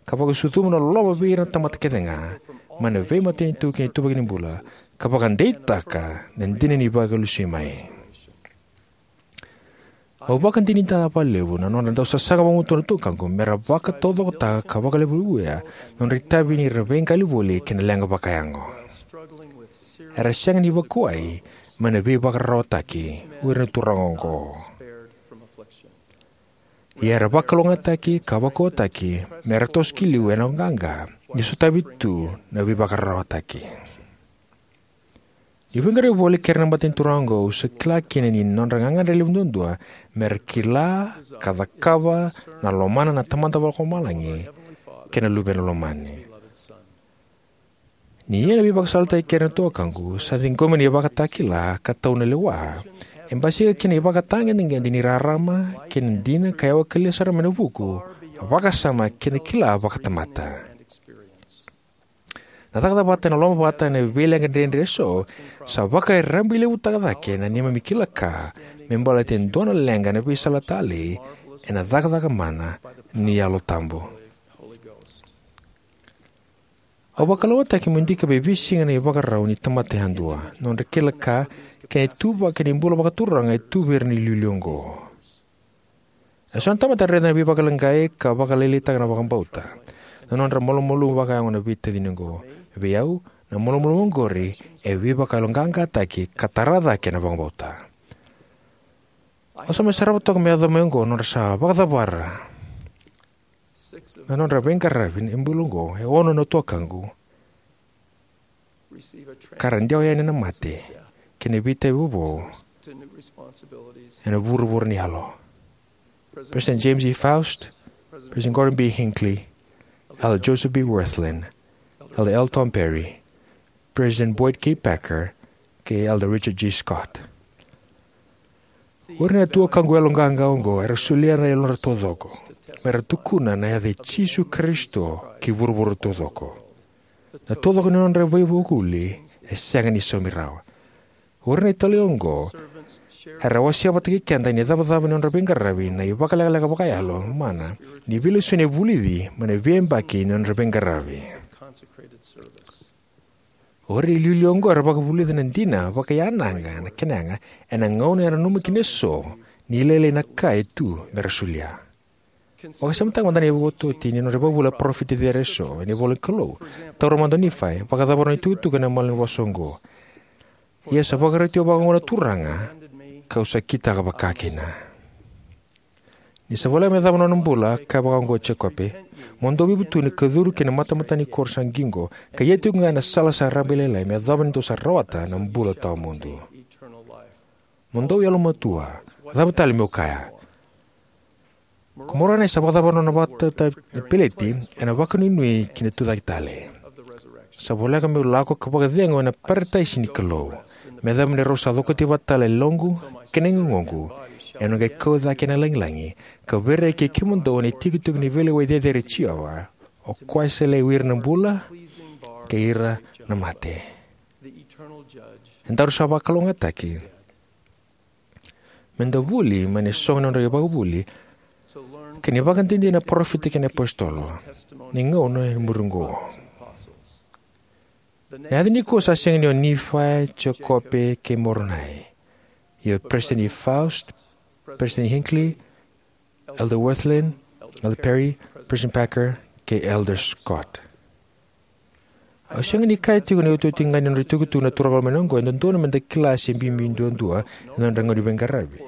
ka vakasucuma na loloma vei ira na tamata kece ga, mai na veimatanitu ki na ituvaki ni bula, ka vakadeitaka na dina ni vakalesui mai. Au vakadinadinataka vakalevu na nodra dau sasaga vagumatua na tuakaqu me ra vakataucokotaka ka vakalevulevui na nodra itavi ni ra veiqali voli kei na leqa vakayago. Era sega ni vakuwai mai na veivakararawataki o ira na turaga oqo. Ia era vakalougatataki ka vakaukauwataki me ra toso ki liu ena qaqa ni sotavi tu na veivakararawataki. Niu veiqaravi voli kei ira na mata ni turaga oqo, au sa kila kina ni nodra gagadre levu duadua me ra kila ka cakava na lomana na Tamada Vakalomalagi kei na Luvena Lomani. Ni ia na veivakasalataki kei ira na tuakaqu, sa ciqomi na ivakatakila ka tau na lewa. E basika kina na ivakatagedegede ni rarama kei na dina ka yawa kalia sara mai na vuku, vakasama kei na kila vakatamata. Na cakacaka vata ena lomavata ena veileqa dredre eso sa vakarabailevutaka cake na neimami kila ka me baleta e dua na leqa ena veisala talei ena cakacaka mana ni Yalo Tabu. Au vakalougatataki meu dikeva e veisiga na ivakarau ni tamata yadua, nodra kila ka, kei na ituvaki ni bula vakaturaga e tu vei ira na iliuliu oqo. Eso na tamata era raica na veivakaleqai ka vakalailaitaka na vakabauta. Na nodra malumalumu vakayago na veitacini oqo. Vei au, na malumalumu oqori e veivakayaloqaqataki ka tara cake na vakabauta. Au sa mai sarava toka me yaco mai oqo nodra sa vakacavara na nodra veiqaravi e bula oqo e ono na tuakaqu, ka ra dewa yani na mate kei na veitavi vovou ena vuravura ni yalo. President James E. Faust, President Gordon B. Hinckley, Elder Joseph B. Wirthlin, Elder L. Tom Perry, President Boyd K. Packer, kei Elder Richard G. Scott. O ira na tuakaqu yaloqaqa oqo era solia na yalodra taucoko me ra tukuna na yaca i Jisu Karisito ki vuravura taucoko. Na taucoko ni nodra veivakavuvuli e sega ni saumi rawa. O ira na italai oqo era wasea vata kei keda ena icavacava ni nodra veiqaravi na ivakalekaleka vakayalo mana ni veilesoni e vulici mai na veiyabaki ni nodra veiqaravi. O ira na iliuliu oqo era vakavulica na dina vakayanaqa na kena yaga ena gauna era nanuma kina eso ni lailai na ka e tu me ra solia. Vakasamataka mada na iotioti ni nodra ivakavuvuli na parofita cecere eso ena ivolanikalou. Taura mada o Nifai, vakacavara na itukutuku ena malanivosa oqo. Ia sa vakaroti au vakaoqo na Turaga, kau sa kitaka vakakina. Ni sa voleka me yacova na nona bula, kaya vakaoqo o Jekope: Mo dou veivutuni ka curu ki na matamataka ni koro sa qiqo, ka ia tiko ga ena sala sa rabailailai, me yacova ni dou sa rawata na bula tawamudu. Mo dou yalomatua, cava tale meu kaya? Ko Moronai sa vakacavara na nona vakatata na peleti ena vakanuinui ki na tucake tale. Sa voleka meu lako ka vakacegu ena parataisi ni Kalou, me yacova ni rau sa cokoti vata tale na yaloqu kei na yagoqu ena qai kau cake ena lagilagi, ka veiraki kei kemudou ena itikotiko ni veilewai cecere i Jiova, o koya sa yalai o ira na bula kei ira na mate. E daru sa vakalougatataki me da vuli mai na isogo ni nodra ivakavuvuli kei na ivakadinadina na parofita kei na iapositolo ni gauna e muri oqo. Na yaca nikua sa sega ni o Nifai, Jekope kei Moronai. Ia o Peresitedi Faust, Peresitedi Hinckley, Elder Wirthlin, Elder Perry, President Packer, kei Elder Scott. Au sega ni kaya tiko na iotioti ga ni nodra itukutuku na turaga lomani oqo e dodonu me da kila se bibi duadua ena nodra gauna ni veiqaravi.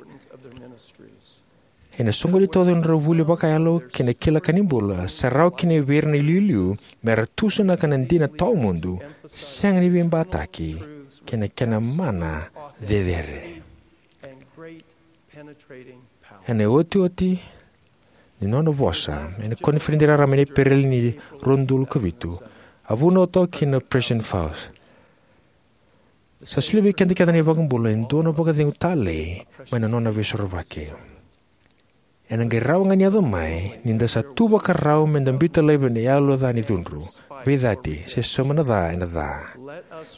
Ena soqoni taucoko ni nodra vuli vakayalo kei na kila ka ni bula, sa rawa kina vei ira na iliuliu me ra tusanaka na dina tawamudu, sega ni veibataki, kei na kena mana cecere. Ena iotioti ni nona vosa ena koniferedi raraba ena Epereli ni rua na udolu ka vitu, a vunau toka kina o Peresitedi Faust: Sa solia vei keda kece na iVakabula e dua na vakacegu talei mai na nona Veisorovaki. Ena qai rawa ga ni yaco mai ni da sa tu vakarau me da biuta laivi ena yalo ca ni cudru, veicati, se sauma na ca ena ca.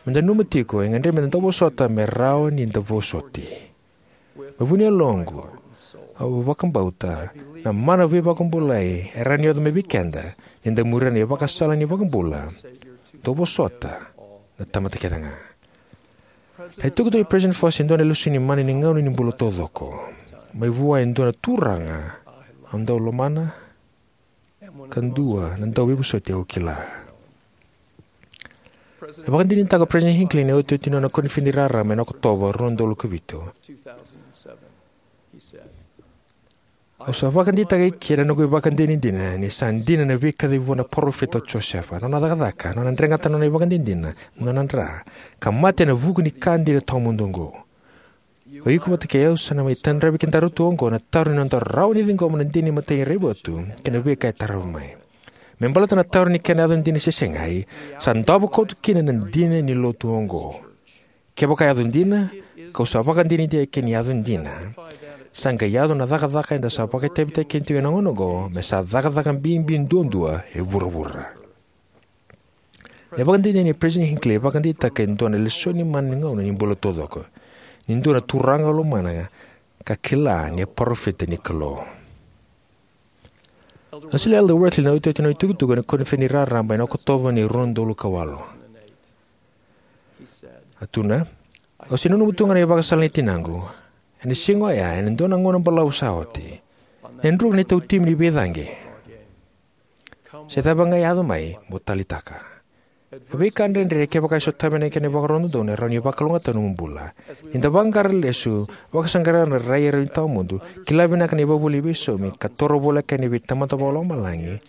Me da nanuma tiko, e gadrevi me da dauvosota me rawa ni da vosoti. Me vuni yaloqu, au vakabauta na mana veivakabulai e rawa ni yaco mai vei keda ni da muria na ivakasala ni iVakabula: Dou vosota, na tamata kece ga. Na itukutuku nei Peresitedi Faust e dua na lesoni mana ni gauna ni bula taucoko. mai vua e dua na turaga au dau lomana, ka dua na dauveivueti au kila. E vakadinadinataka o President Hinckley ena iotioti ni nona koniferedi raraba ena Okotova rua na udolu ka vitu. Au sa vakadeitaka eke na noqu ivakadinadina ni sa dina na veika a yaco vua na parofita o Josefa, na nona cakacaka, na nona dregata na nona ivakadinadina, na nona dra, ka mate ena vuku ni ka dina tawamudu oqo. O iko vata kei au sa na mai tadravi kedaru tu oqo na taro ni noda rawa ni ciqoma na dina ni imatai ni raivotu kei na veika e tarava mai. Me baleta na taro ni kena yaco dina se segai, sa davo koto kina na dina ni lotu oqo. Kevaka e yaco dina, kau sa vakadinadinataka eke ni yaco dina, sa qai yaco na cakacaka eda sa vakaitavitaki kina tiko ena gauna oqo, me sa cakacaka bibi duadua e vuravura. Na ivakadinadina nei President Hinckley e vakadeitaka e dua na lesoni mana ni gauna ni bula taucoko, ni dua na turaga au lomana ka kila ni a parofita ni Kalou. A solia o Elder Worthley na iotioti ni nona itukutuku ena koniferedi raraba ena Okotova ni rua na udolu ka walu. A tukuna: Au se nanuma tu ga na ivakasala nei tinaqu ena siga oya, ena dua na gauna balavu sa oti, ena druka na itautimi ni veicaqe. Se cava ga e yaco mai, mo taleitaka. Na veika dredre, kevaka e sotavi ena kena ivakarau dodonu, e rawa ni vakalougatataka na nomu bula. Ni da vaqara lesu, vakasaqara na rai e rawa ni tawamudu, kila vinaka na ivakavuvuli ni veisaumi, ka toro voleka yani vei Tamada Vakalomalagi,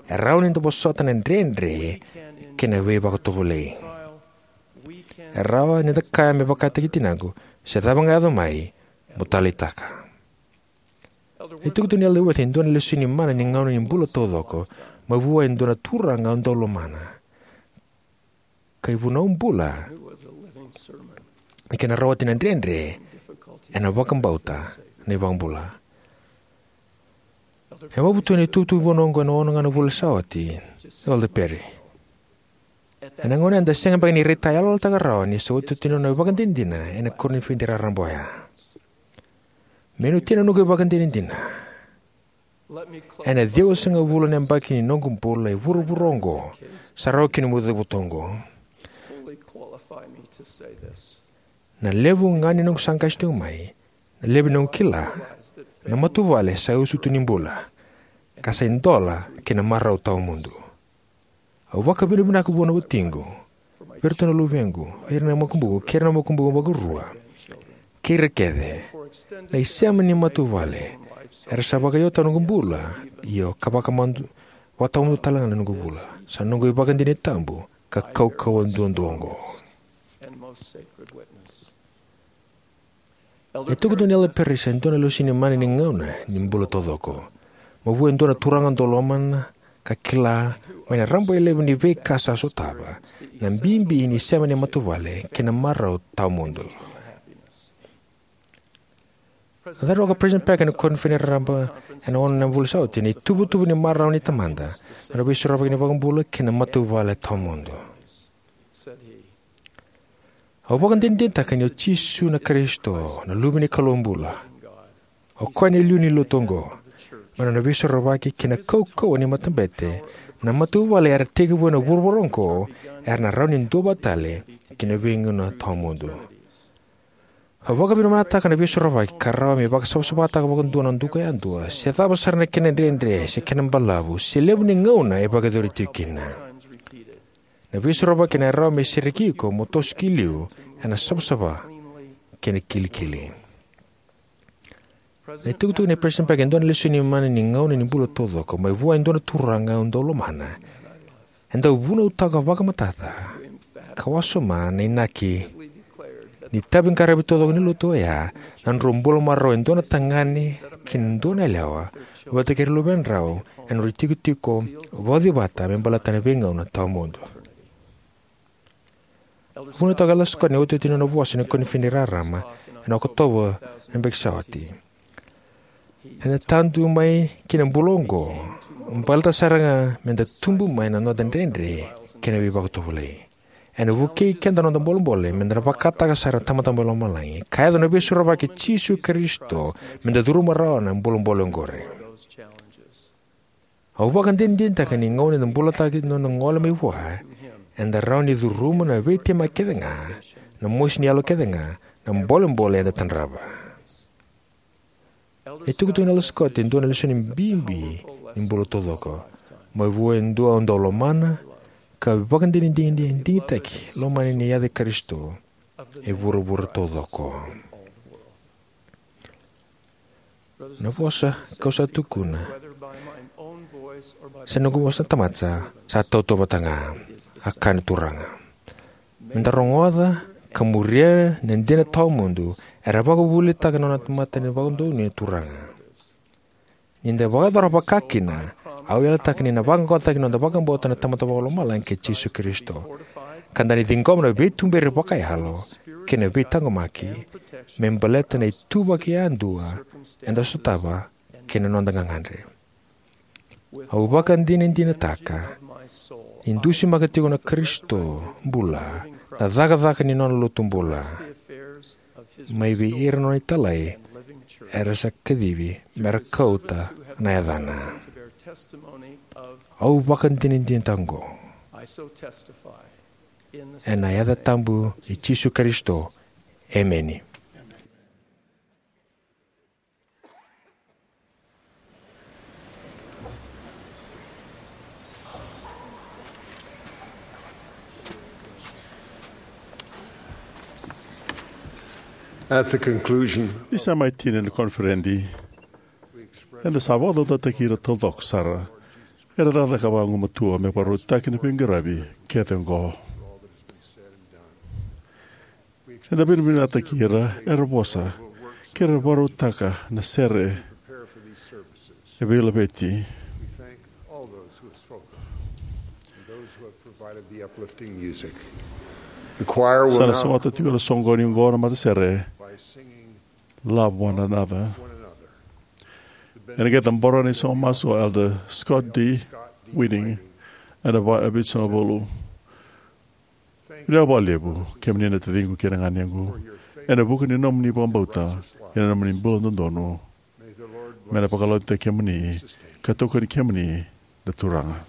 e rawa ni da vosota na dredre kei na veivakatovolei. E rawa ni da kaya me vakataki tinaqu: Se cava ga e yaco mai, mo taleitaka. E tukuna o Elder Worthley e dua na lesoni mana ni gauna ni bula taucoko mai vua e dua na turaga au dau lomana, ka ivunau bula ni kena rawati na dredre ena vakabauta na iVakabula. E vakavotuya na itukutuku vou oqo ena ono ga na vula sa oti o Elder Perry. Ena gauna eda sega beka ni raitayaloyalotaka rawa ni sa iotioti ni nona ivakadinadina ena koniferedi raraba oya. Meu na tina na noqu ivakadinadina. Ena ciwasagavulu na yabaki ni noqu bula e vuravura oqo, sa rawa kina meu cavuta oqo. Na levu ga ni noqu sa qase tiko mai, na levu ni noqu kila, na matavuvale sa iotioti ni bula, ka sa idola ki na marau tawamudu. Au vakavinavinaka vua na watiqu, vei iratou na luvequ, ira na makubuqu, kei ira na makubuqu vakarua, kei ira kece, na isema ni matavuvale era sa vakayagataka noqu bula, io, ka vakamadu, vakatawamudu talega na noqu bula. Sa noqu ivakadinadina tabu ka kaukauwa duadua oqo. E tukuna o Elder Perry sa dua na lesoni mana ni gauna ni bula taucoko, mai vua e dua na turaga dau lomana ka kila, mai na rabailevu ni veika sa sotava, na bibi ni sema ni matavuvale kei na marau tawamudu. A cauravou o President Packer ena koniferedi raraba ena ono na vula sa oti, na ituvatuva ni marau ni Tamada, na Veisorovaki ni iVakabula kei na matavuvale tawamudu. Au vakadinadinataka ni o Jisu na Karisito, na Luve ni Kalou bula. O koya na iliuliu ni lotu oqo, mai na nona veisorovaki kei na kaukauwa ni matabete, na matavuvale era tekivu ena vuravura oqo era na rawa ni duavata tale ki na veigauna tawamudu. Au vakavinavinakataka na Veisorovaki ka rawa me vakasavasavataka vakadua na duka yadua, se cava sara na kena dredre se kena balavu, se levu ni gauna e vakayacori tiko kina. Na Veisorovaki ena rawa me sereki iko mo toso ki liu ena savasava kei na kilikili. Na itukutuku nei President Packer e dua na lesoni mana ni gauna ni bula taucoko, mai vua e dua na turaga au dau lomana, e dau vunautaka vakamatata ka wasoma na inaki ni itaviqaravi taucoko ni lotu oya, na nodrau bula marau e dua na tagane kei na dua na yalewa vata kei ira na luvedrau ena nodrau itikotiko vauci vata me baleta na veigauna tawamudu. Vunautaka o Elder Scott ena iotioti ni nona vosa ena koniferedi raraba ena Okotova na yabaki sa oti. Eda tadu mai ki na bula oqo baleta sara ga meda tubu mai na noda dredre kei na veivakatovolei. Ena vukei keda na noda bolebole meda na vakataka sara na Tamada mai lomalagi, ka yaco na Veisorovaki i Jisu Karisito meda curuma rawa na bolebole oqori. Au vakadinadinataka ni gauna eda bulataka na nona gole mai vua, eda rawa ni curuma na veitemaki kece ga, na mosi ni yalo kece ga, na bolebole eda tadrava. E tukuna o Elder Scott e dua na lesoni bibi ni bula taucoko. Mai vua e dua au dau lomana, ka vakadinadina digitaki lomani ni yaca i Karisito e vuravura taucoko. Na vosa kau sa tukuna, se noqu vosa na tamata, sa tautauvata ga, a kaya na Turaga. Meda rogoca ka muria na dina tawamudu era vakavuvulitaka na nona tamata ni vakadonui na Turaga. Ni da vakayacora vaka kina, au yalataka ni na vaqaqacotaki na noda vakabauta na Tamada Vakalomalagi kei Jisu Karisito. Ka da na ciqoma na veituberi vakayalo kei na veitaqomaki me baleta na ituvaki yadua eda sotava kei na noda gagadre. Au vakadinadinataka ni dusimaka tiko na Karisito bula na cakacaka ni nona lotu bula mai vei ira na nona italai era sa kacivi mera kauta na yacana. Au vakadinadinataka oqo ena yaca tabu i Jisu Karisito. Emeni. At the conclusion, ni sa mai tini na koniferedi, eda sa vakadodonutaki ira taucoko sara era cakacaka vagumatua me vakarautaki na veiqaravi kece oqo. Eda vinavinakataki ira era vosa kei ira vakarautaka na sere e veilaveti. Sa na sogota tiko na soqoni oqo na matasere, Love One Another. Ena qai cabora na isago masu o Elder Scott D. Whiting ena va e vitusagavulu. Vinaka vakalevu kemuni na taciqu kei na ganequ ena vuku ni nomuni vakabauta ena nomuni bula dodonu. Me na vakalougatataki kemuni ka tokoni kemuni na Turaga.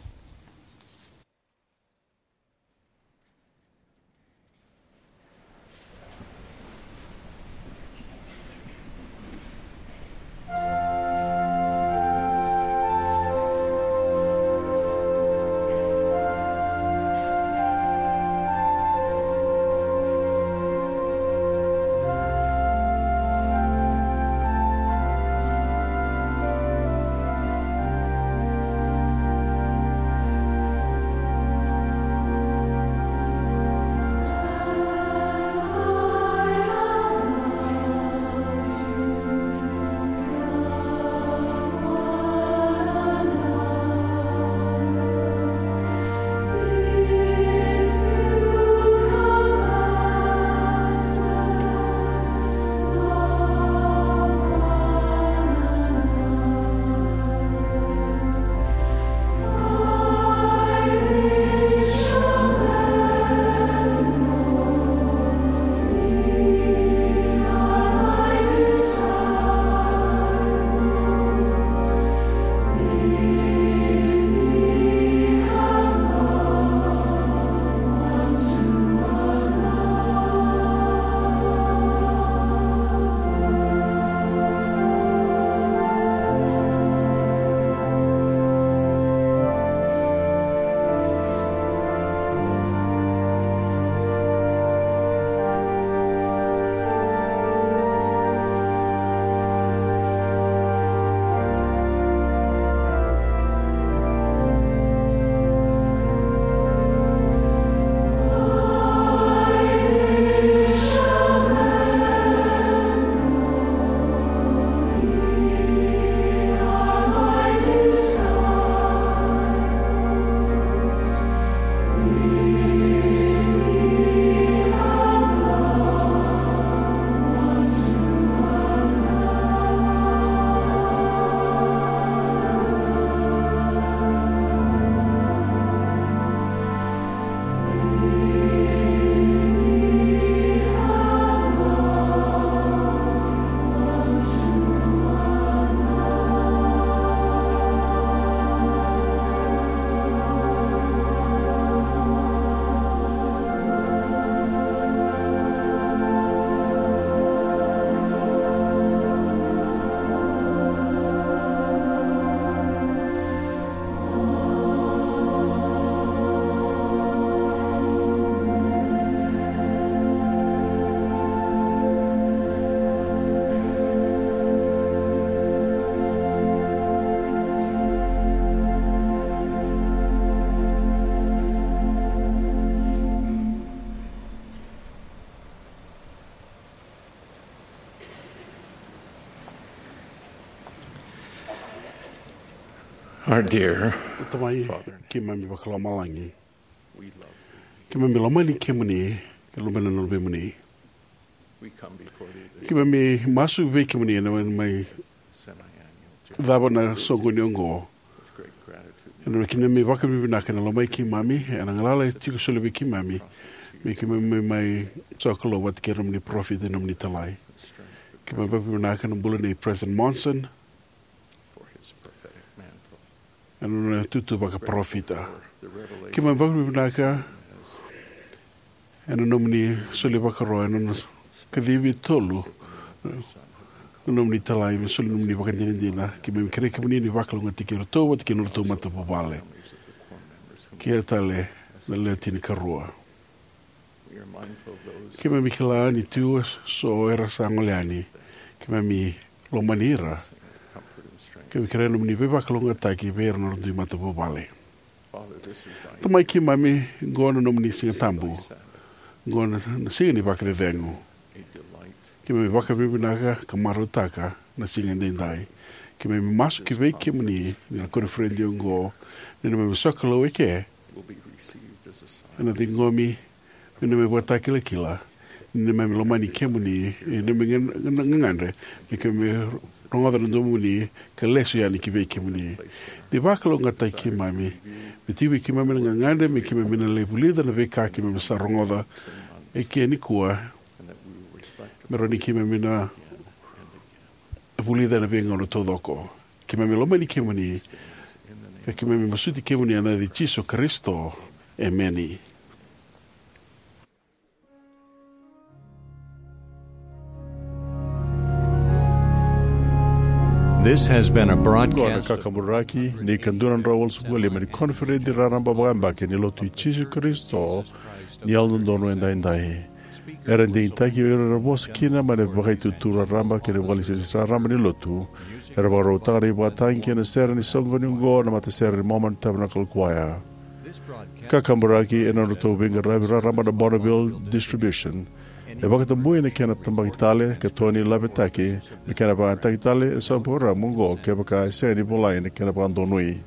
Our dear Tamai, Father, keimami vakalomalagi. We love thee. Keimami lomani kemuni, ke lomani na luvemuni. We come before thee this Keimami masu vei kemuni ena mai semi-annual journey cava na soqoni oqo. With great gratitude. Ena kina me vakavinavinaka na lomai keimami, ena galala e tiko soli vei keimami, me keimami mai sokalou vata kei na nomuni parofita, na nomuni talai. Keimami vakavinavinaka na bula nei President Monson, for his prophetic mantle. Ena nona tutu vakaparofita. Keimami vakavinavinaka ena nomuni soli vakaro, ena nona kacivi tolu na nomuni talai, me soli nomuni vakadinadina. Keimami kerei kemuni ni vakalougatataki iratou vata kei na nodratou matavuvale. Kei ira tale na lewe tinikarua. Keimami kila ni tu eso era sa gole yani. Keimami lomani ira. Keimami kerea na nomuni veivakalougatataki vei ira na nodra dui matavuvale. Tamai keimami, qo na nomuni siga tabu. Qo na, na siga ni vakacecegu. Keimami vakavinavinaka ka marautaka na siga edaidai. Keimami masu ki vei kemuni ni na koniferedi oqo, ni na neimami sokalou eke ena ciqomi me neimami ivakatakilakila ni neimami lomani kemuni, ni neimami ga-, ga-, gagadre me keimami rogoca na domoni ka lesu yani ki vei kemuni. Ni vakalougatataki keimami, me tiko vei keimami na gagadre me keimami na lai vulica na veika keimami sa rogoca eke nikua, me rawa ni keimami na vulica ena veigauna taucoko. Keimami lomani kemuni, ka keimami masuti kemuni ena yaca i Jisu Karisito. Emeni. This has been a Oqo na broadcast. Kakaburaki ni ka dua na drau walusagavulu ka lima ni koniferedi raraba vakayabaki ni Lotu i Jisu Karisito ni Yalododonu Edaidai. Era digitaki o ira era vosa kina mai na Vakaitutu Raraba kei na Vakalesilesi Raraba ni Lotu. Era vakarautaka na ivakatagi kei na sere ni soqoni oqo na matasere ni Mormon Tabernacle Choir. Kakaburaki ena nodratou veiqaravi raraba na Bonneville Distribution. E vakatabui na kena tabaki tale ka toni lavetaki me kena vakayagataki tale ena saumi parokaramu oqo kevaka e sega ni volai na kena vakadonui.